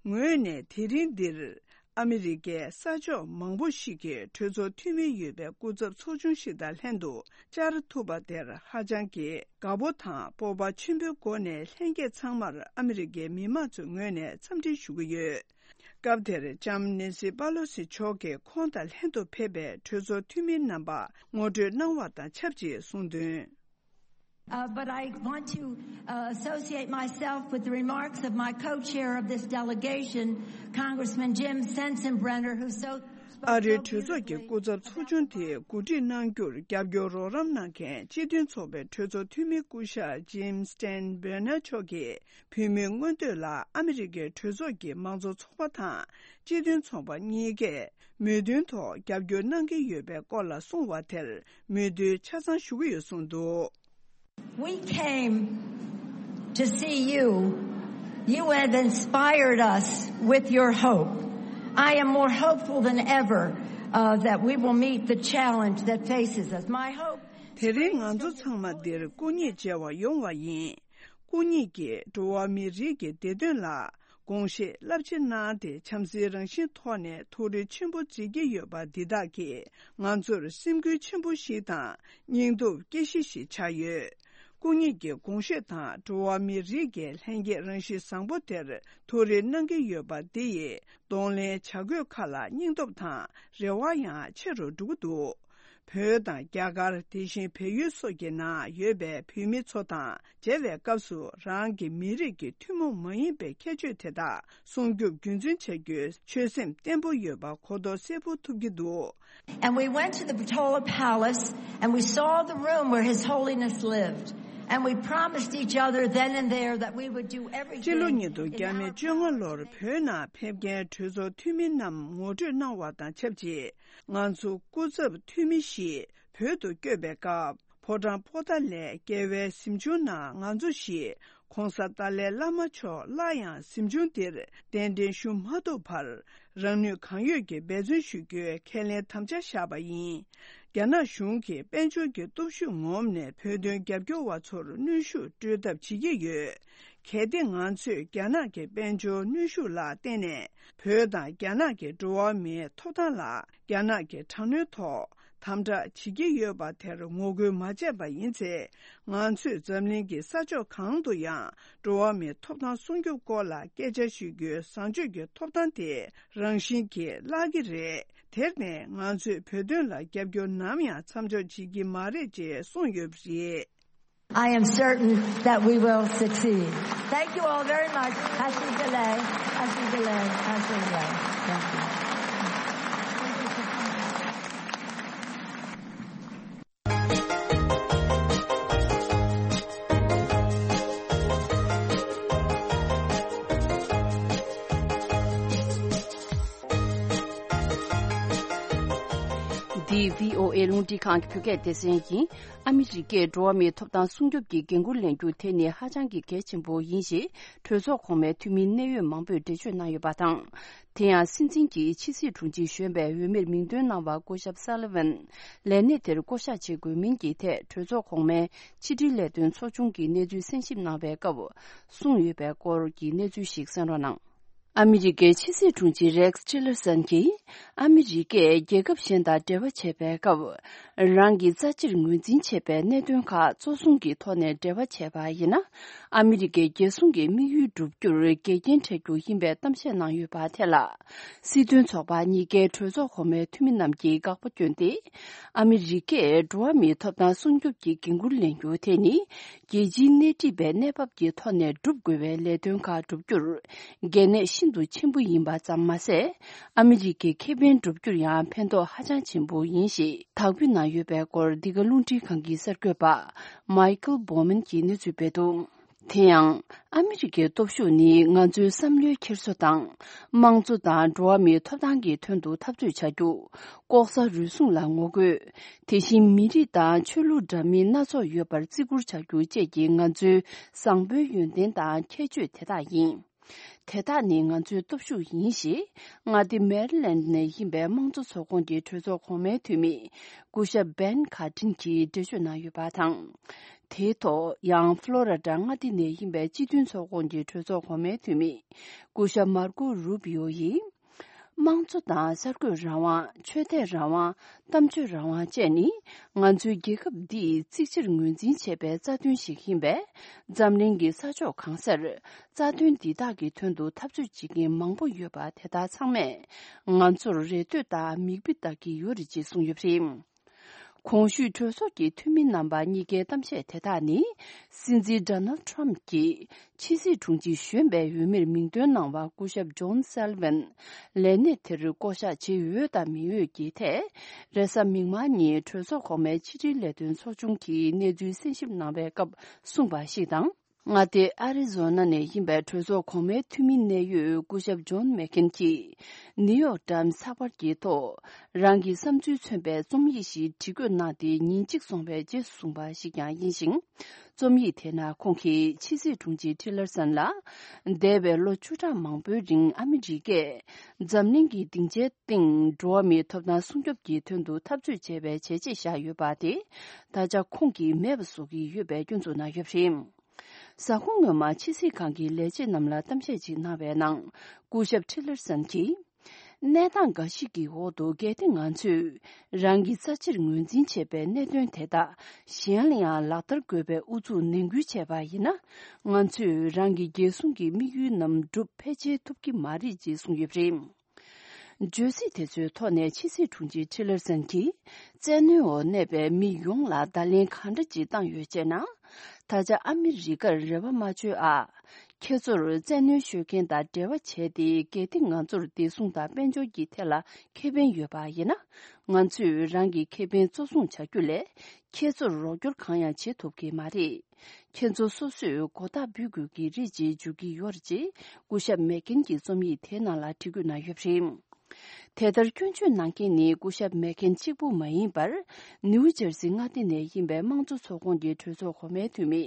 ངོས་ནས་དེ་རིང་འདིར་ཨ་མི་རི་ཀའི་ས་ཕྱོགས་མང་པོ་ཞིག་གི་གྲོས་ཚོགས་འཐུས་མི་ཡོད་པའི་སྐུ་ཚབ་ཚོགས་ཆུང་ཞིག་དང་ལྷན་དུ་བཅར་ཐུབ་པ་དེར་ཧ་ཅང་གི་དགའ་པོ་དང་སྤོབས་པ་ཆེན་པོའི་སྒོ་ནས་ལྷན་རྒྱས་ཚང་མར་ཨ་མི་རི་ཀའི་མི་མང་ཚོའི་ངོས་ནས་འཚམས་འདྲི་ཞུ་གི་ཡོད། སྐབས་དེར་ལྕམ་ནེན་སི་པ་ལོ་སི་མཆོག་གིས་ཁོང་དང་ལྷན་དུ་ཕེབས་པའི་གྲོས་ཚོགས་འཐུས་མི་རྣམ་པར་ངོ་སྤྲོད་གནང་བ་དང་ཆབས་ཅིག་གསུངས་དོན། Uh, but I want to uh, associate myself with the remarks of my co-chair of this delegation, Congressman Jim Sensenbrenner, who so ཨ་རིའི་གྲོས་ཚོགས་ཀྱི་སྐུ་ཚབ་ཚོགས་ཆུང་དེ་གོ་སྒྲིག་གནང་རྒྱུར་རྒྱབ་སྐྱོར་རོགས་རམ་གནང་མཁན་སྤྱི་མཐུན་ཚོགས་པའི་གྲོས་ཚོགས་འཐུས་མི་སྐུ་ཞབས་Jim Steinbrenner་མཆོག་གིས། བོད་མིའི་མངོན་འདོད་ལ་ཨ་མི་རི་ཀའི་གྲོས་ཚོགས་ཀྱི་མང་གཙོ་ཚོགས་པ་དང་སྤྱི་མཐུན་ཚོགས་པ་གཉིས་ཀས་མོས་མཐུན་ཐོག་རྒྱབ་སྐྱོར་གནང་གི་ཡོད་པའི་སྐོར་ལ་གསུངས་བ་དེར་མོས་མཐུན་ཆ་ཚང་ཞུ་གི་ཡོད་གསུངས་འདུག། We came to see you. You have inspired us with your hope. I am more hopeful than ever uh, that we will meet the challenge that faces us. My hope དེ་རིང་ང་ཚོ་ཚང་མ་འདིར་སྐུ་ཉིད་མཇལ་བར་ཡོང་བ་ཡིན། སྐུ་ཉིད་ཀྱིས་འགྲོ་བ་མིའི་རིགས་ཀྱི་བདེ་དོན་ལ་དགོངས་བཞེས་རླབས་ཆེ་གནང་སྟེ་བྱམས་བརྩེའི་རང་བཞིན་ཐོག་ནས་ཐུགས་རེ་ཆེན་པོ་མཛད་ཀྱི་ཡོད་པ་འདི་དག་གིས་ང་ཚོར་སེམས་འགུལ་ཆེན་པོ་ཞིག་དང་སྙིང་སྟོབས་སྐྱེ་གཞི་ཞིག་ཆགས་ཡོད། སྐུ་ཉིད་ཀྱི་དགོངས་བཞེས་དང་འགྲོ་བ་མིའི་རིགས་ཀྱི་ལྷན་སྐྱེས་རང་བཞིན་བཟང་པོ་དེར་ཐུགས་རེ་གནང་གི་ཡོད་པ་འདི་ཡིས་གདོང་ལེན་བྱ་དགོས་ཁ་ལ་སྙིང་སྟོབས་དང་རེ་བ་ཡང་ཆེ་རུ་འགྲོ་གི་འདུག། བོད་དང་རྒྱ་གར། དེ་བཞིན་བལ་ཡུལ་སོགས་ཀྱི་ནང་ཡོད་པའི་བོད་མི་ཚོ་དང་མཇལ་བའི་སྐབས་སུ་རང་གི་མི་རིགས་ཀྱི་ཐུན་མོང་མ་ཡིན་པའི་ཁྱད་ཆོས་དེ་དག་སྲུང་སྐྱོབ་རྒྱུན་འཛིན་བྱ་རྒྱུའི་ཆོད་སེམས་བརྟན་པོ་ཡོད་པ་གོ་རྟོགས་གསལ་པོ་ཐུབ་ཀྱི་འདུག། And we went to the Portola Palace and we saw the room where His Holiness lived. And we promised each other then and there that we would do everything སྤྱི་ལོ་ཉིས་སྟོང་ཉེར་ལྔ་ལོར་བོད་ནང་ཕེབས་མཁན་གྲོས་ཚོགས་འཐུས་མི་རྣམས་ངོ་སྤྲོད་གནང་བ་དང་ཆབས་ཅིག་ང་ཚོ་སྐུ་ཚབ་འཐུས་མི་ཞིག་བོད་དུ་བསྐྱོད་པའི་སྐབས། ཕོ་བྲང་པོ་ཏཱ་ལའི་རྒྱལ་བའི་གཟིམ་ཆུང་ནང་ང་ཚོ་བཞི། ྋགོང་ས་ཏཱ་ལའི་བླ་མ་མཆོག་སླར་ཡང་གཟིམ་ཆུང་འདིར་གདན་འདྲེན་ཞུ་མ་ཐུབ་བར། རང་ནུས་གང་ཡོད་ཀྱིས་འབད་བརྩོན་ཞུ་རྒྱུའི་ཁས་ལེན་དམ་བཅའ་བཞག་པ་ཡིན། རྒྱ་ནག་གཞུང་གིས་དཔལ་འབྱོར་གྱི་སྟོབས་ཤུགས་ངོམས་ནས་བོད་དོན་རྒྱབ་སྐྱོར་བ་ཚོར་གནོན་ཤུགས་སྤྲོད་ཐབས་བྱེད་ཀྱི་ཡོད། གལ་ཏེ་ང་ཚོས་རྒྱ་ནག་གི་དཔལ་འབྱོར་གནོན་ཤུགས་ལ་བརྟེན་ནས་བོད་དང་རྒྱ་ནག་གི་འགྲོ་བ་མིའི་ཐོབ་ཐང་ལ་རྒྱ་ནག་གི་དྲག་གནོན་ཐོག་དམ་དྲག་བྱེད་ཀྱི་ཡོད་པ་དེར་ངོ་རྒོལ་མ་བྱས་པ་ཡིན་ཚེ། ང་ཚོས་འཛམ་གླིང་གི་ས་ཕྱོགས་གང་དུ་ཡང་འགྲོ་བ་མིའི་ཐོབ་ཐང་སྲུང་སྐྱོབ་སྐོར་ལ་སྐད་ཆ་ཤོད་རྒྱུའི་བཟང་སྤྱོད་ཀྱི་ཐོབ་ཐང་དེ་རང་བཞིན་གྱིས་བརླག་གི་རེད། དེར་བརྟེན་ང་ཚོས་བོད་དོན་ལ་རྒྱབ་སྐྱོར་ནམ་ཡང་མཚམས་འཇོག་བྱེད་ཀྱི་མ་རེད་ཅེས་གསུངས་ཡོད་པ་རེད། I am certain that we will succeed. Thank you all very much. Happy delay. Happy delay. Happy delay. Thank you. འདི་བྷི་ཨོ་ཨེ་རླུང་འཕྲིན་ཁང་གི་བོད་སྐད་སྡེ་ཚན་ཡིན། ཨ་མི་རི་ཀས་འགྲོ་བ་མིའི་ཐོབ་ཐང་སྲུང་སྐྱོབ་ཀྱི་འགན་འཁུར་ལེན་རྒྱུ་དེ་ནི་ཧ་ཅང་གི་གལ་ཆེན་པོ་ཡིན་ཞེས་གྲོས་ཚོགས་གོང་མའི་འཐུས་མི་གནད་ཡོད་མང་པོས་འགྲེལ་བརྗོད་གནང་ཡོད་པ་དང་། དེ་ཡང་སྲིད་འཛིན་གྱི་ཕྱི་སྲིད་དྲུང་ཆེ་གཞོན་པའི་འོས་མིར་མིང་འདོན་གནང་བ་སྐུ་ཞབས་སཱ་ལི་ཝན་ལས་གནས་དེར་བསྐོ་གཞག་བྱེད་དགོས་མིན་གྱི་ཐད་གྲོས་ཚོགས་གོང་མའི་ཕྱི་དྲིལ་ལས་དོན་ཚོགས་ཆུང་གིས་གནས་ཚུལ་གསན་ཞིབ་གནང་བའི་སྐབས་གསུངས་ཡོད་པའི་སྐོར་གྱི་གནས་ཚུལ་ཞིག་གསན་རོགས་གནང་། ཨ་མི་རི་ཀའི་ཕྱི་སྲིད་དྲུང་ཆེ་རེགས་ཅི་ལར་སན་གྱིས། ཨ་མི་རི་ཀས་རྒྱལ་ཁབ་གཞན་དང་འབྲེལ་བ་བྱེད་པའི་སྐབས། རང་གི་རྩ་ཆེར་ངོས་འཛིན་བྱེད་པའི་གནད་དོན་ཁག་གཙོ་བཟུང་གི་ཐོག་ནས་འབྲེལ་བ་བྱས་པ་ཡིན་ན། ཨ་མི་རི་ཀའི་རྒྱལ་སྲུང་གི་དམིགས་ཡུལ་བསྒྲུབ་རྒྱུར་འགལ་རྐྱེན་འཕྲད་རྒྱུ་ཡིན་པའི་གཏམ་བཤད་གནང་ཡོད་པ་དེ་ལ། སྲིད་དོན་ཚོགས་པ་གཉིས་ཀའི་གྲོས་ཚོགས་གོང་མའི་འཐུས་མི་རྣམས་ཀྱིས་དགག་པ་བསྐྱོན་ཏེ། ཨ་མི་རི་ཀས་འགྲོ་བ་མིའི་ཐོབ་ཐང་སྲུང་སྐྱོབ་ཀྱི་འགན་འཁུར་ལེན་རྒྱུ་དེ་ནི། རྒྱལ་སྤྱིའི་སྣེ་ཁྲིད་པའི་གནས་བབ་ཀྱི་ཐོག་ནས་སྒྲུབ་དགོས་པའི་ལས་དོན་ཁག་བསྒྲུབ་རྒྱུར། གལ་གནད་ཤིན་ཏུ་ཆེན་པོ་ཡིན་པ་ཙམ་མ་ཟད། ཨ་མི་རི་ཀའི་ཁེ་ཕན་བསྒྲུབ་རྒྱུར་ཡང་ཕན་ཐོགས་ཧ་ཅང་ཆེན་པོ་ཡིན་ཞེས་དག་འབུལ་གནང་ཡོད་པའི་སྐོར། འདི་ག་རླུང་འཕྲིན་ཁང་གི་གསར་འགོད་པ་མའི་ཁལ་བྷོ་མན་གྱིས་གནས་ཚུལ་སྤེལ་འདུག། དེ་ཡང་། ཨ་མི་རི་ཀའི་སྟོབས་ཤུགས་ནི་ང་ཚོའི་བསམ་བློའི་འཁྱེར་སོ་དང་། དམངས་གཙོ་དང་འགྲོ་བ་མིའི་ཐོབ་ཐང་གི་དོན་དུ་འཐབ་རྩོད་བྱ་རྒྱུ། ལྐོག་ཟ་རུལ་སུངས་ལ་ངོ་རྒོལ། དེ་བཞིན་མི་རིགས་དང་ཆོས་ལུགས་འདྲ་མིན་སྣ་ཚོགས་ཡོད་པར་བརྩི་བཀུར་བྱ་རྒྱུ་བཅས་ཀྱི་ང་ཚོའི་བཟང་པོའི་ཡོན་ཏན་དང་ཁྱད་ཆོས་དེ་དག་ཡིན། དེ་དག་ནི་ང་ཚོའི་སྟོབས་ཤུགས་ཡིན་ཞེས། མངའ་སྡེ་མེ་རི་ལེནཌ་ནས་ཡིན་པའི་དམངས་གཙོ་ཚོགས་ཁོངས་ཀྱི་གྲོས་ཚོགས་གོང་མའི་འཐུས་མི། སྐུ་ཞབས་བན་ཁ་ཏྲིན་གྱིས་འགྲེལ་བརྗོད་གནང་ཡོད་པ་དང་། དེའི་ཐོག་ཡང་ཕློ་ར་ཌ་མངའ་སྡེ་ནས་ཡིན་པའི་སྤྱི་མཐུན་ཚོགས་ཁོངས་ཀྱི་གྲོས་ཚོགས་གོང་མའི་འཐུས་མི། སྐུ་ཞབས་མར་ཀོ་རུ་པི་ཡོ་ཡིས། དམངས་གཙོ་དང་གསར་འགོད་རང་དབང་། ཆོས་དད་རང་དབང་། གཏམ་བརྗོད་རང་དབང་བཅས་ནི། ང་ཚོའི་རྒྱལ་ཁབ་འདིས་གཙིགས་ཆེར་ངོས་འཛིན་བྱེད་པའི་རྩ་དོན་ཞིག་ཡིན་པས། འཛམ་གླིང་གི་ས་ཕྱོགས་གང་སར། རྩ་དོན་འདི་དག་གི་དོན་དུ་འཐབ་རྩོད་བྱེད་མཁན་མང་པོ་ཡོད་པ་དེ་དག་ཚང་མས། ང་ཚོར་རེ་ལྟོས་དང་མིག་དཔེ་ལྟ་གི་ཡོད་རེད་ཅེས་གསུངས་ཡོད་པ་རེད། གོང་ཞུས་གྲོས་ཚོགས་ཀྱི་འཐུས་མི་རྣམ་པ་གཉིས་ཀའི་གཏམ་བཤད་དེ་དག་ནི། སྲིད་འཛིན་Donald Trump་གྱིས་ཕྱི་སྲིད་དྲུང་ཆེ་གཞོན་པའི་འོས་མིར་མིང་འདོན་གནང་བ་སྐུ་ཞབས་John Sullivan་ལས་གནས་དེར་བསྐོ་གཞག་བྱེད་འོས་དང་མི་འོས་ཀྱི་ཐད། རེས་གཟའ་མིག་དམར་ཉིན་གྲོས་ཚོགས་གོང་མའི་ཕྱི་དྲིལ་ལས་དོན་ཚོགས་ཆུང་གིས་གནས་ཚུལ་གསན་ཞིབ་གནང་བའི་སྐབས་གསུངས་པ་ཞིག་དང་། མངའ་སྡེ་ཨ་རི་ཛོ་ན་ནས་ཡིན་པའི་གྲོས་ཚོགས་གོང་མའི་འཐུས་མི་གནད་ཡོད་སྐུ་ཞབས་John McCain་གྱིས་New York Times་ཚགས་པར་གྱི་ཐོག་རང་གི་བསམ་ཚུལ་མཚོན་པའི་རྩོམ་ཡིག་ཞིག་བྲིས་འགོད་གནང་སྟེ་ཉིན་གཅིག་སོང་བའི་རྗེས་སུ་གསུངས་པ་ཞིག་ཀྱང་ཡིན་ཞིང་། རྩོམ་ཡིག་དེ་ནང་ཁོང་གིས་ཕྱི་སྲིད་དྲུང་ཆེ་Tillerson་ལ། འདས་པའི་ལོ་བཅུ་ཕྲག་མང་པོའི་རིང་ཨ་མི་རི་ཀས་འཛམ་གླིང་གི་སྡིངས་ཆའི་སྟེང་འགྲོ་བ་མིའི་ཐོབ་ཐང་སྲུང་སྐྱོབ་ཀྱི་དོན་དུ་འཐབ་རྩོད་བྱས་པའི་བྱས་རྗེས་བཞག་ཡོད་པ་དེ། ད་ཆ་ཁོང་གིས་མེད་པ་བཟོ་གི་ཡོད་པའི་སྐྱོན་འཛུགས་གནང་ཡོད་པ་རེད། གཟའ་འཁོར་སྔོན་མ་ཕྱི་སྲིད་ཁང་གི་ལས་བྱེད་རྣམས་ལ་གཏམ་བཤད་ཅིག་གནང་བའི་ནང་། སྐུ་ཞབས་Tillerson་གྱིས། གནས་སྟངས་འགའ་ཞིག་གི་འོག་ཏུ་གལ་ཏེ་ང་ཚོས་རང་གི་རྩ་ཆེར་ངོས་འཛིན་བྱས་པའི་གནད་དོན་དེ་དག་གཞན་ལ་ཡང་ལག་བསྟར་དགོས་པའི་ཨུ་ཚུགས་ནན་སྐུལ་བྱས་པ་ཡིན་ན། ང་ཚོས་རང་གི་རྒྱལ་སྲུང་གི་དམིགས་ཡུལ་རྣམས་འགྲུབ་ཕལ་ཆེར་ཐུབ་ཀྱི་མ་རེད་ཅེས་གསུངས་ཡོད་པ་རེད། བརྗོད་ཚིག་དེ་ཚོའི་ཐོག་ནས་ཕྱི་སྲིད་དྲུང་ཆེ་Tillerson་གྱིས། བཙན་གནོན་འོག་གནས་པའི་མི་ཡོངས་ལ་བརྡ་ལན་གང་འདྲ་ཅིག་བཏང་ཡོད་ཅེ་ན། ད་ཆ་ཨ་མི་རི་ཀར་རེ་བ་མ་བཅོལ་ཨ། ཁྱེད་ཚོར་བཙན་གནོན་ཤོད་མཁན་དང་འབྲེལ་བ་བྱས་ཏེ། གལ་ཏེ་ང་ཚོར་བདེ་སྲུང་དང་དཔལ་འབྱོར་གྱི་ཐད་ལ་ཁེ་ཕན་ཡོད་པ་ཡིན་ན། ང་ཚོས་རང་གི་ཁེ་ཕན་གཙོ་བཟུང་བྱ་རྒྱུ་ལས། ཁྱེད་ཚོར་རོགས་སྐྱོར་གང་ཡང་བྱེད་ཐུབ་ཀྱི་མ་རེད། ཁྱེད་ཚོ་སོ་སོས་གོ་བརྡ་འབུལ་དགོས་ཀྱི་རེད་ཅེས་བརྗོད་ཀྱི་ཡོད་རེད་ཅེས་སྐུ་ཞབས་མེག་ཀིན་གྱིས་རྩོམ་ཡིག་དེའི་ནང་ལ་འབྲི་འགོད་གནང་ཡོད་པ་རེད། དེ་ལྟར་སྐྱོན་བརྗོད་གནང་མཁན་ནི་སྐུ་ཞབས་མེག་ཀིན་གཅིག་པུ་མ་ཡིན་པར། ནིའུ་ཇར་སི་མངའ་སྡེ་ནས་ཡིན་པའི་དམངས་གཙོ་ཚོགས་ཁོངས་ཀྱི་གྲོས་ཚོགས་གོང་མའི་འཐུས་མི།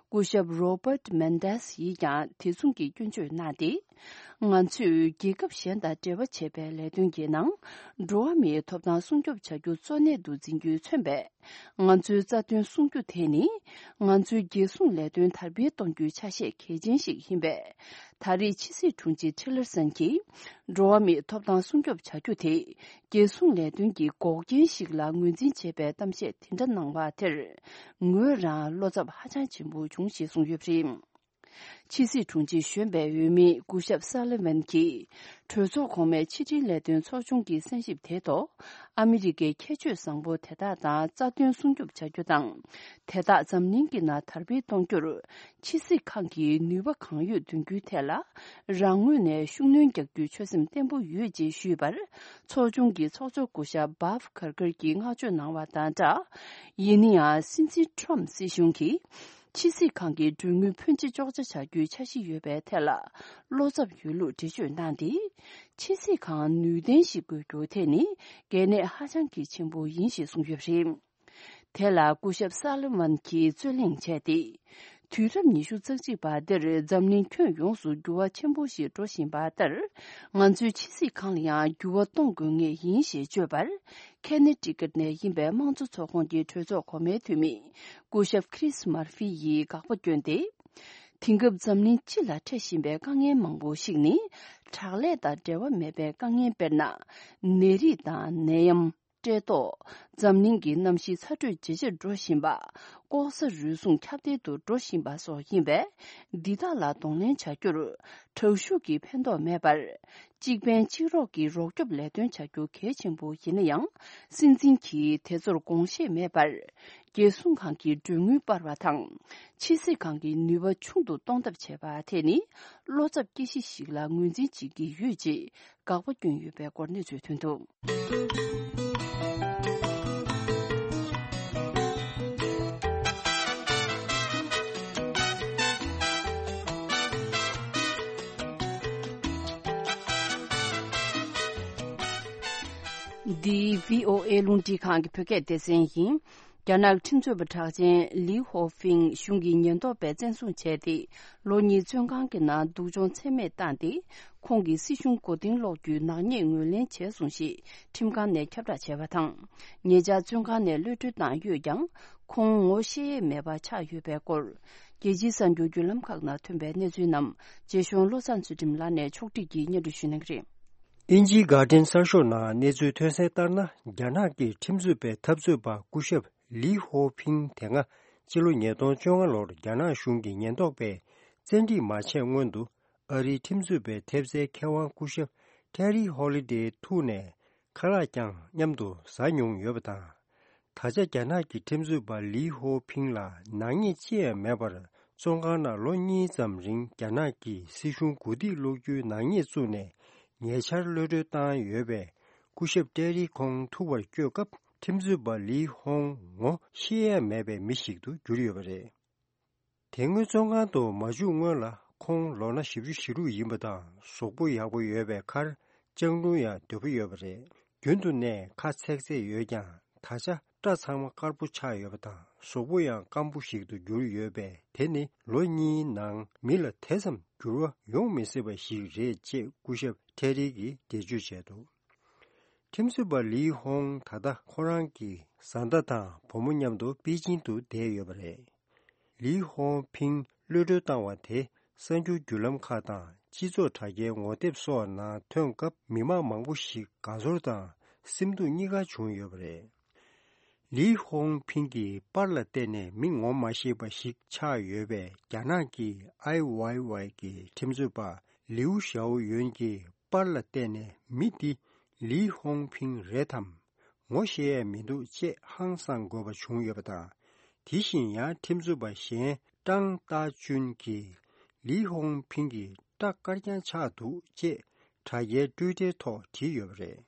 སྐུ་ཞབས་Robert Mendez་ཡིས་ཀྱང་དེ་མཚུངས་ཀྱི་སྐྱོན་བརྗོད་གནང་སྟེ། ང་ཚོས་རྒྱལ་ཁབ་གཞན་དང་འབྲེལ་བ་བྱེད་པའི་ལས་དོན་གྱི་ནང་། འགྲོ་བ་མིའི་ཐོབ་ཐང་སྲུང་སྐྱོབ་བྱ་རྒྱུ་གཙོ་གནད་དུ་འཛིན་རྒྱུས་མཚོན་པས། ང་ཚོའི་རྩ་དོན་སྲུང་རྒྱུ་དེ་ནི། ང་ཚོའི་རྒྱལ་སྲུང་ལས་དོན་དར་སྤེལ་གཏོང་རྒྱུའི་ཆ་ཤས་གལ་ཆེན་ཞིག་ཡིན་པས། ད་རེས་ཕྱི་སྲིད་དྲུང་ཆེ་Tillerson་གྱིས། འགྲོ་བ་མིའི་ཐོབ་ཐང་སྲུང་སྐྱོབ་བྱ་རྒྱུ་དེ། རྒྱལ་སྲུང་ལས་དོན་གྱི་འགོག་རྐྱེན་ཞིག་ལ་ངོས་འཛིན་བྱས་པའི་གཏམ་བཤད་དེ་འདྲ་གནང་བ་དེར། ངོས་རང་བློ་འཚབ་ཧ་ཅང་ཆེན་པོ་བྱུང་ཞེས་གསུངས་ཡོད་པ་རེད། ཕྱི་སྲིད་དྲུང་ཆེ་གཞོན་པའི་འོས་མི་སྐུ་ཞབས་Sullivan་གྱིས། གྲོས་ཚོགས་གོང་མའི་ཕྱི་དྲིལ་ལས་དོན་ཚོགས་ཆུང་གི་གསན་ཞིབ་དེའི་ཐོག་ཨ་མི་རི་ཀའི་ཁྱད་ཆོས་བཟང་པོ་དེ་དག་དང་རྩ་དོན་སྲུང་སྐྱོབ་བྱ་རྒྱུ་དང་། དེ་དག་འཛམ་གླིང་གི་ནང་དར་སྤེལ་གཏོང་རྒྱུར། ཕྱི་སྲིད་ཁང་གིས་ནུས་པ་གང་ཡོད་འདོན་རྒྱུའི་ཐད་ལ། རང་ངོས་ནས་ཤུགས་སྣོན་རྒྱག་རྒྱུའི་ཆོད་སེམས་བརྟན་པོ་ཡོད་ཅེས་ཞུས་པར། ཚོགས་ཆུང་གི་ཚོགས་གཙོ་སྐུ་ཞབས་Bob Kerrey་གྱིས་བསྔགས་བརྗོད་གནང་བ་དང་སྦྲགས། ཡིན་ན་ཡང་། སྲིད་འཛིན་Trump་སྲིད་གཞུང་གིས། ཕྱི་སྲིད་ཁང་གི་གྲོན་དངུལ་ཕོན་ཆེ་གཅོག་ཆ་བྱ་རྒྱུའི་འཆར་གཞི་ཡོད་པའི་ཐད་ལ། བློ་འཚབ་ཡོད་ལུགས་འགྲེལ་བརྗོད་གནང་སྟེ། ཕྱི་སྲིད་ཁང་ནུས་ལྡན་ཞིག་དགོས་རྒྱུ་དེ་ནི། གལ་གནད་ཧ་ཅང་གི་ཆེན་པོ་ཡིན་ཞེས་གསུངས་ཡོད་པ་རེད། དེ་ལ་སྐུ་ཞབས་Sullivan་གྱིས་རྩོད་གླེང་བྱས་ཏེ། དུས་རབས་ཉི་ཤུ་རྩ་གཅིག་པ་འདིར་འཛམ་གླིང་ཁྱོན་ཡོངས་སུ་འགྱུར་བ་ཆེན་པོ་ཞིག་འགྲོ་བཞིན་པ་ལྟར། ང་ཚོའི་ཕྱི་སྲིད་ཁང་ལ་ཡང་འགྱུར་བ་གཏོང་དགོས་ངེས་ཡིན་ཞེས་བརྗོད་པར། Connecticut་ནས་ཡིན་པའི་དམངས་གཙོ་ཚོགས་ཁོངས་ཀྱི་གྲོས་ཚོགས་གོང་མའི་འཐུས་མི། སྐུ་ཞབས་Chris Murphy་ཡིས་དགག་པ་བསྐྱོན་ཏེ། དེང་སྐབས་འཛམ་གླིང་སྤྱི་ལ་འཕྲད་བཞིན་པའི་དཀའ་ངལ་མང་པོ་ཞིག་ནི། དྲག་ལས་དང་འབྲེལ་བ་མེད་པའི་དཀའ་ངལ་དཔེར་ན། ནད་རིགས་དང་ནད་ཡམས། བཀྲེས་ལྟོགས། འཛམ་གླིང་གི་གནམ་གཤིས་ཚ་དྲོད་ཇེ་ཆེར་འགྲོ་བཞིན་པ། ལྐོག་ཟ་རུལ་སུངས་ཁྱབ་གདལ་དུ་འགྲོ་བཞིན་པ་སོགས་ཡིན་པས། འདི་དག་ལ་གདོང་ལེན་བྱ་རྒྱུར། དྲག་ཤུགས་ཀྱིས་ཕན་ཐོགས་མེད་པར། གཅིག་ཕན་གཅིག་རོགས་ཀྱི་རོགས་སྐྱོབ་ལས་དོན་བྱ་རྒྱུ་གལ་ཆེན་པོ་ཡིན་ན་ཡང་། སྲིད་འཛིན་གྱིས་དེ་ཚོར་དགོངས་བཞེས་མེད་པར། རྒྱལ་སྲུང་ཁང་གི་གྲོན་དངུལ་སྤར་བ་དང་། ཕྱི་སྲིད་ཁང་གི་ནུས་པ་ཆུང་དུ་གཏོང་ཐབས་བྱས་པ་དེ་ནི། བློ་འཚབ་སྐྱེ་གཞི་ཞིག་ལ་ངོས་འཛིན་བྱེད་ཀྱི་ཡོད་ཅེས། དགག་པ་བསྐྱོན་ཡོད་པའི་སྐོར་གནས་ཚུལ་ཐོན་འདུག་འདི་བྷི་ཨོ་ཨེ་རླུང་འཕྲིན་ཁང་གི་བོད་སྐད་སྡེ་ཚན་ཡིན། རྒྱ་ནག་ཁྲིམས་རྩོད་པ་གྲགས་ཅན་ལི་ཧོ་ཕིང་གཞུང་གི་ཉེན་རྟོག་པས་བཙན་བཟུང་བྱས་ཏེ། ལོ་གཉིས་བཙོན་ཁང་གི་ནང་སྡུག་སྦྱོང་ཚད་མེད་བཏང་སྟེ། ཁོང་གིས་སྲིད་གཞུང་མགོ་རྟིང་སློག་རྒྱུའི་ནག་ཉེས་ངོས་ལེན་བྱས་སོང་ཞེས་ཁྲིམས་ཁང་ནས་ཁྱབ་བསྒྲགས་བྱས་པ་དང་། ཉེ་ཆར་བཙོན་ཁང་ནས་གློད་གྲོལ་བཏང་ཡོད་ཀྱང་། ཁོང་ངོ་ཤེས་ཡས་མེད་པ་ཆགས་ཡོད་པའི་སྐོར། རྒྱལ་སྤྱིའི་གསར་འགྱུར་བརྒྱུད་ལམ་ཁག་ནང་ཐོན་པའི་གནས་ཚུལ་རྣམས། རྗེ་གཞུང་བློ་བཟང་ཚུལ་ཁྲིམས་ལགས་ནས་ཕྱོགས་སྒྲིག་གིས་སྙན་སྒྲོན་ཞུ་གནང་གི་རེད། དབྱིན་ཇིའི་གྷར་ཌེན་གསར་ཤོག་ནང་གནས་ཚུལ་ཐོན་གསལ་ལྟར་ན། རྒྱ་ནག་གི་ཁྲིམས་རྩོད་པའི་འཐབ་རྩོད་པ་སྐུ་ཞབས་ལི་ཧོ་ཕིང་དེ་སྔ་ཕྱི་ལོ་ཉིས་སྟོང་བཅོ་ལྔ་ལོར་རྒྱ་ནག་གཞུང་གི་ཉེན་རྟོག་པས་བཙན་ཁྲིད་མ་བྱས་སྔོན་དུ། ཨ་རིའི་ཁྲིམས་རྩོད་པའི་ཐེབས་རྩའི་མཁས་དབང་སྐུ་ཞབས་ཊེ་རི་ཧོ་ལི་ཌེ་ཐུག་ནས་ཁ་ལག་ཀྱང་མཉམ་དུ་ཟ་མྱོང་ཡོད་པ་དང་། ད་ཆ་རྒྱ་ནག་གི་ཁྲིམས་རྩོད་པ་ལི་ཧོ་ཕིང་ལ་ནག་ཉེས་ཅི་ཡང་མེད་པར་བཙོན་ཁང་ནང་ལོ་གཉིས་ཙམ་རིང་རྒྱ་ནག་གི་སྲིད་གཞུང་གུ་དེས་སློག་རྒྱུའི་ནག་ཉེས་བཙུགས་ནས་ཉེ་ཆར་གློད་གྲོལ་བཏང་ཡོད་པས། སྐུ་ཞབས་ཏེ་རི་ཁོང་ཐུག་པར་བསྐྱོད་སྐབས་ཁྲིམས་རྩོད་པ་ལི་ཧོང་ངོ་ཤེས་ཡས་མེད་པའི་མི་ཞིག་ཏུ་གྱུར་ཡོད་པ་རེད། དེ་སྔོན་བཙོན་ཁང་དུ་མ་འཇུག་སྔོན་ལ་ཁོང་ལོ་ན་བཞི་བཅུ་ཞེ་དྲུག་ཡིན་པ་དང་གཟུགས་པོ་ཡག་པོ་ཡོད་པའི་ཁར་ལྕང་ལུང་ཡང་དོད་པོ་ཡོད་པ་རེད། རྒྱུན་དུ་ནས་ཁ་ཚེག་ཚེག་ཡོད་ཀྱང་ད་ཆ་སྐྲ་ཚང་མ་དཀར་པོ་ཆགས་ཡོད་པ་དང་གཟུགས་པོ་ཡང་སྐམ་པོ་ཞིག་ཏུ་གྱུར་ཡོད་པས་དེ་ནི་ལོ་གཉིས་ནང་མི་ལ་དེ་ཙམ་འགྱུར་བ་ཡོང་མི་སྲིད་པ་ཞིག་རེད་ཅེས་སྐུ་ཞབས་ཐེ་རི་གིས་འགྲེལ་བརྗོད་བྱས་འདུག་ཁྲིམས་རྩོད་པ་ལི་ཧོང་ད་ལྟ་ཁོ་རང་གི་བཟའ་ཟླ་དང་བུ་མོ་མཉམ་དུ་པེ་ཅིང་དུ་བསྡད་ཡོད་པ་རེད། ལི་ཧོང་ཕིང་གློད་གྲོལ་བཏང་བ་དེ་གསར་འགྱུར་བརྒྱུད་ལམ་ཁག་དང་སྤྱི་ཚོགས་དྲ་རྒྱའི་ངོ་དེབ་སོགས་ནང་ཐོན་སྐབས་མི་མང་མང་པོ་ཞིག་དགའ་ཚོར་དང་སེམས་སྡུག་གཉིས་ཀ་བྱུང་ཡོད་པ་རེད། ལི་ཧོང་ཕིང་གི་པར་ལ་བལྟས་ནས་མི་ངོ་མ་ཤེས་པ་ཞིག་ཆགས་ཡོད་པས་རྒྱ་ནག་གི་ཨའི་ཝའི་ཝའི་གི་ཁྲིམས་རྩོད་པ་ལིའུ་ཞའོ་ཡོན་གྱི་པར་ལ་བལྟས་ནས་མི་འདི་ལི་ཧོང་ཕིང་རེད་དམ། ངོ་ཤེས་ཡས་མི་འདུག་ཅེས་ཧང་སངས་དགོས་པ་བྱུང་ཡོད་པ་དང་། དེ་བཞིན་ཡང་ཁྲིམས་རྩོད་པ་གཞན་ཀྲང་ཏཱ་ཅུན་གྱིས་ལི་ཧོང་ཕིང་གི་སྐྲ་དཀར་རྐྱང་ཆགས་འདུག་ཅེས་དྲ་རྒྱའི་ཊུའི་ཊར་ཐོག་བྲིས་ཡོད་པ་རེད།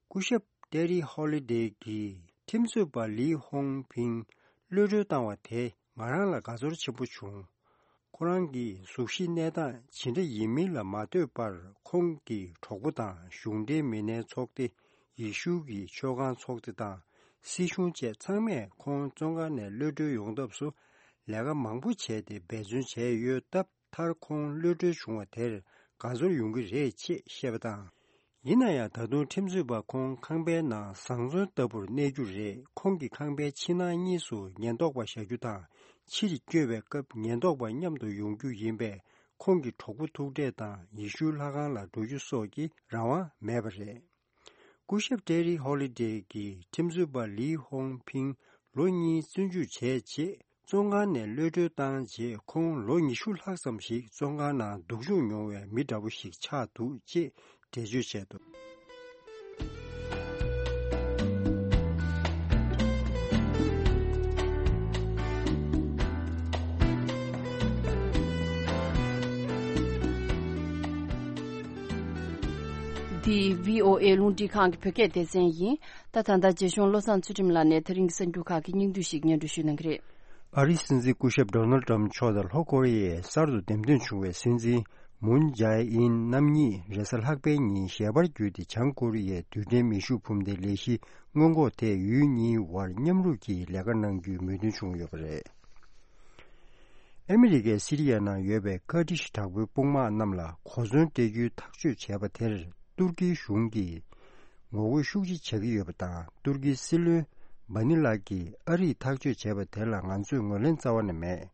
སྐུ་ཞབས་ཏེ་རི་ཧོ་ལི་ཌེ་གིས་ཁྲིམས་རྩོད་པ་ལི་ཧོང་ཕིང་གློད་གྲོལ་བཏང་བ་དེ་ང་རང་ལ་དགའ་ཚོར་ཆེན་པོ་བྱུང་། ཁོ་རང་གི་གཟུགས་གཞི་གནས་སྟངས་ཇི་འདྲ་ཡིན་མིན་ལ་མ་ལྟོས་པར་ཁོང་གི་གྲོགས་པོ་དང་གཞུང་འབྲེལ་མི་སྣའི་ཚོགས་སྡེ། ཡེ་ཤུ་གི་ཆོས་ཁང་ཚོགས་སྡེ་དང་སྲིད་གཞུང་བཅས་ཚང་མས་ཁོང་བཙོན་ཁང་ནས་གློད་གྲོལ་ཡོང་ཐབས་སུ་ལས་ཀ་མང་པོ་བྱས་ཏེ་འབད་བརྩོན་བྱས་ཡོད་སྟབས། མཐར་ཁོང་གློད་གྲོལ་བྱུང་བ་དེར་དགའ་ཚོར་ཡོང་གི་རེད་ཅེས་བཤད་པ་དང་། ཡིན་ན་ཡང་ད་དུང་ཁྲིམས་རྩོད་པ་ཁོང་ཁང་པའི་ནང་བཟང་བཙོན་ལྟ་བུར་གནས་རྒྱུ་རེད། ཁོང་གི་ཁང་པའི་ཕྱི་ནང་གཉིས་སུ་ཉེན་རྟོག་པ་བཞག་རྒྱུ་དང་། ཕྱིར་བསྐྱོད་པའི་སྐབས་ཉེན་རྟོག་པ་མཉམ་དུ་ཡོང་རྒྱུ་ཡིན་པས་ཁོང་གི་གྲོགས་པོ་ཐུག་འཕྲད་དང་ཡེ་ཤུའི་ལྷ་ཁང་ལ་འགྲོ་རྒྱུ་སོགས་ཀྱི་རང་དབང་མེད་པ་རེད། སྐུ་ཞབས་ཏེ་རི་ཧོ་ལི་ཌེ་གིས་ཁྲིམས་རྩོད་པ་ལི་ཧོང་ཕིང་ལོ་གཉིས་བཙོན་འཇུག་བྱས་རྗེས་བཙོན་ཁང་ནས་གློད་གྲོལ་བཏང་རྗེས་ཁོང་ལོ་ཉི་ཤུ་ལྷག་ཙམ་ཞིག་བཙོན་ཁང་ནང་སྡུག་སྦྱོང་མྱོང་བའི་མི་འདྲ་པོ་ཞིག་ཆགས་འདུག་ཅེས་འགྲེལ་བརྗོད་བྱས་འདུག་འདི་བྷི་ཨོ་ཨེ་རླུང་འཕྲིན་ཁང་གི་བོད་སྐད་སྡེ་ཚན་ཡིན། ད་ད་ལྟ་རྒྱ་གཞུང་བློ་བཟང་ཚུལ་ཁྲིམས་ལགས་ནས་ད་རིང་གི་གསར་འགྱུར་ཁག་གི་སྙིང་བསྡུས་ཤིག་སྙན་སྒྲོན་ཞུ་གནང་གི་རེད། ཨ་རིའི་སྲིད་འཛིན་སྐུ་ཞབས་ཌོ་ནལ་ཌི་ཊརམ་མཆོག་དང་ལྷོ་ཀོ་རི་ཡའི་གསར་དུ་འདེམས་ཐོན་བྱུང་བའི་སྲིད་འཛིན་མུན་ཇའེ་ཨིན་རྣམ་གཉིས་རེས་གཟའ་ལྷག་པའི་ཉིན་ཞལ་པར་བརྒྱུད་དེ་བྱང་ཀོ་རི་ཡའི་རྡུལ་ཕྲན་མེ་ཤུགས་འཕུར་མདེལ་ལས་གཞིའི་སྔོན་འགོག་ཐད་ཡུལ་གཉིས་དབར་མཉམ་རུབ་ཀྱིས་ལས་ཀ་གནང་རྒྱུའི་མོས་མཐུན་བྱུང་ཡོད་པ་རེད། ཨ་མི་རི་ཀས་སི་རི་ཡ་ནང་ཡོད་པའི་ཀར་ཌི་ཤི་དྲག་པོའི་དཔུང་དམག་རྣམས་ལ་གོ་མཚོན་སྤྲད་རྒྱུའི་ཐག་གཅོད་བྱས་པ་དེར་ཏུར་ཀིའི་གཞུང་གིས་ངོ་རྒོལ་ཤུགས་ཆེ་བྱ་གི་ཡོད་པ་དང་། ཏུར་ཀིའི་སྲིད་བློན་བྷ་ནི་ལགས་ཀྱིས་ཨ་རིས་ཐག་གཅོད་བྱས་པ་དེ་ལ་ང་ཚོས་ངོས་ལེན་རྩ་བ་ནས་མེད།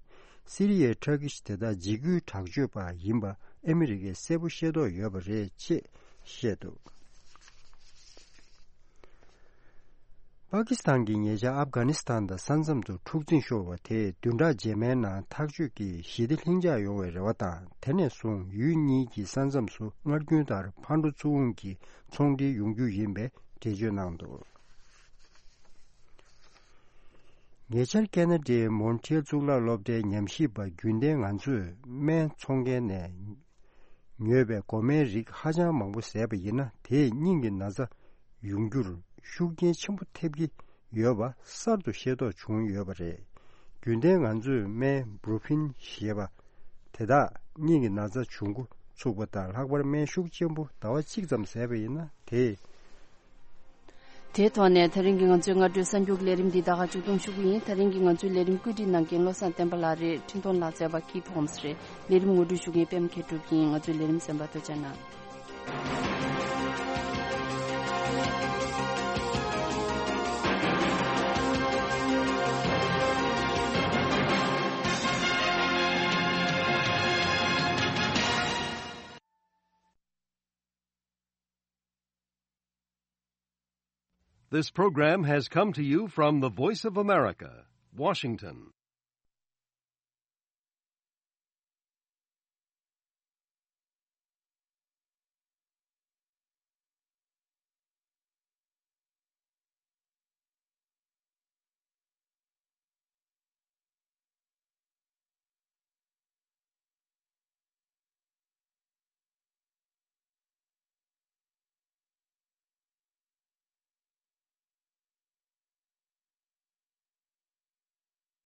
སི་རི་ཡའི་དྲག་གི་དེ་དག་འཇིགས་སྐུལ་དྲག་སྤྱོད་པ་ཡིན་པ་ཨ་མི་རི་ཀས་གསལ་པོ་ཤེས་རྟོགས་ཡོད་པ་རེད་ཅེས་བཤད་འདུག་པ་ཀི་སི་ཐན་གྱིས་ཉེ་ཆར་ཨབ་གྷ་ནི་སི་ཐན་དང་ས་མཚམས་སུ་འཁྲུག་འཛིང་ཤོར་བ་དེས་བདུན་ཕྲག་རྗེས་མའི་ནང་ཐག་གཅོད་ཀྱིས་ཞི་བདེ་ལྷིང་འཇགས་ཡོང་བའི་རེ་བ་དང་། དེ་ནས་བཟུང་ཡུལ་གཉིས་ཀྱི་ས་མཚམས་སུ་སྔར་རྒྱུན་ལྟར་ཕར་འགྲོ་ཚུར་འོང་གི་ཚོང་འབྲེལ་ཡོང་རྒྱུ་ཡིན་པའི་འགྲེལ་བརྗོད་གནང་འདུག་ཉེ་ཆར་ཁེ་ན་ཌའི་མོན་ཊི་ཨེལ་གཙུག་ལག་སློབ་གྲྭའི་ཉམས་ཞིབ་པ་རྒྱུན་ལྡན་ང་ཚོས་སྨན་འཚོང་མཁན་ནས་ཉོས་པའི་འགོག་སྨན་རིགས་ཧ་ཅང་མང་པོ་བཟས་པ་ཡིན་ན། དེས་སྙིང་གི་ན་ཚ་ཡོང་རྒྱུར་ཤུགས་རྐྱེན་ཆེན་པོ་ཐེབས་ཀྱི་ཡོད་པ་གསར་དུ་ཤེས་རྟོགས་བྱུང་ཡོད་པ་རེད། རྒྱུན་ལྡན་ང་ཚོས་སྨན་བུ་རུ་ཕིན་ཞེས་པ་དེ་དག་སྙིང་གི་ན་ཚ་བྱུང་འགོ་ཚུགས་པ་དང་། ལྷག་པར་སྨན་ཤུགས་ཆེན་པོ་ཟླ་བ་གཅིག་ཙམ་བཟས་པ་ཡིན་ན་དེས། དེའི་ཐོག་ནས་ད་རིང་གི་ང་ཚོའི་སྔ་དྲོའི་གསར་འགྱུར་ལས་རིམ་འདི་ད་ག་མཇུག་སྡོམ་ཞུ་གི་ཡིན། ད་རིང་གི་ང་ཚོའི་ལས་རིམ་བཀོད་སྒྲིག་གནང་མཁན་བློ་བཟང་བསྟན་པ་ལགས་རེད། འཕྲིན་གཏོང་ལག་རྩལ་པ་ཀི་ཕོམ་སི་རེད། ལས་རིམ་ངོ་སྤྲོད་ཞུ་མཁན་པད་མ་མཁས་གྲུབ་ཡིན། ང་ཚོའི་ལས་རིམ་གསན་པར་ཐུགས་རྗེ་གནང་། This program has come to you from the Voice of America, Washington.